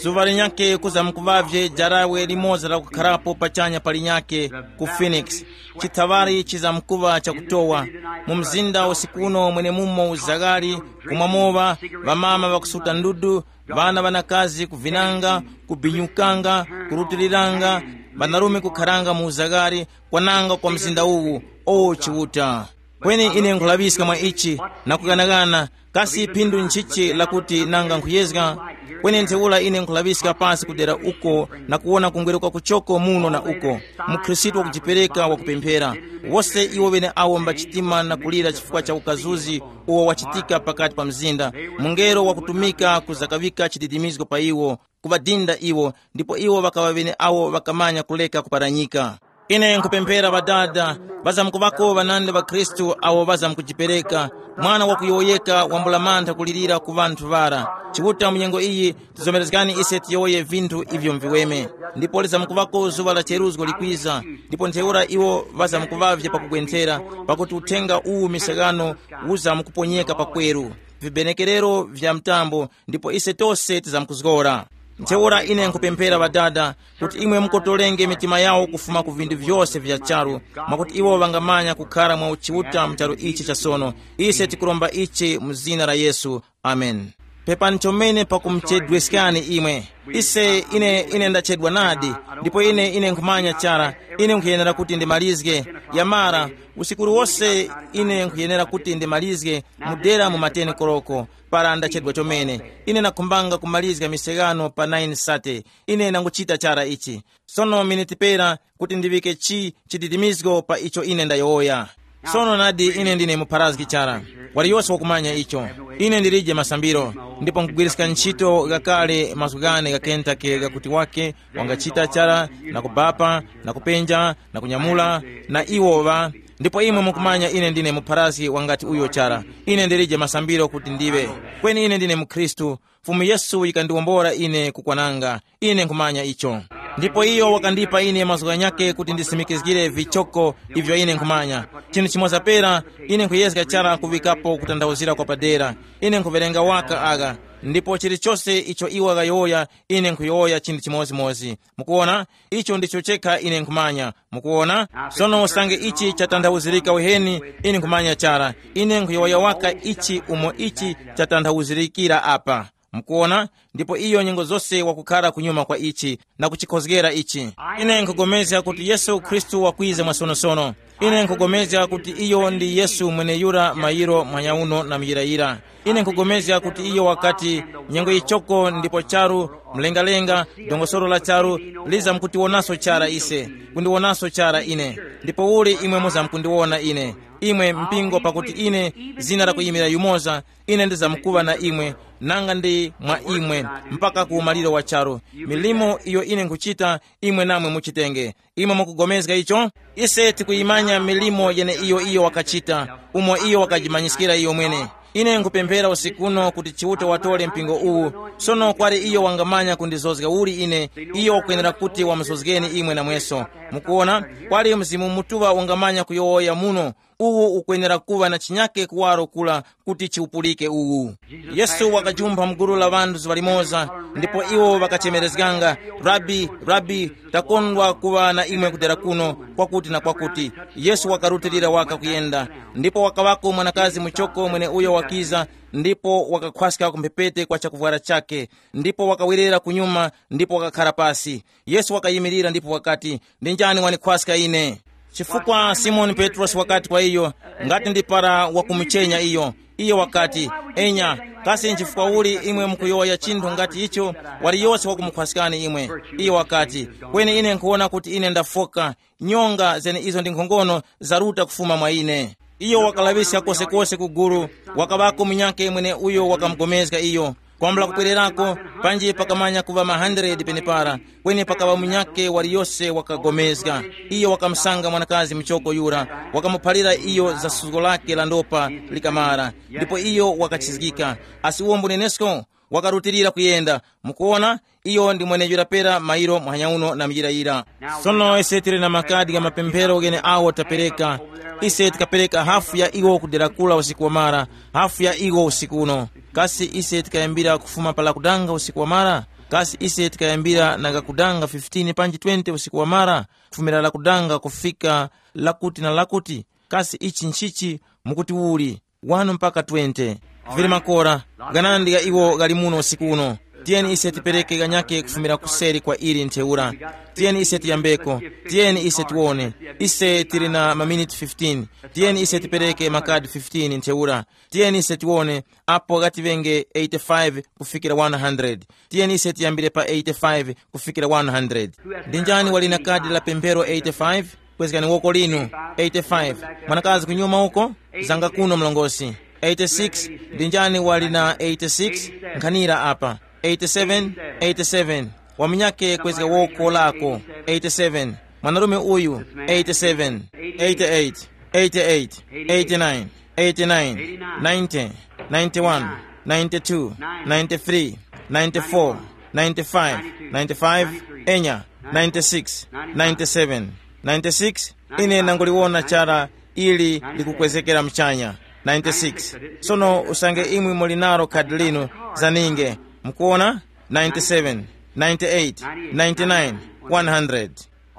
Zuŵa linyakhe kuzamkuŵavye jarawe limoza lakukharapo pachanya pa linyakhe ku Phoenix. Chithaŵari chizamkuŵa chakutowa. Mu mzinda usikuno mwenemumo uzaghali, kumwamoŵa, ŵamama ŵakusuta ndudu, ŵana ŵanakazi kuvinanga, kubinyukanga, kurutiliranga, ŵanarume kukharanga mu uzaghali, kwananga kwa mzinda uwu. O Chiuta! Kweni ine nkhulaŵiska mwa ichi, na kughanaghana, kasi phindu nchichi lakuti nanga nkhuyezga? Kweni ntheura ine nkhulaŵiska pasi kudera uko na kuwona kungweruka kuchoko muno na uko. MuKhristu wakujipereka wakupemphera. Wose iwo ŵeneawo mbachitima na kulira chifukwa cha ukazuzi uwo wachitika pakati pa mzinda. Mungelo wakutumika kuzakaŵika chididimizgo pa iwo, kuŵadinda iwo, ndipo iwo ŵakaŵa ŵeneawo ŵakamanya kuleka kuparanyika. Ine nkupemphera Ŵadada, ŵazamkuŵako ŵanandi ŵa Khristu awo ŵazamkujipereka, mwana wakuyowoyeka wambula mantha kulirira ku ŵanthu ŵara. Chiuta mu nyengo iyi, tizomerezgani ise tiyowoye vinthu ivyo mviweme. Ndipo lizamkuŵako zuŵa la cheruzgo likwiza, ndipo ntheura iwo ŵazamkuŵavye pakugwenthera, pakuti uthenga uwu misakano uzamkuponyeka pakweru, vibenekerero vya mtambo, ndipo ise tose tizamkuzgora. Ntheura ine nkupemphera Ŵadada, kuti imwe mukotolenge mitima yawo kufuma ku vinthu vyose vya charu, mwakuti iwo ŵangamanya kukhara mwa uchiuta mu charu ichi cha sono. Ise tikuromba ichi mu zina la Yesu. Amen. Pepani chomene pakumuchedweskani imwe. Ise ine ine ndachedwa nadi, ndipo ine ine nkhumanya chara, ine nkhuyenera kuti ndimalizge. Yamara, usiku uliwose ine nkhuyenera kuti ndimalizge, mudera mu mateni koloko. para ndachedwa chomene. Ine nakhumbanga kumalizga miseghano pa nine sate. Ine nanguchita chara ichi. Sono miniti pera kuti ndiŵike chi chididimizgo pa icho ine ndayowoya. Sono nadi ine ndine mupharazgi chara. Waliyose wakumanya icho. Ine ndilije masambiro, ndipo nkugwiriska ntchito ghakale mazgu ghane gha Kentucky ghakuti wake wangachita chara, na kubapa, na kupenja, na kunyamula, na iwo ŵa. Ndipo imwe mukumanya ine ndine mupharazgi wangati uyo chara. Ine ndilije masambiro kuti ndiŵe. Kweni ine ndine mukhristu. Fumu Yesu yikandiwombora ine kukwananga. Ine nkhumanya icho. Ndipo iyo wakandipa ine mazgu ghanyakhe kuti ndisimikizgire vichoko ivyo ine nkhumanya. Chinthu chimoza pera, ine nkhuyezga chara kuŵikapo kutanthauzira kwa padera. Ine nkhuwerenga waka agha. Ndipo chilichose icho iwo ŵakayowoya, ine nkhuyowoya chinthu chimozimozi. Mukuona? Icho ndicho chekha ine nkhumanya. Mukuona? Sono usange ichi chatanthauzirika uheni, ine nkhumanya chara. Ine nkhuyowoya waka ichi umo ichi chatanthauzirikira apa. Mukuona? Ndipo iyo nyengo zose wakukhara kunyuma kwa ichi na kuchikhozgera ichi. Ine nkugomezga kuti Yesu Khristu wakwiza mwasonosono. Ine nkugomezga kuti iyo ndi Yesu mweneyura mayiro manyauno na muyirayira. Ine nkugomezga kuti iyo wakati, nyengo yichoko ndipo charu, mlengalenga, dongosolo la charu, liza mkutiwonaso chara ise, kundiwonaso chara ine. Ndipo uli imwe muzamkundiwona ine, imwe mpingo, pakuti ine, zina lakuyimira yumoza, ine ndizamkuŵa na imwe, nanga ndi mwa imwe, mpaka ku umaliro wa charu. Milimo iyo ine nkhuchita, imwe namwe muchitenge. Imwe mukugomezga icho? Ise tikuyimanya milimo yeneiyo iyo wakachita, umo iyo wakajimanyiskira iyo mwene. Ine nkupemphera usiku uno kuti Chiuta watore mpingo uwu. Sono kwali iyo wangamanya kundizozga uli ine, iyo wakwenera kuti wamuzozgeni imwe namweso. Mukuona, kwali Mzimu Mutuŵa wangamanya kuyowoya muno. Uwu ukwenera kuŵa na chinyake kuwaro kula kuti chiwupulike uwu. Yesu wakajumpha mgulu la ŵanthu zuŵa limoza, ndipo iwo ŵakachemerezganga, rabi, rabi, takondwa kuŵa na imwe kudera kuno, kwakuti na kwakuti. Yesu wakarutilira waka kuyenda, ndipo wakaŵako mwanakazi muchoko mweneuyo wakiza, ndipo wakakhwaska ku mphepete kwa chakuvwara chakhe, ndipo wakawerera kunyuma, ndipo wakakhara pasi. Yesu wakayimirira ndipo wakati, ndi njani wanikhwaska ine? Chifukwa Simoni Petrosi wakati kwa iyo, ngati ndi para wakumuchenya iyo. Iyo wakati, enya, kasi nchifukwa uli imwe mukuyowoya chinthu ngati icho? Waliyose wakumukhwaskani imwe. Iyo wakati, kweni ine nkhuwona kuti ine ndafoka. Nyonga zene izo ndi nkhongono zaruta kufuma mwa ine. Iyo wakalaŵiska kosekose ku gulu. Wakaŵako munyakhe mwene uyo wakamugomezga iyo. Kwambula kukwererako, panji pakamanya kuŵa ma hundred penepara, kweni pakaŵa munyakhe waliyose wakagomezga. Iyo wakamusanga mwanakazi muchoko yura, wakamuphalira iyo za suzgo lake la ndopa likamara, ndipo iyo wakachizgika. Asi uwo mbunenesko wakarutilira kuyenda. Mukuona, iyo ndi mwenejera pera mairo muhanya uno na mujira yira. Sono ise tili na makadi gha mapemphero ghene awo tapereka. Ise tikapereka hafu ya iwo kudera kula usiku wamara, hafu ya iwo usiku uno. Kasi ise tikayambira kufuma pa lakudanga usiku wamara? Kasi ise tikayambira na gakudanga fifteen panji twenty usiku wamara, kufumira lakudanga kufika lakuti na lakuti? Kasi ichi nchichi? Mukuti uli wanu mpaka twenty. Vili makora, ganandi gha iwo ghali muno usiku uno. Tiyeni ise tipereke ganyake kufumira kuseri kwa ili ntheura. Tiyeni ise tiyambeko. Tiyeni ise tiwone. Ise tili na maminiti fifteen. Tiyeni ise tipereke makadi fifteen ntheura. Tiyeni ise tiwone, apo ghati ŵenge eighty-five kufikira one hundred. Tiyeni ise tiyambire pa eighty-five kufikira one hundred. Ndi njani wali na kadi la pemphero eighty-five? Kwezgani woko linu. Eighty-five. Mwanakazi kunyuma uko, zanga kuno mlongosi. Eighty-six. Ndi njani wali na eighty-six? Nkhanira apa. Eighty-seven. Eighty-seven. Wamunyake kwezga woko lako. Eighty-seven. Mwanarume uyu. Eighty-seven. Eighty-eight. Eighty-eight. Eighty-nine. Eighty-nine. Ninety. Ninety-one. Ninety-two. Ninety-three. Ninety-four. Ninety-five. Ninety-five. Enya. Ninety-six. Ninety-seven. Ninety-six. Ine nanguliwona chara ili likukwezekera mchanya. Ninety-six. Sono usange imwe muli naro khadi linu, zaninge. Mukuona? Ninety-seven. Ninety-eight. Ninety-nine. One hundred.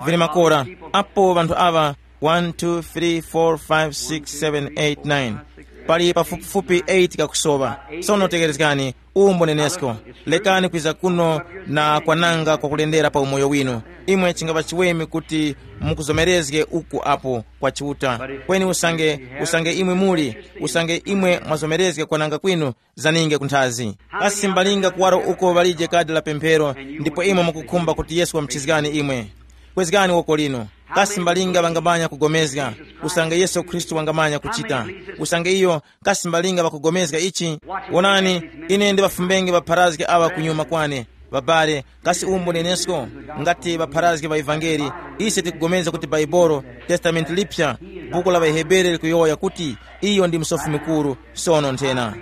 Vili makora. Apo vanthu awa, one, two, three, four, five, six, seven, eight, nine. Pali pafupifupi eight kakusowa. Sono tekerezgani, uwu mbunenesko. Lekani kwiza kuno na kwananga kwakulendera pa umoyo winu. Imwe chingapa chiweme kuti mukuzomerezge uku apo kwa Chiuta. Kweni usange, usange imwe muli, usange imwe mwazomerezga kwananga kwinu, zaninge kunthazi. Kasi mbalinga kuwaro uko ŵalije kadi la pemphero, ndipo imwe mukukhumba kuti Yesu wamuchizgani imwe? Kwezgani woko linu. Kasi mbalinga ŵangamanya kugomezga, usange Yesu Khristu wangamanya kuchita? Usange iyo, kasi mbalinga ŵakugomezga ichi? Wonani, ine ndiŵafumbenge ŵapharazgi aŵa kunyuma kwane. Ŵabale, kasi uwu mbunenesko? Ngati ŵapharazgi ŵa ivangeli, ise tikugomezga kuti Baibolo, Testamenti Lipya, buku la ŵaHebere likuyowoya kuti iyo ndi Musofi Mukuru. Sono nthena,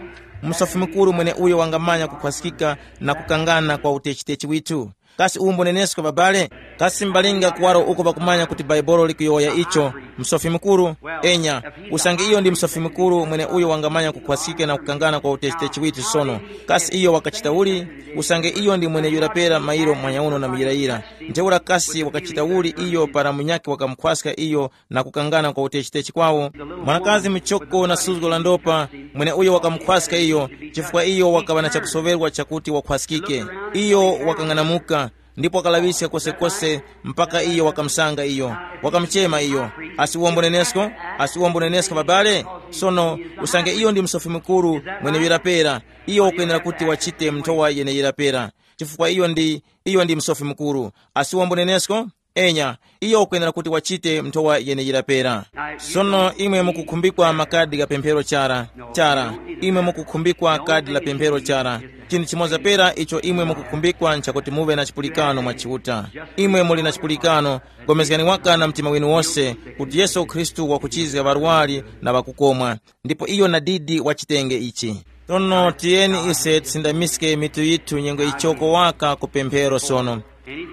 Musofi Mukuru mweneuyo wangamanya kukhwaskika na kukangana kwa utechi-techi withu. Kasi uwu mbunenesko, babale? Kasi mbalinga kuwaro uko pakumanya kuti Baibolo likuyowoya icho, Musofi Mukuru? Enya, usange iyo ndi Musofi Mukuru mweneuyo wangamanya kukhwaskika na kukangana kwa utechi-techi withu sono, kasi iyo wakachita uli? Usange iyo ndi mweneyura pera mairo mwanyauno na muyirayira, ntheura kasi wakachita uli iyo para munyakhe wakamukhwaska iyo na kukangana kwa utechi-techi kwawo? Mwanakazi muchoko na suzgo la ndopa, mweneuyo wakamukhwaska iyo, chifukwa iyo wakaŵa na chakusoŵerwa chakuti wakhwaskike. Iyo wakang'anamuka, ndipo wakalaŵiska kosekose mpaka iyo wakamusanga iyo, wakamuchema iyo. Asi uwo mbunenesko? Asi uwo mbunenesko, babale? Sono, usange iyo ndi Musofi Mukuru mweneyira pera, iyo wakwenera kuti wachite nthowa yeneyira pera, chifukwa iyo ndi, iyo ndi Musofi Mukuru. Asi uwo mbunenesko? Enya, iyo ukwenera kuti wachite nthowa yeneyira pera. Sono imwe mukukhumbikwa makadi gha pemphero chara, chara, imwe mukukhumbikwa kadi la pemphero chara. Chinthu chimoza pera icho imwe mukukhumbikwa nchakuti muŵe na chipulikano mwa Chiuta. Imwe muli na chipulikano, gomezgani waka na mtima winu wose kuti Yesu Khristu wakuchizga ŵarwari na ŵakukomwa, ndipo iyo nadidi wachitenge ichi. Sono tiyeni ise tisindamiske mitu yithu nyengo ichoko waka ku pemphero sono.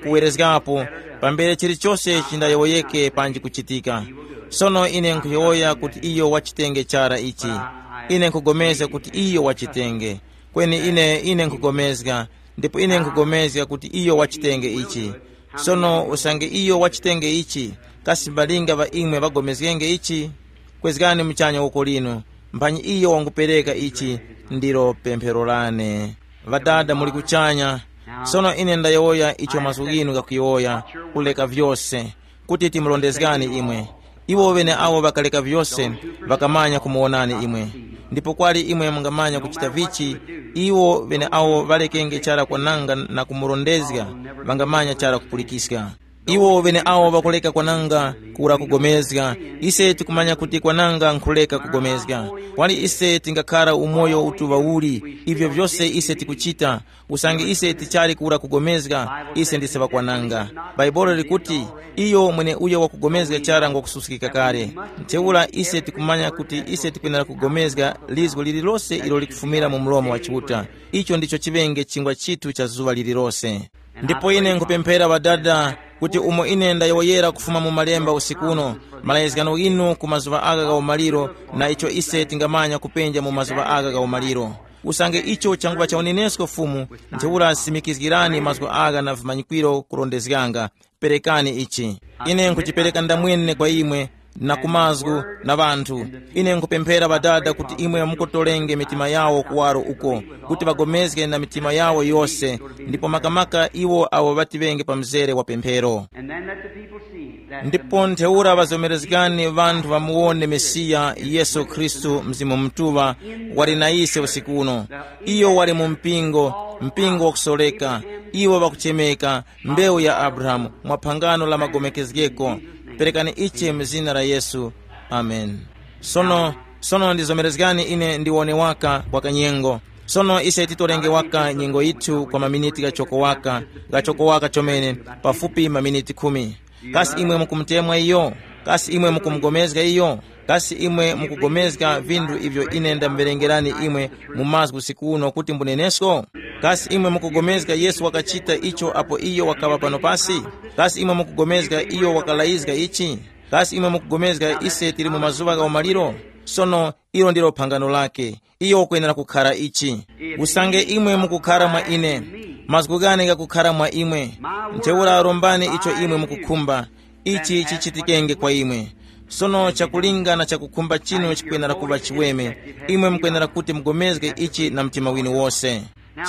Kuwerezgapo, pambere chilichose chindayowoyeke panji kuchitika. Sono ine nkhuyowoya kuti iyo wachitenge chara ichi. Ine nkhugomezga kuti iyo wachitenge. Kweni ine, ine nkhugomezga, ndipo ine nkhugomezga kuti iyo wachitenge ichi. Sono usange iyo wachitenge ichi, kasi mbalinga ŵa imwe ŵagomezgenge ichi? Kwezgani muchanya woko linu, mphanyi iyo wangupereka ichi. Ndilo pemphero lane. Ŵadada muli kuchanya, sono ine ndayowoya icho mazgu ghinu ghakuyowoya, kuleka vyose, kuti timurondezgani imwe. Iwo ŵeneawo ŵakaleka vyose, ŵakamanya kumuwonani imwe. Ndipo kwali imwe mungamanya kuchita vichi? Iwo ŵeneawo ŵalekenge chara kwananga na kumurondezga, ŵangamanya chara kupulikiska. Iwo ŵeneawo ŵakuleka kwananga kura kugomezga. Ise tikumanya kuti kwananga nkhuleka kugomezga. Kwali ise tingakhara umoyo utuŵa uli, ivyo vyose ise tikuchita, usange ise tichali kura kugomezga, ise ndise ŵakwananga. Bhaibuli likuti, iyo mweneuyo wakugomezga chara ngwakususkika kale. Ntheura ise tikumanya kuti ise tikwenera kugomezga lizgo lililose ilo likufumira mu mlomo wa Chiuta. Icho ndicho chiŵenge chingwa chithu cha zuŵa lililose. Ndipo ine nkupemphera Ŵadada, kuti umo ine ndayowoyera kufuma mu Malemba usiku uno, malayizgano ghinu ku mazuŵa agha gha umaliro, na icho ise tingamanya kupenja mu mazuŵa agha gha umaliro. Usange icho changuŵa cha unenesko Fumu, ntheura simikizgirani mazgu agha na vimanyikwiro kurondezganga. Perekani ichi. Ine nkuchipereka ndamwene kwa imwe, na ku mazgu, na ŵanthu. Ine nkupemphera Ŵadada kuti imwe mukotolenge mitima yawo kuwaro uko, kuti ŵagomezge na mitima yawo yose, ndipo makamaka iwo awo ŵatiŵenge pa mzere wa pemphero. And then let the people see that the ndipo ntheura ŵazomerezgani ŵanthu ŵamuwone Mesiya Yesu Khristu, Mzimu Mutuŵa, wali na ise usiku uno. Iyo wali mu mpingo, mpingo wakusoreka. Iwo ŵakuchemeka, mbewu ya Abrahamu, mwa phangano la magomekezgeko. Perekani ichi mu zina la Yesu. Amen. Sono, sono ndizomerezgani ine ndiwone waka kwa kanyengo. Sono ise titorenge waka nyengo yithu kwa maminiti ghachoko waka, ghachoko waka chomene, pafupi maminiti khumi. Kasi imwe mukumutemwa iyo? Kasi imwe mukumugomezga iyo? Kasi imwe mukugomezga vinthu ivyo ine ndamverengerani imwe mu mazgu usiku uno kuti mbunenesko? Kasi imwe mukugomezga Yesu wakachita icho apo iyo wakaŵa pano pasi? Kasi imwe mukugomezga iyo wakalayizga ichi? Kasi imwe mukugomezga ise tili mu mazuŵa gha umaliro? Sono, ilo ndilo phangano lake. Iyo ukwenera kukhara ichi. Usange imwe mukukhara mwa ine, mazgu ghane ghakukhara mwa imwe, ntheura rombani icho imwe mukukhumba, ichi chichitikenge kwa imwe. Sono chakulinga na chakukhumba chinu chikwenera kuŵa chiweme. Imwe mukwenera kuti mugomezge ichi na mtima winu wose.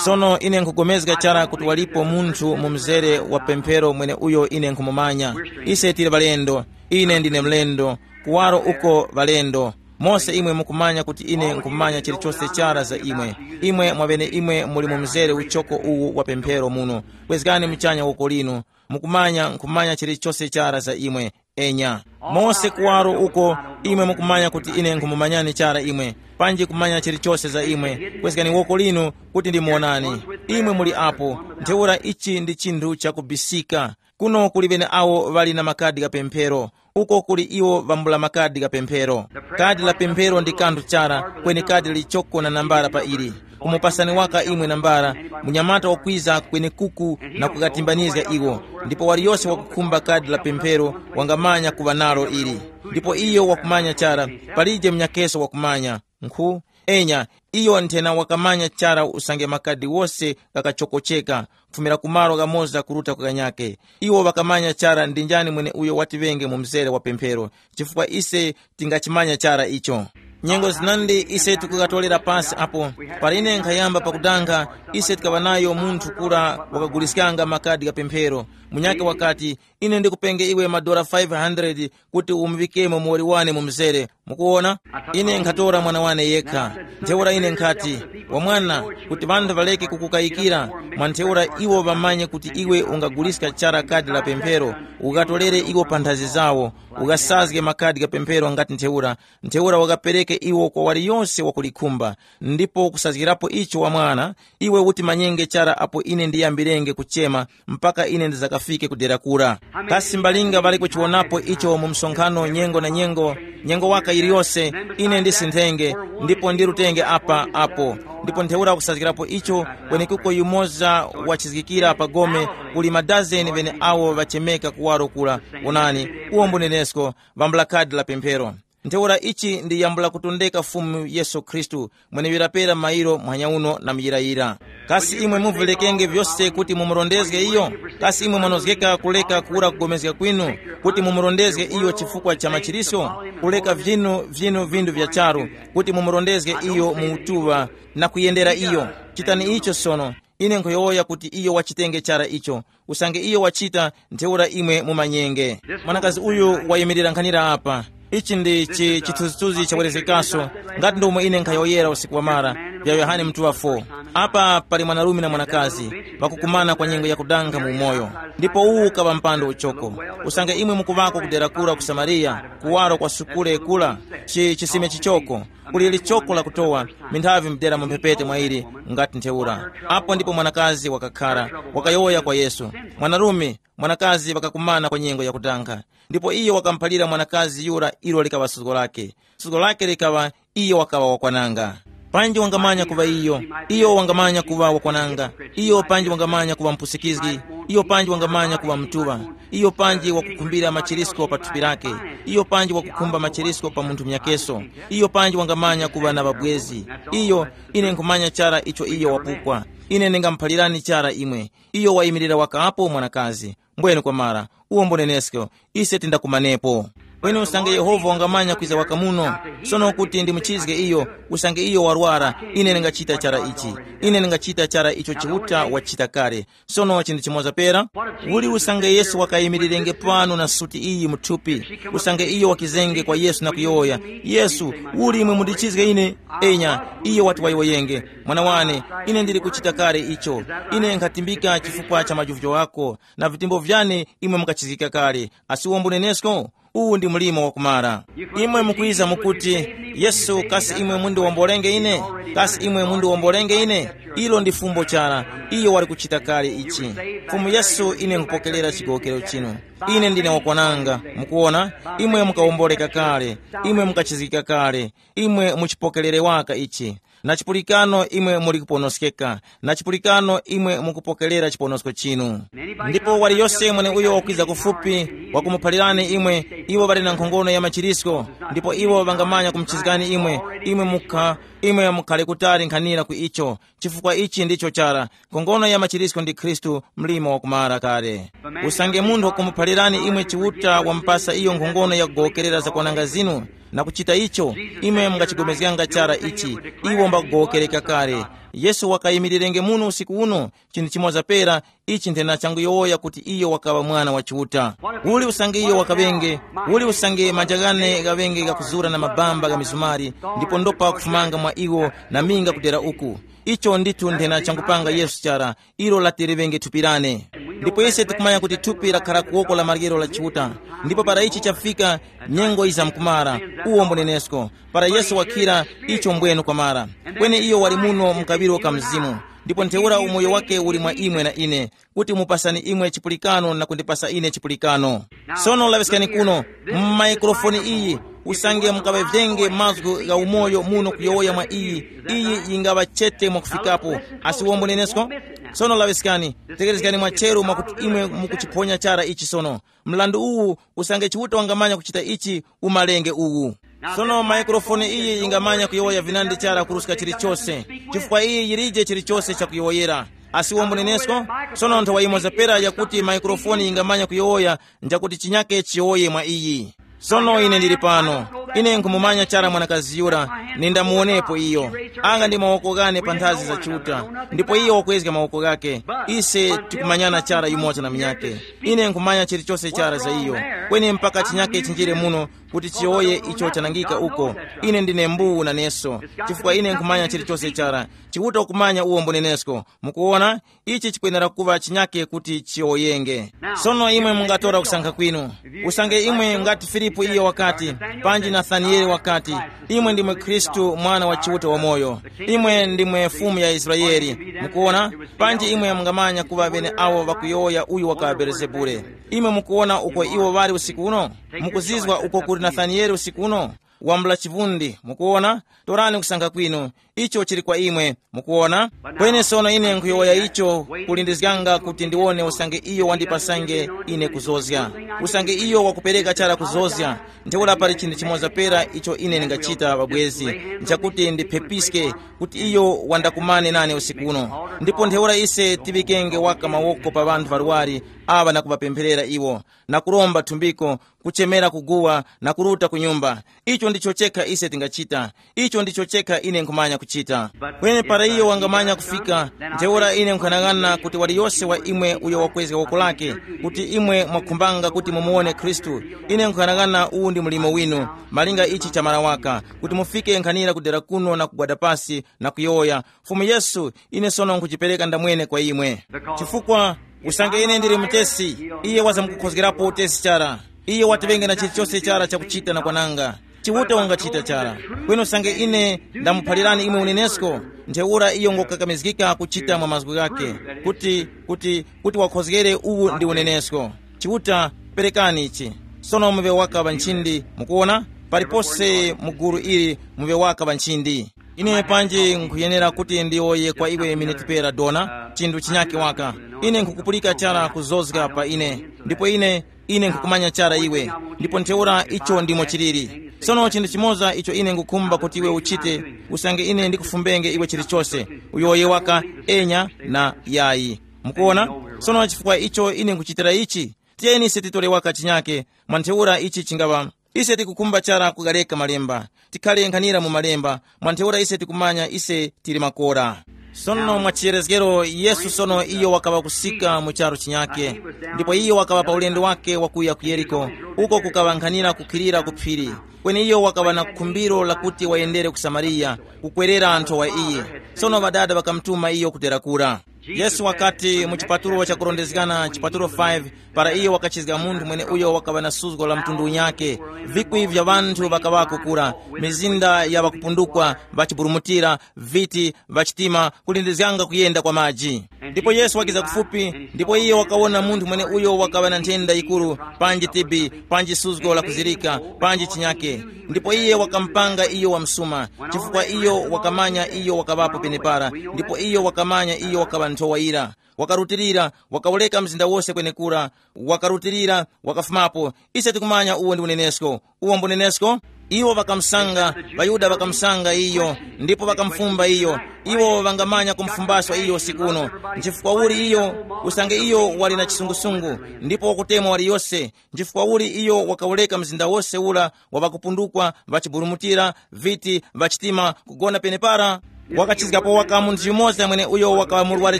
Sono ine nkhugomezga chara kuti walipo munthu mu mzere wa pemphero mwene uyo ine nkhumumanya. Ise tili ŵalendo. Ine ndine mlendo. Kuwaro uko ŵalendo. Mose imwe mukumanya kuti ine nkhumanya chilichose chara za imwe. Imwe mwavene imwe muli mu mzere uchoko uwu wa pemphero muno. Kwezgani muchanya woko linu. Mukumanya nkhumanya chilichose chara za imwe. Enya. Mose kuwaro uko, imwe mukumanya kuti ine nkhumumanyani chara imwe. Panji kumanya chilichose za imwe. Kwezgani woko linu kuti ndimuonani. Imwe muli apo. Ntheura ichi ndi chinthu chakubisika. Kuno kuli ŵene awo ŵali na makadi gha pemphero. Uko kuli iwo vambula makadi gha pemphero. Kadi la pemphero ndi kanthu chara, kweni kadi lichoko na nambala pa ili. Umupasani waka imwe nambala, munyamata wakwiza kwenekuku na kukatimbanizga iwo. Ndipo waliyose wakukhumba kadi la pemphero wangamanya kuŵa nalo ili. Ndipo iyo wakumanya chara, palije munyakeso wakumanya. Nkhu, enya, iyo nthena wakamanya chara usange makadi wose ghakachokocheka, kufumira ku malo ghamoza kuruta ku ghanyake. Iwo ŵakamanya chara ndi njani mwene uyo watiŵenge mu mzere wa pemphero, chifukwa ise tingachimanya chara icho. Nyengo zinandi ise tikukatorera pasi apo. Pali ine nkhayamba pakudanga, ise tikaŵa nayo munthu kura wakaguliskanga makadi gha pemphero. Munyake wakati, ine ndikupenge iwe madola five hundred kuti umuŵikemo muwoli wane mu mzere. Mukuwona? Ine nkhatora mwana wane yekha. Ntheura ine nkhati, wamwana, kuti ŵanthu ŵaleke kukukayikira, mwa ntheura iwo ŵamanye kuti iwe ungaguliska chara kadi la pemphero, ukatorere iwo pa nthazi zawo, ukasazge makadi gha pemphero ngati ntheura, ntheura wakapereke iwo kwa waliyose wakulikhumba. Ndipo kusazgirapo icho wamwana, iwe utimanyenge chara apo ine ndiyambirenge kuchema mpaka ine ndizakafike ku dera kura. Kasi mbalinga ŵali kuchiwonapo icho mu msonkhano nyengo na nyengo, nyengo waka yiliyose, ine ndisinthenge, ndipo ndirutenge apa apo. Ndipo ntheura kusazgirapo icho, kwenekuko yumoza wachizgikira pa gome, kuli madazeni ŵene awo ŵachemeka kuwaro kura. Wonani, uwo mbunenesko, vambula kadi la pemphero. Ntheura ichi ndi yambo lakutondeka Fumu Yesu Khristu, mweneyo lapera mairo muhanya uno na muyirayira. Kasi imwe muvirekenge vyose kuti mumurondezge iyo? Kasi imwe mwanozgeka kuleka kuwura kugomezga kwinu kuti mumurondezge iyo chifukwa cha machirisyo? Kuleka vyinu vyinu vindu vya charu kuti mumurondezge iyo mu utuŵa na kuyendera iyo. Chitani icho sono. Ine nkhuyowoya kuti iyo wachitenge chara icho. Usange iyo wachita, ntheura imwe mumanyenge. Mwanakazi uyu wayimirira nkhanira apa. Ichi ndi chi- chithunzithunzi chawerezgekaso, ngati ndomwe ine nkhayowoyera usiku wamara, vya Yohane mutuŵa four. Apa pali mwanarume na mwanakazi, ŵakukumana kwa nyengo yakudanga mu umoyo. Ndipo uwu ukaŵa mpando uchoko. Usange imwe mukuŵako kudera kura ku Samariya, kuwaro kwa sukule kula, chi- chisime chichoko, kuli lichoko lakutowa, minthavi mdera mu mphepete mwa ili, ngati ntheura. Apo ndipo mwanakazi wakakhara, wakayowoya kwa Yesu. Mwanarume, mwanakazi wakakumana kwa nyengo yakudanga. Ndipo iyo wakamuphalira mwanakazi yura ilo likaŵa suzgo lake. Suzgo lake likaŵa, iyo wakaŵa wakwananga. Panji wangamanya kuŵa iyo, iyo wangamanya kuŵa wakwananga, iyo panji wangamanya kuŵa mpusikizgi, iyo panji wangamanya kuŵa mtuŵa, iyo panji wakukhumbira machirisko pa thupi lake, iyo panji wakukhumba machirisko pa munthu mnyakeso, iyo panji wangamanya kuŵa na ŵabwezi. Iyo, ine nkhumanya chara icho iyo wapupwa. Ine ndingamuphalirani chara imwe. Iyo wayimirira wakapo mwanakazi. Mbwene kwamara, uwo mbunenesko, ise tindakumanepo. Kweni usange Yehova wangamanya kwiza waka muno, sono kuti ndimuchizge iyo, usange iyo warwara, ine ndingachita chara ichi. Ine ndingachita chara icho Chiuta wachita kale. Sono chinthu chimoza pera, uli usange Yesu wakayimirirenge pano na suti iyi muthupi, usange iyo wakizenge kwa Yesu na kuyowoya, Yesu, uli imwe mundichizge ine? Enya, iyo wati wayowoyenge, mwana wane, ine ndili kuchita kale icho. Ine nkhatimbika chifukwa cha majuvujo ghako, na vitimbo vyane imwe mukachizgika kale. Asi uwo mbunenesko? Uwu ndi mlimo wakumara. Imwe mukwiza mukuti, Yesu, kasi imwe mundiwombolenge ine? Kasi imwe mundiwombolenge ine? Ilo ndi fumbo chara. Iyo wali kuchita kale ichi. Fumu Yesu, ine nkupokerera chigowokero chinu. Ine ndine wakwananga. Mukuona, imwe mukawomboleka kale. Imwe mukachizgika kale. Imwe muchipokerere waka ichi. Na chipulikano imwe muli kuponoskeka, na chipulikano imwe mukupokerera chiponosko chinu. Ndipo waliyose mweneuyo wakwiza kufupi, wakumuphalirani imwe, iwo ŵali na nkhongono ya machirisko, ndipo iwo ŵangamanya kumuchizgani imwe. Imwe mukha, imwe mukhale kutali nkhanira ku icho, chifukwa ichi ndicho chara. Nkhongono ya machirisko ndi Khristu, mlimo wakumara kale. Usange munthu wakumuphalirani imwe Chiuta, wamupasa iyo nkhongono yakugowokerera zakwananga zinu, na kuchita icho, imwe mungachigomezganga chara ichi. Iwo mbakugowokereka kale. Yesu wakayimirirenge muno usiku uno, chinthu chimoza pera. Ichi nthena changuyowoya kuti iyo wakaŵa mwana wa Chiuta. Uli usange iyo wakaŵenge, uli usange manja ghane ghaŵenge ghakuzura na mabamba gha mizumari, ndipo ndopa kufumanga mwa iwo, na minga kudera uku. Icho ndithu nthena changupanga Yesu chara, ilo latereŵenge thupi lane. Ndipo ise tikumanya kuti thupi lakhara ku woko la maryero la Chiuta. Ndipo para ichi chafika, nyengo yizamkumara, uwo mbunenesko. Para Yesu wakhira, icho mbwenu kwamara. Kweni iyo wali muno mu kaŵiro ka Mzimu, ndipo ntheura umoyo wake uli mwa imwe na ine, kuti umupasani imwe chipulikano na kundipasa ine chipulikano. Sono laŵiskani kuno, mu maikrofoni iyi, usange mukaŵevenge mazgu gha umoyo muno kuyowoya mwa iyi, iyi yingaŵa chete mwakufikapo. Asiwombo nenesko. Sono laŵiskani, tekerezgani mwacheru mwakuti imwe mukuchiphonya chara ichi sono. Mrandu uwu, usange Chiuta wangamanya kuchita ichi, umalenge uwu. Sono maikrofoni iyi yingamanya kuyowoya vinandi chara kuruska chilichose, chifukwa iyi yilije chilichose chakuyowoyera. Asiwombo nenesko. Sono nthawa yimoza pera yakuti maikrofoni yingamanya kuyowoya, njakuti chinyake chiyowoye mwa iyi. Sono ine ndili pano. Ine nkhumumanya chara mwanakazi yura, nindamuwonepo iyo. Anga ndi mawoko ghane pa nthazi za Chiuta, ndipo iyo wakwezga mawoko ghake. Ise tikumanyana chara yumoza na munyake. Ine nkhumanya chilichose chara za iyo. Kweni mpaka chinyake chinjire muno, kuti chiyowoye icho chanangika uko. Ine ndine mbuwu naneso, chifukwa ine nkhumanya chilichose chara. Chiuta ukumanya uwo mbunenesko. Mukuwona, ichi chikwenera kuŵa chinyake kuti chiyowoyenge. Sono imwe mungatora kusankha kwinu. Usange imwe ngati Filipu iyo wakati, panji Nathanieli wakati, imwe ndimwe Khristu, mwana wa Chiuta wamoyo. Imwe ndimwe Fumu ya Israeli. Mukuwona, panji imwe mungamanya kuŵa ŵene awo ŵakuyowoya uyu wakaŵa Belezebule. Imwe mukuwona uko iwo ŵali usiku uno? Mukuzizwa uko kuli Nathanieli usiku uno? Wambula chivundi, mukuwona? Torani kusankha kwinu. Icho chili kwa imwe, mukuwona? Kweni sono ine nkhuyowoya icho, kulindizganga kuti ndiwone usange iyo wandipasange ine kuzozga. Usange iyo wakupereka chara kuzozga, ntheura pali chinthu chimoza pera icho ine ndingachita pabwezi, nchakuti ndiphepiske kuti iyo wandakumane nane usiku uno. Ndipo ntheura ise tiŵikenge waka mawoko pa ŵanthu ŵarwari aŵa na kuŵapempherera iwo, na kuromba thumbiko, kuchemera kuguwa, na kuruta ku nyumba. Icho ndicho chekha ise tingachita. Icho ndicho chekha ine nkhumanya kuchita. Kweni para iyo wangamanya kufika, ntheura ine nkhanang'ana kuti waliyose wa imwe uyo wakwezga woko lake, kuti imwe mwakhumbanga kuti mumuwone Khristu, ine nkhanang'ana uwu ndi mlimo winu, malinga ichi chamara waka, kuti mufike nkhanira kudera kuno na kugwada pasi na kuyowoya, Fumu Yesu, ine sono nkhuchipereka ndamwene kwa imwe. Chifukwa, usange ine ndili mutesi, iye wazamkukhozgerapo utesi chara. Iye watiŵenge na chilichose chara chakuchita na kwananga. Chiuta wangachita chara. Kweni usange ine ndamuphalirani imwe unenesko, ntheura iyo ngokakamizgika kuchita mwa mazgu ghake, kuti, kuti, kuti wakhozgere uwu ndi unenesko. Chiuta, perekani ichi. Sono muŵe waka ŵa nchindi, mukuwona? Palipose mu gulu ili muŵe waka ŵa nchindi. Ine panji nkhuyenera kuti ndiyowoye kwa iwe miniti pera dona, chinthu chinyake waka. Ine nkhukupulika chara kuzozga pa ine, ndipo ine, ine nkhukumanya chara iwe, ndipo ntheura icho ndimo chiliri. Sono chinthu chimoza icho ine ngukhumba kuti iwe uchite, usange ine ndikufumbenge iwe chilichose, uyowoye waka enya na yayi. Mukuona? Sono chifukwa icho ine nkuchitira ichi, tiyeni ise titore waka chinyake, mwa ntheura ichi chingaŵa. Ise tikukhumba chara kugareka malemba, tikhale nkhanira mu malemba, mwa ntheura ise tikumanya ise tili makora. Sono mwa chiyerezgero, Yesu sono iyo wakaŵa kusika mu charu chinyake, ndipo iyo wakaŵa pa ulendo wake wakuya ku Yeriko, uko kukaŵa nkhanira kukhilira ku phiri. Kweni iyo wakaŵa na khumbiro lakuti wayendere ku Samariya, kukwerera nthowa iyi. Sono ŵadada ŵakamutuma iyo kudera kura. Yesu wakati mu chipatulo chakurondezgana, chipatulo five, para iyo wakachizga munthu mwene uyo wakaŵa na suzgo la mtundu unyake, vikwi vya ŵanthu ŵakaŵako kura, mizinda ya ŵakupundukwa, ŵachiburumutira, viti, ŵachitima, kulindizganga kuyenda kwa maji. Ndipo Yesu wakiza kufupi, ndipo iyo wakawona munthu mwene uyo wakaŵa na nthenda yikuru, panji tibi, panji suzgo la kuzirika, panji chinyake. Ndipo iye wakamupanga iyo wamsuma, chifukwa iyo wakamanya iyo wakaŵapo penepara, ndipo iyo wakamanya iyo wakaŵa nthowa yira. Wakarutilira, wakawureka mzinda wose kwenekura, wakarutilira, wakafumapo. Ise tikumanya uwo ndi unenesko. Uwo mbunenesko. Iwo ŵakamusanga, ŵaYuda ŵakamusanga iyo, ndipo ŵakamufumba iyo. Iwo ŵangamanya kumufumbaso iyo usiku uno. Nchifukwa uli iyo? Usange iyo wali na chisungusungu, ndipo wakutemwa waliyose. Nchifukwa uli iyo wakawureka mzinda wose ura wa ŵakupundukwa, ŵachiburumutira, viti, ŵachitima, kugona penepara? Wakachizgapo waka munthu yumoza mwene uyo wakaŵa murware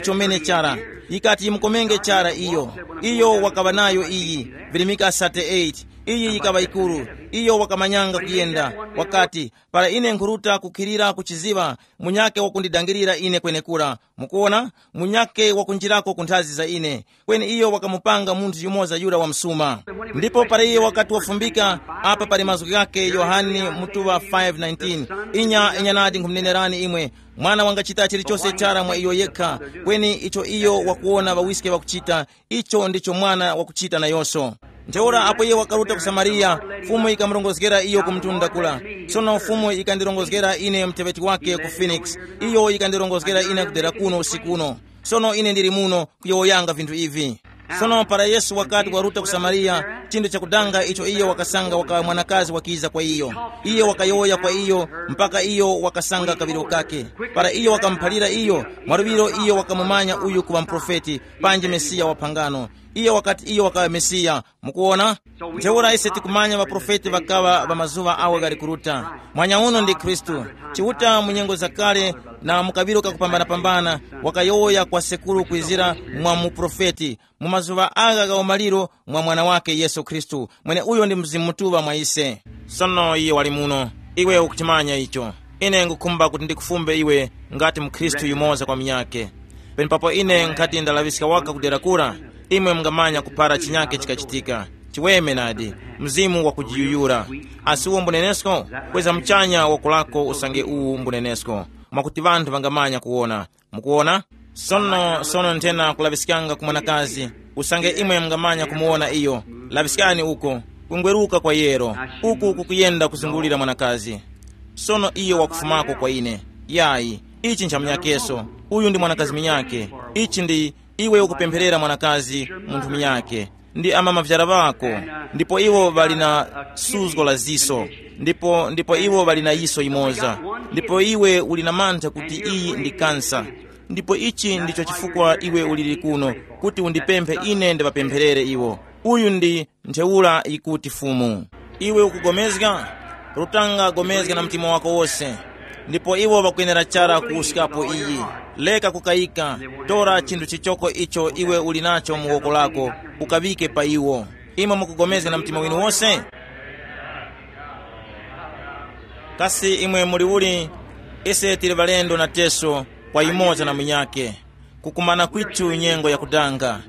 chomene chara. Yikati yimukomenge chara iyo. Iyo wakaŵa nayo iyi, virimika thirty-eight. Iyi yikaŵa yikuru. Iyo wakamanyanga kuyenda. Wakati, para ine nkhuruta kukhirira kuchiziŵa, munyakhe wakundidangirira ine kwenekura. Mukuona, munyakhe wakunjirako ku nthazi za ine. Kweni iyo wakamupanga munthu yumoza yura wamsuma. Ndipo para iye wakati wafumbika, apa pali mazgu ghakhe Yohane mutuŵa five nineteen, inya inya nadi nkhumunenerani imwe, mwana wangachita chilichose chara mwa iyo yekha, kweni icho iyo wakuwona ŵawiske ŵakuchita, icho ndicho mwana wakuchita nayonso. Ntheura apo iye wakaruta ku Samariya, Fumu yikamurongozgera iyo ku mtunda kula. Sono Fumu yikandirongozgera ine muteŵeti wake ku Phoenix. Iyo yikandirongozgera ine kudera kuno usiku uno. Sono ine ndili muno kuyowoyanga vinthu ivi. Sono para Yesu wakati waruta ku Samariya, chinthu chakudanga icho iyo wakasanga wakaŵa mwanakazi wakiza kwa iyo. Iye wakayowoya kwa iyo, mpaka iyo wakasanga kaŵiro kake. Para iyo wakamuphalira iyo, mwaluŵiro iyo wakamumanya uyu kuŵa muprofeti, panji Mesiya wa phangano. Iye wakati iyo wakaŵa Mesiya. Mukuwona? Ntheura ise tikumanya ŵaprofeti ŵakaŵa ŵa mazuŵa awo ghali kuruta. Mwanya uno ndi Khristu. Chiuta mu nyengo zakale na mu kaŵiro kakupambanapambana, wakayowoya kwa sekuru kwizira mwa muprofeti, mu mazuŵa agha gha umaliro mwa Mwana wake Yesu Khristu, mweneuyo ndi Mzimu Mutuŵa mwa ise. Sono iye wali muno. Iwe ukuchimanya icho. Ine ngukhumba kuti ndikufumbe iwe ngati mukhristu yumoza kwa munyakhe. Penepapo ine nkhati ndalaŵiska waka kudera kura, imwe mungamanya kuphara chinyakhe chikachitika. Chiweme nadi, mzimu wakujiyuyura. Asi uwo mbunenesko? Kweza muchanya woko lako usange uwu mbunenesko, mwakuti ŵanthu ŵangamanya kuwona. Mukuwona? Sono sono nthena kulaŵiskanga ku mwanakazi, usange imwe mungamanya kumuwona iyo. Laŵiskani uko, kungweruka kwa yero, uku kukuyenda kuzungulira mwanakazi. Sono iyo wakufumako kwa ine. Yayi, ichi nchamnyakeso. Uyu ndi mwanakazi minyake. Ichi ndi, iwe ukupempherera mwanakazi, munthu minyake. Ndi amama vyara ŵako, ndipo iwo ŵali na suzgo la ziso, ndipo ndipo iwo ŵali na yiso yimoza. Ndipo iwe uli na mantha kuti iyi ndi kansa. Ndipo ichi ndicho chifukwa iwe uliri kuno, kuti undipemphe ine ndiŵapempherere iwo. Uyu ndi ntheura yikuti Fumu. Iwe ukugomezga? Rutanga gomezga na mtima wako wose. Ndipo iwo ŵakwenera chara kuwuskapo iyi. Leka kukayika, tora chinthu chichoko icho iwe uli nacho mu woko lako, ukaŵike pa iwo. Imwe mukugomezga na mtima winu wose? Kasi imwe muli uli? Ise tili ŵalendo na teso kwa yumoza na munyakhe. Kukumana kwithu nyengo yakudanga.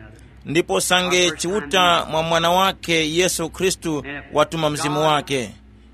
Ndipo sange Chiuta mwa Mwana wakhe Yesu Khristu watuma Mzimu wakhe.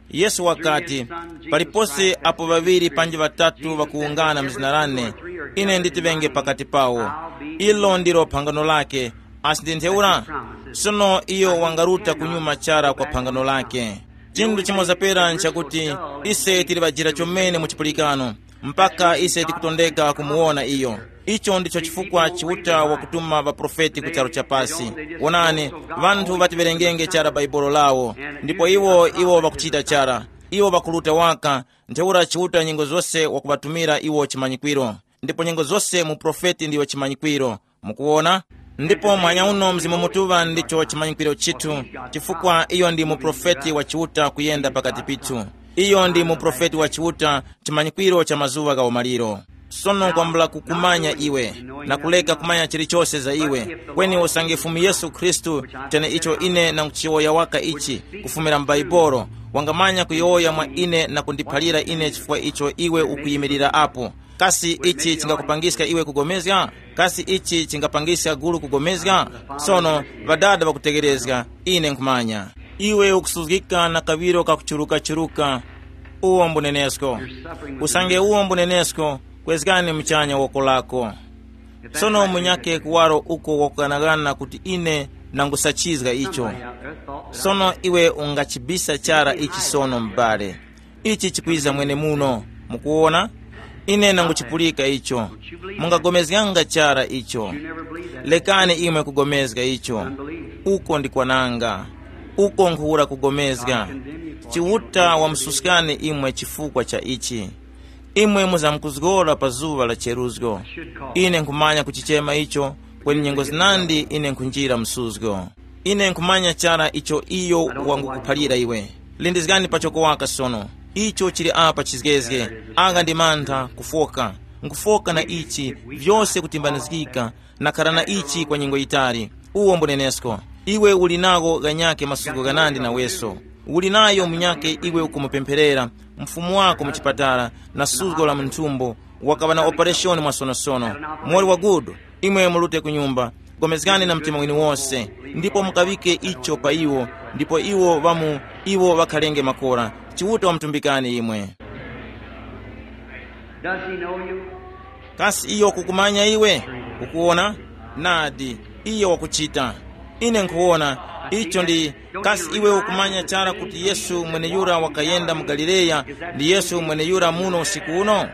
Yesu wakati, palipose apo ŵaŵiri panji ŵatatu ŵakuwungana mu zina lane, ine nditiŵenge pakati pawo. Ilo ndilo phangano lake. Asi ndi ntheura? Sono iyo wangaruta kunyuma chara kwa phangano lake. Chinthu chimoza pera nchakuti ise tili ŵajira chomene mu chipulikano, mpaka ise tikutondeka kumuwona iyo. Icho ndicho chifukwa Chiuta wakutuma ŵaprofeti ku charu cha pasi. Wonani, ŵanthu ŵatiwerengenge chara Bhaibuli lawo, ndipo iwo iwo ŵakuchita chara. Iwo ŵakuruta waka, ntheura Chiuta nyengo zose wakuŵatumira iwo chimanyikwiro. Ndipo nyengo zose muprofeti ndiyo chimanyikwiro. Mukuwona? Ndipo mwanya uno Mzimu Mutuŵa ndicho chimanyikwiro chithu, chifukwa iyo ndi muprofeti wa Chiuta kuyenda pakati pithu. Iyo ndi muprofeti wa Chiuta, chimanyikwiro cha mazuŵa gha umaliro. Sono kwambula kukumanya iwe, na kuleka kumanya chilichose za iwe, kweni usange Fumu Yesu Khristu, chene icho ine nanguchiyowoya waka ichi, kufumira mu Baibolo, wangamanya kuyowoya mwa ine na kundiphalira ine chifukwa icho iwe ukuyimirira apo. Kasi ichi chingakupangiska iwe kugomezga? Kasi ichi chingapangiska gulu kugomezga? Sono, ŵadada ŵakutegherezga, ine nkhumanya. Iwe ukusuzgika na kaŵiro kakuchurukachurukika. Uwo mbunenesko. Usange uwo mbunenesko, kwezgani muchanya woko lako. Sono munyakhe kuwaro uko wakughanaghana kuti ine nangusachizga icho. Sono iwe ungachibisa chara ichi sono m'bale. Ichi chikwiza mwene muno. Mukuwona? Ine nanguchipulika icho. Mungagomezganga chara icho. Lekani imwe kugomezga icho. Uko ndi kwananga. Uko nkhuwura kugomezga. Chiuta wamususkani imwe chifukwa cha ichi. Imwe muzamkuzgora pa zuŵa la cheruzgo. Ine nkhumanya kuchichema icho, kweni nyengo zinandi ine nkhunjira msuzgo. Ine nkhumanya chara icho iyo wangukuphalira iwe. Lindizgani pachoko waka sono. Icho chili apa chizgezge. Anga ndi mantha, kufoka. Nkufoka na ichi, vyose kutimbanizgika, nakhara na ichi kwa nyengo yitali. Uwo mbunenesko. Iwe uli nawo ghanyakhe masuko ghanandi naweso. Uli nayo munyakhe iwe ukumupempherera, mfumu wako mu chipatala, na suzgo la munthumbo, wakaŵa na opereshoni mwasonosono. Mori wa gudu, imwe mulute ku nyumba, gomezgani na mtima winu wose, ndipo mukaŵike icho pa iwo, ndipo iwo ŵamu, iwo ŵakhalenge makora. Chiuta wamutumbikani imwe. Does he know you? Kasi iyo kukumanya iwe? Ukuwona? Nadi, iyo wakuchita. Ine nkhuwona. Icho ndi, kasi iwe ukumanya chara kuti Yesu mweneyura wakayenda mu Galileya ndi Yesu mweneyura muno usiku uno?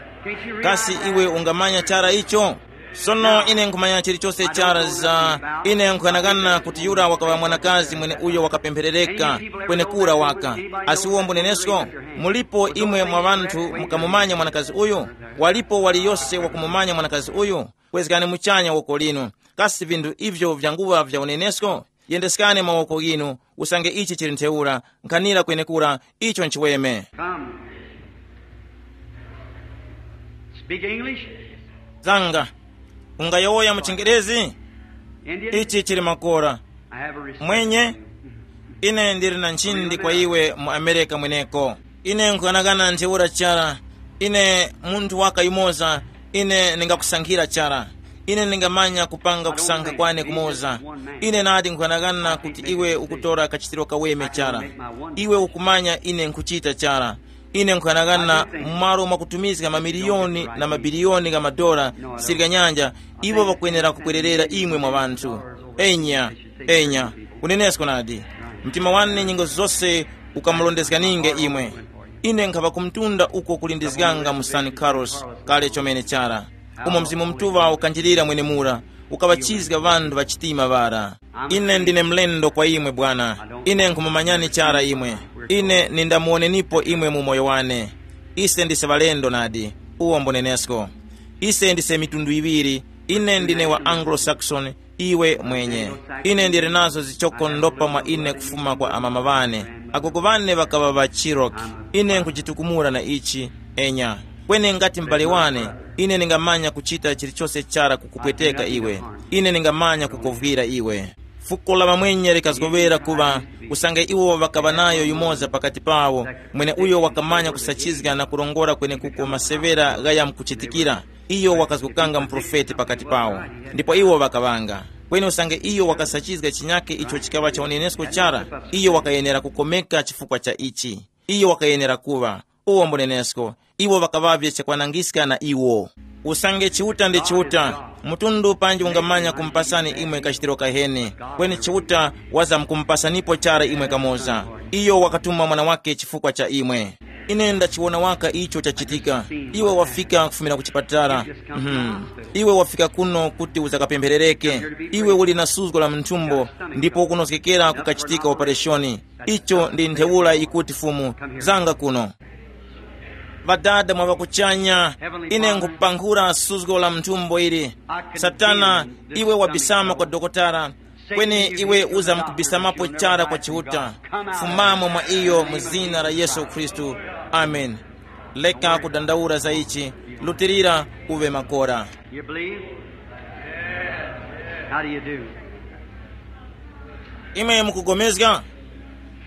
Kasi iwe ungamanya chara icho? Sono ine nkhumanya chilichose chara za, ine nkughanagana kuti yura wakaŵa mwanakazi mwene uyo wakapempherereka kwenekura waka. Asi uwo mbunenesko? Mulipo imwe mwa ŵanthu mukamumanya mwanakazi uyu? Walipo waliyose wakumumanya mwanakazi uyu? Kwezgani muchanya woko linu. Kasi vinthu ivyo vyanguŵa vya unenesko? Yendeskani mawoko ghinu, usange ichi chili ntheura, nkhanira kwenekura, icho nchiweme. Come. Speak English. Zanga, ungayowoya mu chingerezi? Indian? Ichi chili makora. I have a respect. Mwenye, ine ndili na nchindi kwa iwe mu Amerika mweneko. Ine nkughanagana ntheura chara. Ine munthu waka yumoza, ine ndingakusankhira chara. Ine ndingamanya kupanga kusankha kwane kumoza. Ine nadi nkughanagana kuti iwe ukutora kachitiro kaweme chara. Iwe ukumanya ine nkuchita chara. Ine nkughanagana, mu malo mwakutumizga mamiliyoni na mabiliyoni gha madola sirika nyanja, iwo ŵakwenera kubwererera imwe mwa ŵanthu. Enya, enya, kunenesko nadi. Mtima wane nyengo zose ukamulondezganinge imwe. Ine nkhaŵa ku mtunda uko kulindizganga mu San Carlos kale chomene chara, umo Mzimu Mutuŵa ukanjirira mwenemura, ukaŵachizga ŵanthu ŵa chitima ŵara. Ine ndine mlendo kwa imwe, Bwana. Ine nkhumumanyani chara imwe. Ine nindamuwonenipo imwe mu moyo wane. Ise ndise ŵalendo nadi, uwo mbunenesko. Ise ndise mitundu iŵiri. Ine ndine wa Anglo-Saxon, iwe mwenye. Ine ndili nazo zichoko ndopa mwa ine kufuma kwa amama ŵane. Agogo ŵane ŵakaŵa ŵa Cherokee. Ine nkhujitukumula na ichi, enya. Kweni ngati m'bale wane, ine ningamanya kuchita chilichose chara kukupweteka iwe. Ine ningamanya kukovwira iwe. Fuko la ŵamwenye likazgoŵera kuŵa, usange iwo ŵakaŵa nayo yumoza pakati pawo, mwene uyo wakamanya kusachizga na kurongora kwenekuko maseŵera ghaya mkuchitikira, iyo wakazgokanga muprofeti pakati pawo. Ndipo iwo ŵakaŵanga. Kweni usange iyo wakasachizga chinyakhe icho chikaŵa cha unenesko chara, iyo wakayenera kukomeka chifukwa cha ichi. Iyo wakayenera kuŵa, uwo mbunenesko, iwo ŵakaŵavye chakwanangiska na iwo. Usange Chiuta ndi Chiuta, mtundu panji ungamanya kumupasani imwe kachitiro kaheni, kweni Chiuta wazamkumupasanipo chara imwe kamoza. Iyo wakatuma mwana wake chifukwa cha imwe. Ine ndachiwona waka icho chachitika. Iwe wafika kufumira ku chipatala. Mhm. Iwe wafika kuno kuti uzakapempherereke. Iwe uli na suzgo la munthumbo, ndipo ukunozgekera kukachitika opereshoni. Icho ndi ntheura yikuti Fumu, zanga kuno. Ŵadada mwa ŵakuchanya, ine nkupankhura suzgo la mthumbo ili. Satana, iwe wabisama kwa dokotala, kweni iwe uzamkubisamapo chara kwa Chiuta. Fumamo mwa iyo mu zina la Yesu Khristu. Amen. Leka kudandaula za ichi, lutilira uve makora. You believe? How do you do? Imwe mukugomezga?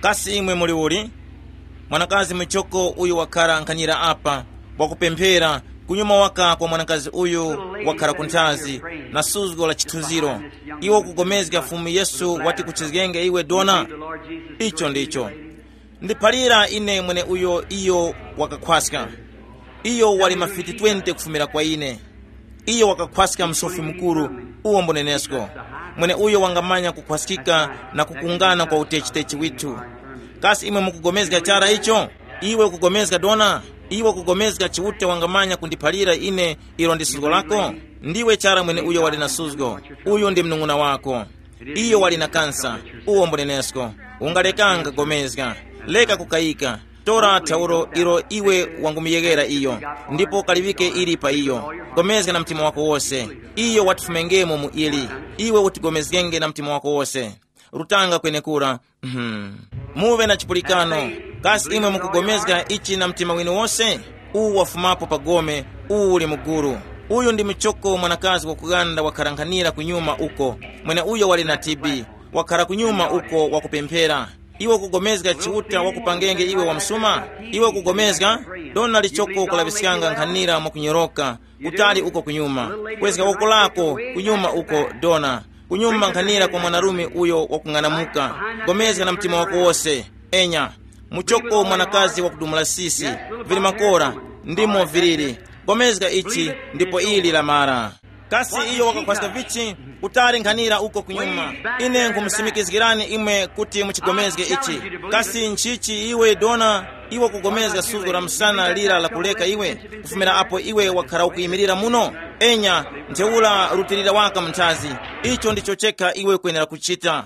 Kasi imwe muli uli? Mwanakazi muchoko uyu wakhala nkhanyira apa, wakupemphera, Kunyuma waka kwa mwanakazi uyu wakhara ku nthazi na suzgo la chithunziro, iwe ukugomezga Fumu Yesu wati kuchizgenge iwe dona? Icho ndicho. Ndiphalira ine mwene uyo iyo wakakhwaska. Iyo wali mafiti twenty kufumira kwa ine. Iyo wakakhwaska msofi mukuru, uwo mbunenesko. Mwene uyo wangamanya kukhwaskika na kukungana kwa utechi-techi withu. Kasi imwe mukugomezga chara icho? Iwe ukugomezga dona? Iwe ukugomezga Chiuta wangamanya kundiphalira ine ilo ndi suzgo lako? Ndiwe chara mwene uyo wali na suzgo. Uyu ndi mnung'una wako. Iyo wali na kansa. Uwo mbunenesko. Ungalekanga gomezga. Leka kukayika. Tora thauro ilo iwe wangumuyeghera iyo, ndipo kaliŵike ili pa iyo. Gomezga na mtima wako wose. Iyo watifumengemo mu ili. Iwe utigomezgenge na mtima wako wose. Rutanga kwenekura. Mhm. Muve na chipulikano. Kasi imwe mukugomezga ichi na mtima winu wose? Uwu wafumapo pa gome. Uwu uli muguru. Uyu ndi muchoko mwanakazi wakuganda wakharankhanira kunyuma uko. Mwene uyo wali na T B. Wakhara kunyuma uko wakupemphera. Iwe ukugomezga Chiuta wakupangenge iwe wamsuma? Iwe ukugomezga? Dona lichoko kulaŵiskanga nkhanira mwakunyoroka, kutali uko kunyuma. Kwezga woko lako kunyuma uko, dona. Kunyuma nkhanira kwa mwanarume uyo wakung'anamuka. Gomezga na mtima wako wose. Enya. Muchoko mwanakazi wakudumula sisi. Vili makora. Ndimo viliri. Gomezga ichi, ndipo ili lamara. Kasi iyo wakakhwaska vichi? Kutali nkhanira uko kunyuma. Ine nkumusimikizgirani imwe kuti muchigomezge ichi. Kasi nchichi iwe dona? Iwe kugomezga suzgo la msana lira la kuleka iwe, kufumira apo iwe wakhara ukuyimirira muno? Enya, ntheura rutilira waka mnthazi. Icho ndicho chekha iwe kwenera kuchita.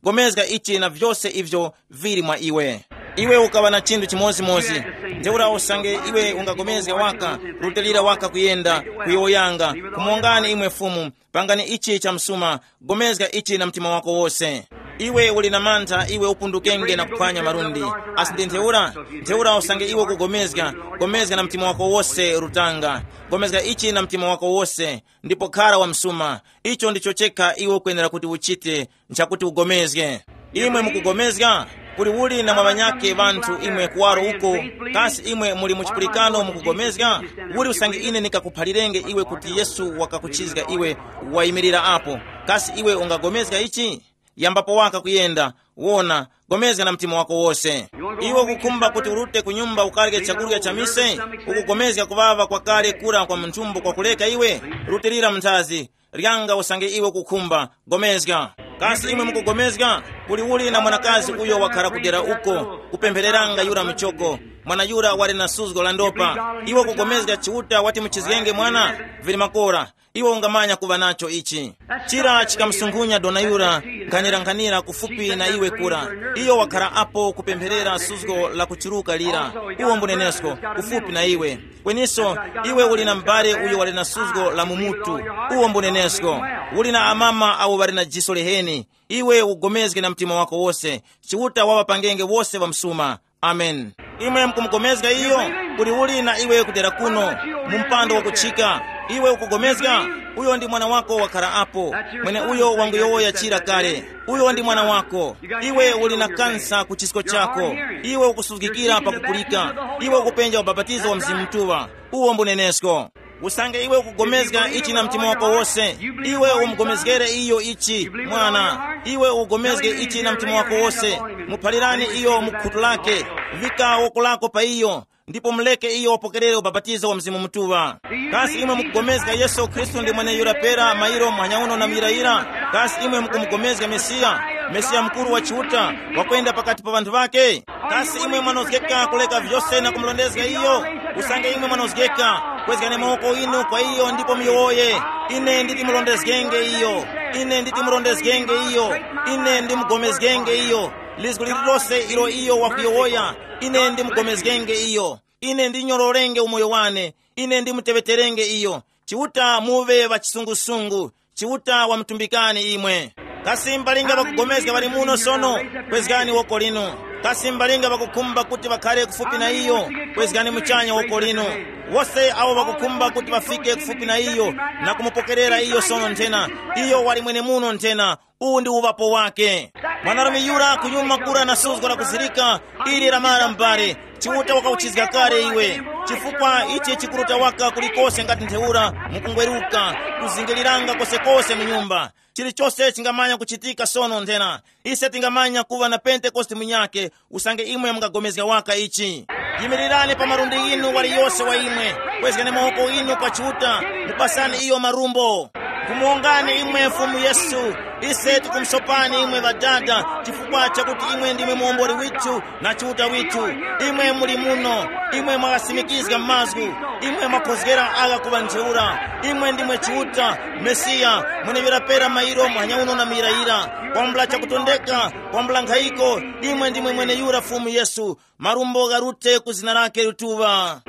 Gomezga ichi na vyose ivyo vili mwa iwe. Iwe ukaŵa na chinthu chimodzimodzi. Ntheura usange iwe ungagomezga waka, rutilira waka kuyenda, kuyowoyanga, kumongani imwe Fumu, pangani ichi cha msuma, gomezga ichi na mtima wako wose. Iwe uli na mantha, iwe upundukenge na kuphwanya malundi. Asi ndi ntheura? Ntheura usange iwe ukugomezga, gomezga na mtima wako wose, rutanga. Gomezga ichi na mtima wako wose, ndipo khara wa msuma. Icho ndicho chekha iwe ukwenera kuti uchite, nchakuti ugomezge. Imwe mukugomezga? Kuli uli na mwa ŵanyakhe ŵanthu imwe kuwaro uko? Kasi imwe muli mu chipulikano mukugomezga? Uli usange ine nikakuphalirenge iwe kuti Yesu wakakuchizga iwe, wayimirira apo. Kasi iwe ungagomezga ichi? Yambapo waka kuyenda. Wona, gomezga na mtima wako wose. Iwe ukukhumba kuti urute ku nyumba ukarye chakurya cha mise? Ukugomezga kuŵaŵa kwakale kura kwa munthumbo kwakuleka iwe? Rutilira mnthazi. Lyanga usange iwe ukukhumba. Gomezga. Kasi imwe mukugomezga? Kuli uli na mwanakazi uyo wakhara kudera uko, kupemphereranga yura muchoko. Mwana yura wali na suzgo la ndopa. Iwe ukugomezga Chiuta wati muchizgenge mwana? Vili makora. Iwe ungamanya kuŵa nacho ichi. Chira chikamusunkhunya dona yura, nkhanirankhanira kufupi na iwe kura. Iyo wakhara apo kupempherera suzgo la kuchiruka lira. Uwo mbunenesko, kufupi na iwe. Kweniso, iwe uli na m'bale uyo wali na suzgo la mumutu. Uwo mbunenesko. Uli na amama awo ŵali na jiso liheni. Iwe ugomezge na mtima wako wose. Chiuta waŵapangenge wose ŵamsuma. Amen. Imwe mukumukomezga iyo? Kuli uli na iwe kudera kuno, mu mpando wakuchika? Iwe ukugomezga? Uyo ndi mwana wako wakhara apo. Mwene uyo wanguyowoya chira kale. Uyo ndi mwana wako. Iwe uli na kansa ku chisko chako. Iwe ukusuzgikira pakupulika. Iwe ukupenja ubapatizo wa Mzimu Mutuŵa. Uwo mbunenesko. Usange iwe ukugomezga ichi na mtima wako wose, iwe umugomezgere iyo ichi, mwana. Iwe ugomezge ichi na mtima wako wose. Muphalirani iyo mu khutu lake. Vika woko lako pa iyo, ndipo muleke iyo wapokerere ubapatizo wa Mzimu Mutuŵa. Kasi imwe mukugomezga Yesu Khristu ndi mweneyura pera mairo muhanya uno na muyirayira? Kasi imwe mukumugomezga Mesiya, Mesiya mukuru wa Chiuta, wakwenda pakati pa ŵanthu ŵake? Kasi imwe mwanozgeka kuleka vyose na kumurondezga iyo? Usange imwe mwanozgeka, kwezgani mawoko inu kwa iyo ndipo muyowoye, ine nditimurondezgenge iyo. Ine nditimurondezgenge iyo. Ine ndimugomezgenge iyo. Lizgu lililose ilo iyo wakuyowoya, ine ndimugomezgenge iyo. Ine ndinyororenge umoyo wane. Ine ndimuteŵeterenge iyo. Chiuta muŵe ŵachisungusungu. Chiuta wamutumbikani imwe. Kasi mbalinga ŵakugomezga ŵali muno sono? Kwezgani woko linu. Kasi mbalinga ŵakukhumba kuti ŵakhare kufupi na iyo? Kwezgani muchanya woko linu. Wose awo ŵakukhumba kuti ŵafike kufupi na iyo na kumupokerera iyo sono nthena, iyo wali mwenemuno nthena. Uwu ndi uŵapo wake. Mwanarume yura kunyuma kura na suzgo lakuzirika, ili lamara m'bale. Chiuta wakauchizga kale iwe, chifukwa ichi chikurota waka kulikose ngati ntheura, mukungweruka, kuzingiliranga kosekose mu nyumba. Chilichose chingamanya kuchitika sono nthena. Ise tingamanya kuva na Pentekoste munyake, usange imwe mungagomezga waka ichi. Yimirirani pa malundi ghinu waliyose wa imwe, kwezgani mawoko ghinu kwa Chiuta, mupasani iyo marumbo. Kumuwongani imwe Fumu Yesu, ise tikumusopani imwe Ŵadada, chifukwa chakuti imwe ndimwe muwomboli withu na Chiuta withu. Imwe muli muno, imwe mwaghasimikizga mazgu, imwe mwakhozgera agha kuŵa ntheura. Imwe ndimwe Chiuta, Mesiya, mweneuyo wapera mairo muhanya uno na muyirayira, kwambula chakutondeka, kwambula nkhayiko. Imwe ndimwe mweneyura Fumu Yesu, marumbo gharute ku zina lake lituŵa.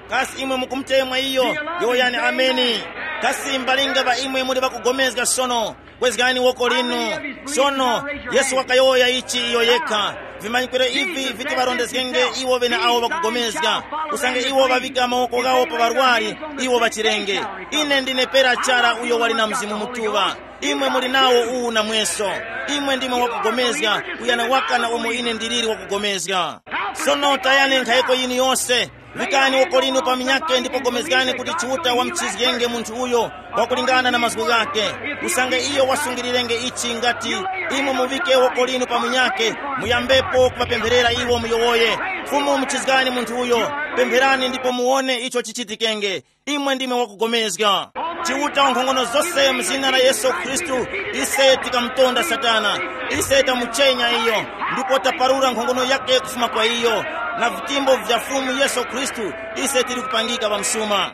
Kasi imwe mukumutemwa iyo? Yowoyani ameni. Kasi mbalinga ŵa imwe muli ŵakugomezga sono? Kwezgani woko linu. Sono, Yesu wakayowoya ichi iyo yekha. Vimanyikiro ivi viti ŵarondezgenge iwo ŵene awo ŵakugomezga. Usange iwo ŵaŵika mawoko ghawo pa ŵarwari, iwo ŵachirenge. Ine ndine pera chara uyo wali na Mzimu Mutuŵa. Imwe muli nawo uwu namweso. Imwe ndimwe wakugomezga, kuyana waka na umo ine ndiliri wakugomezga. Sono tayani nkhayiko yinu yose. Vikani woko linu pa minyake ndipo gomezgani kuti Chiuta wamuchizgenge munthu uyo, wakulingana na mazgu ghake. Usange iyo wasungirirenge ichi ngati, imwe muvike woko linu pa munyake, muyambepo kuŵapempherera iwo muyowoye. Fumu muchizgani munthu uyo. Pempherani ndipo muwone icho chichitikenge. Imwe ndimwe wakugomezga. Chiuta wankhongono zose mu zina la Yesu Khristu, ise tikamutonda Satana. Ise tamuchenya iyo, ndipo taparura nkhongono yake kufuma kwa iyo. Na vitimbo vya Fumu Yesu Khristu, ise tili kupangika pamsuma.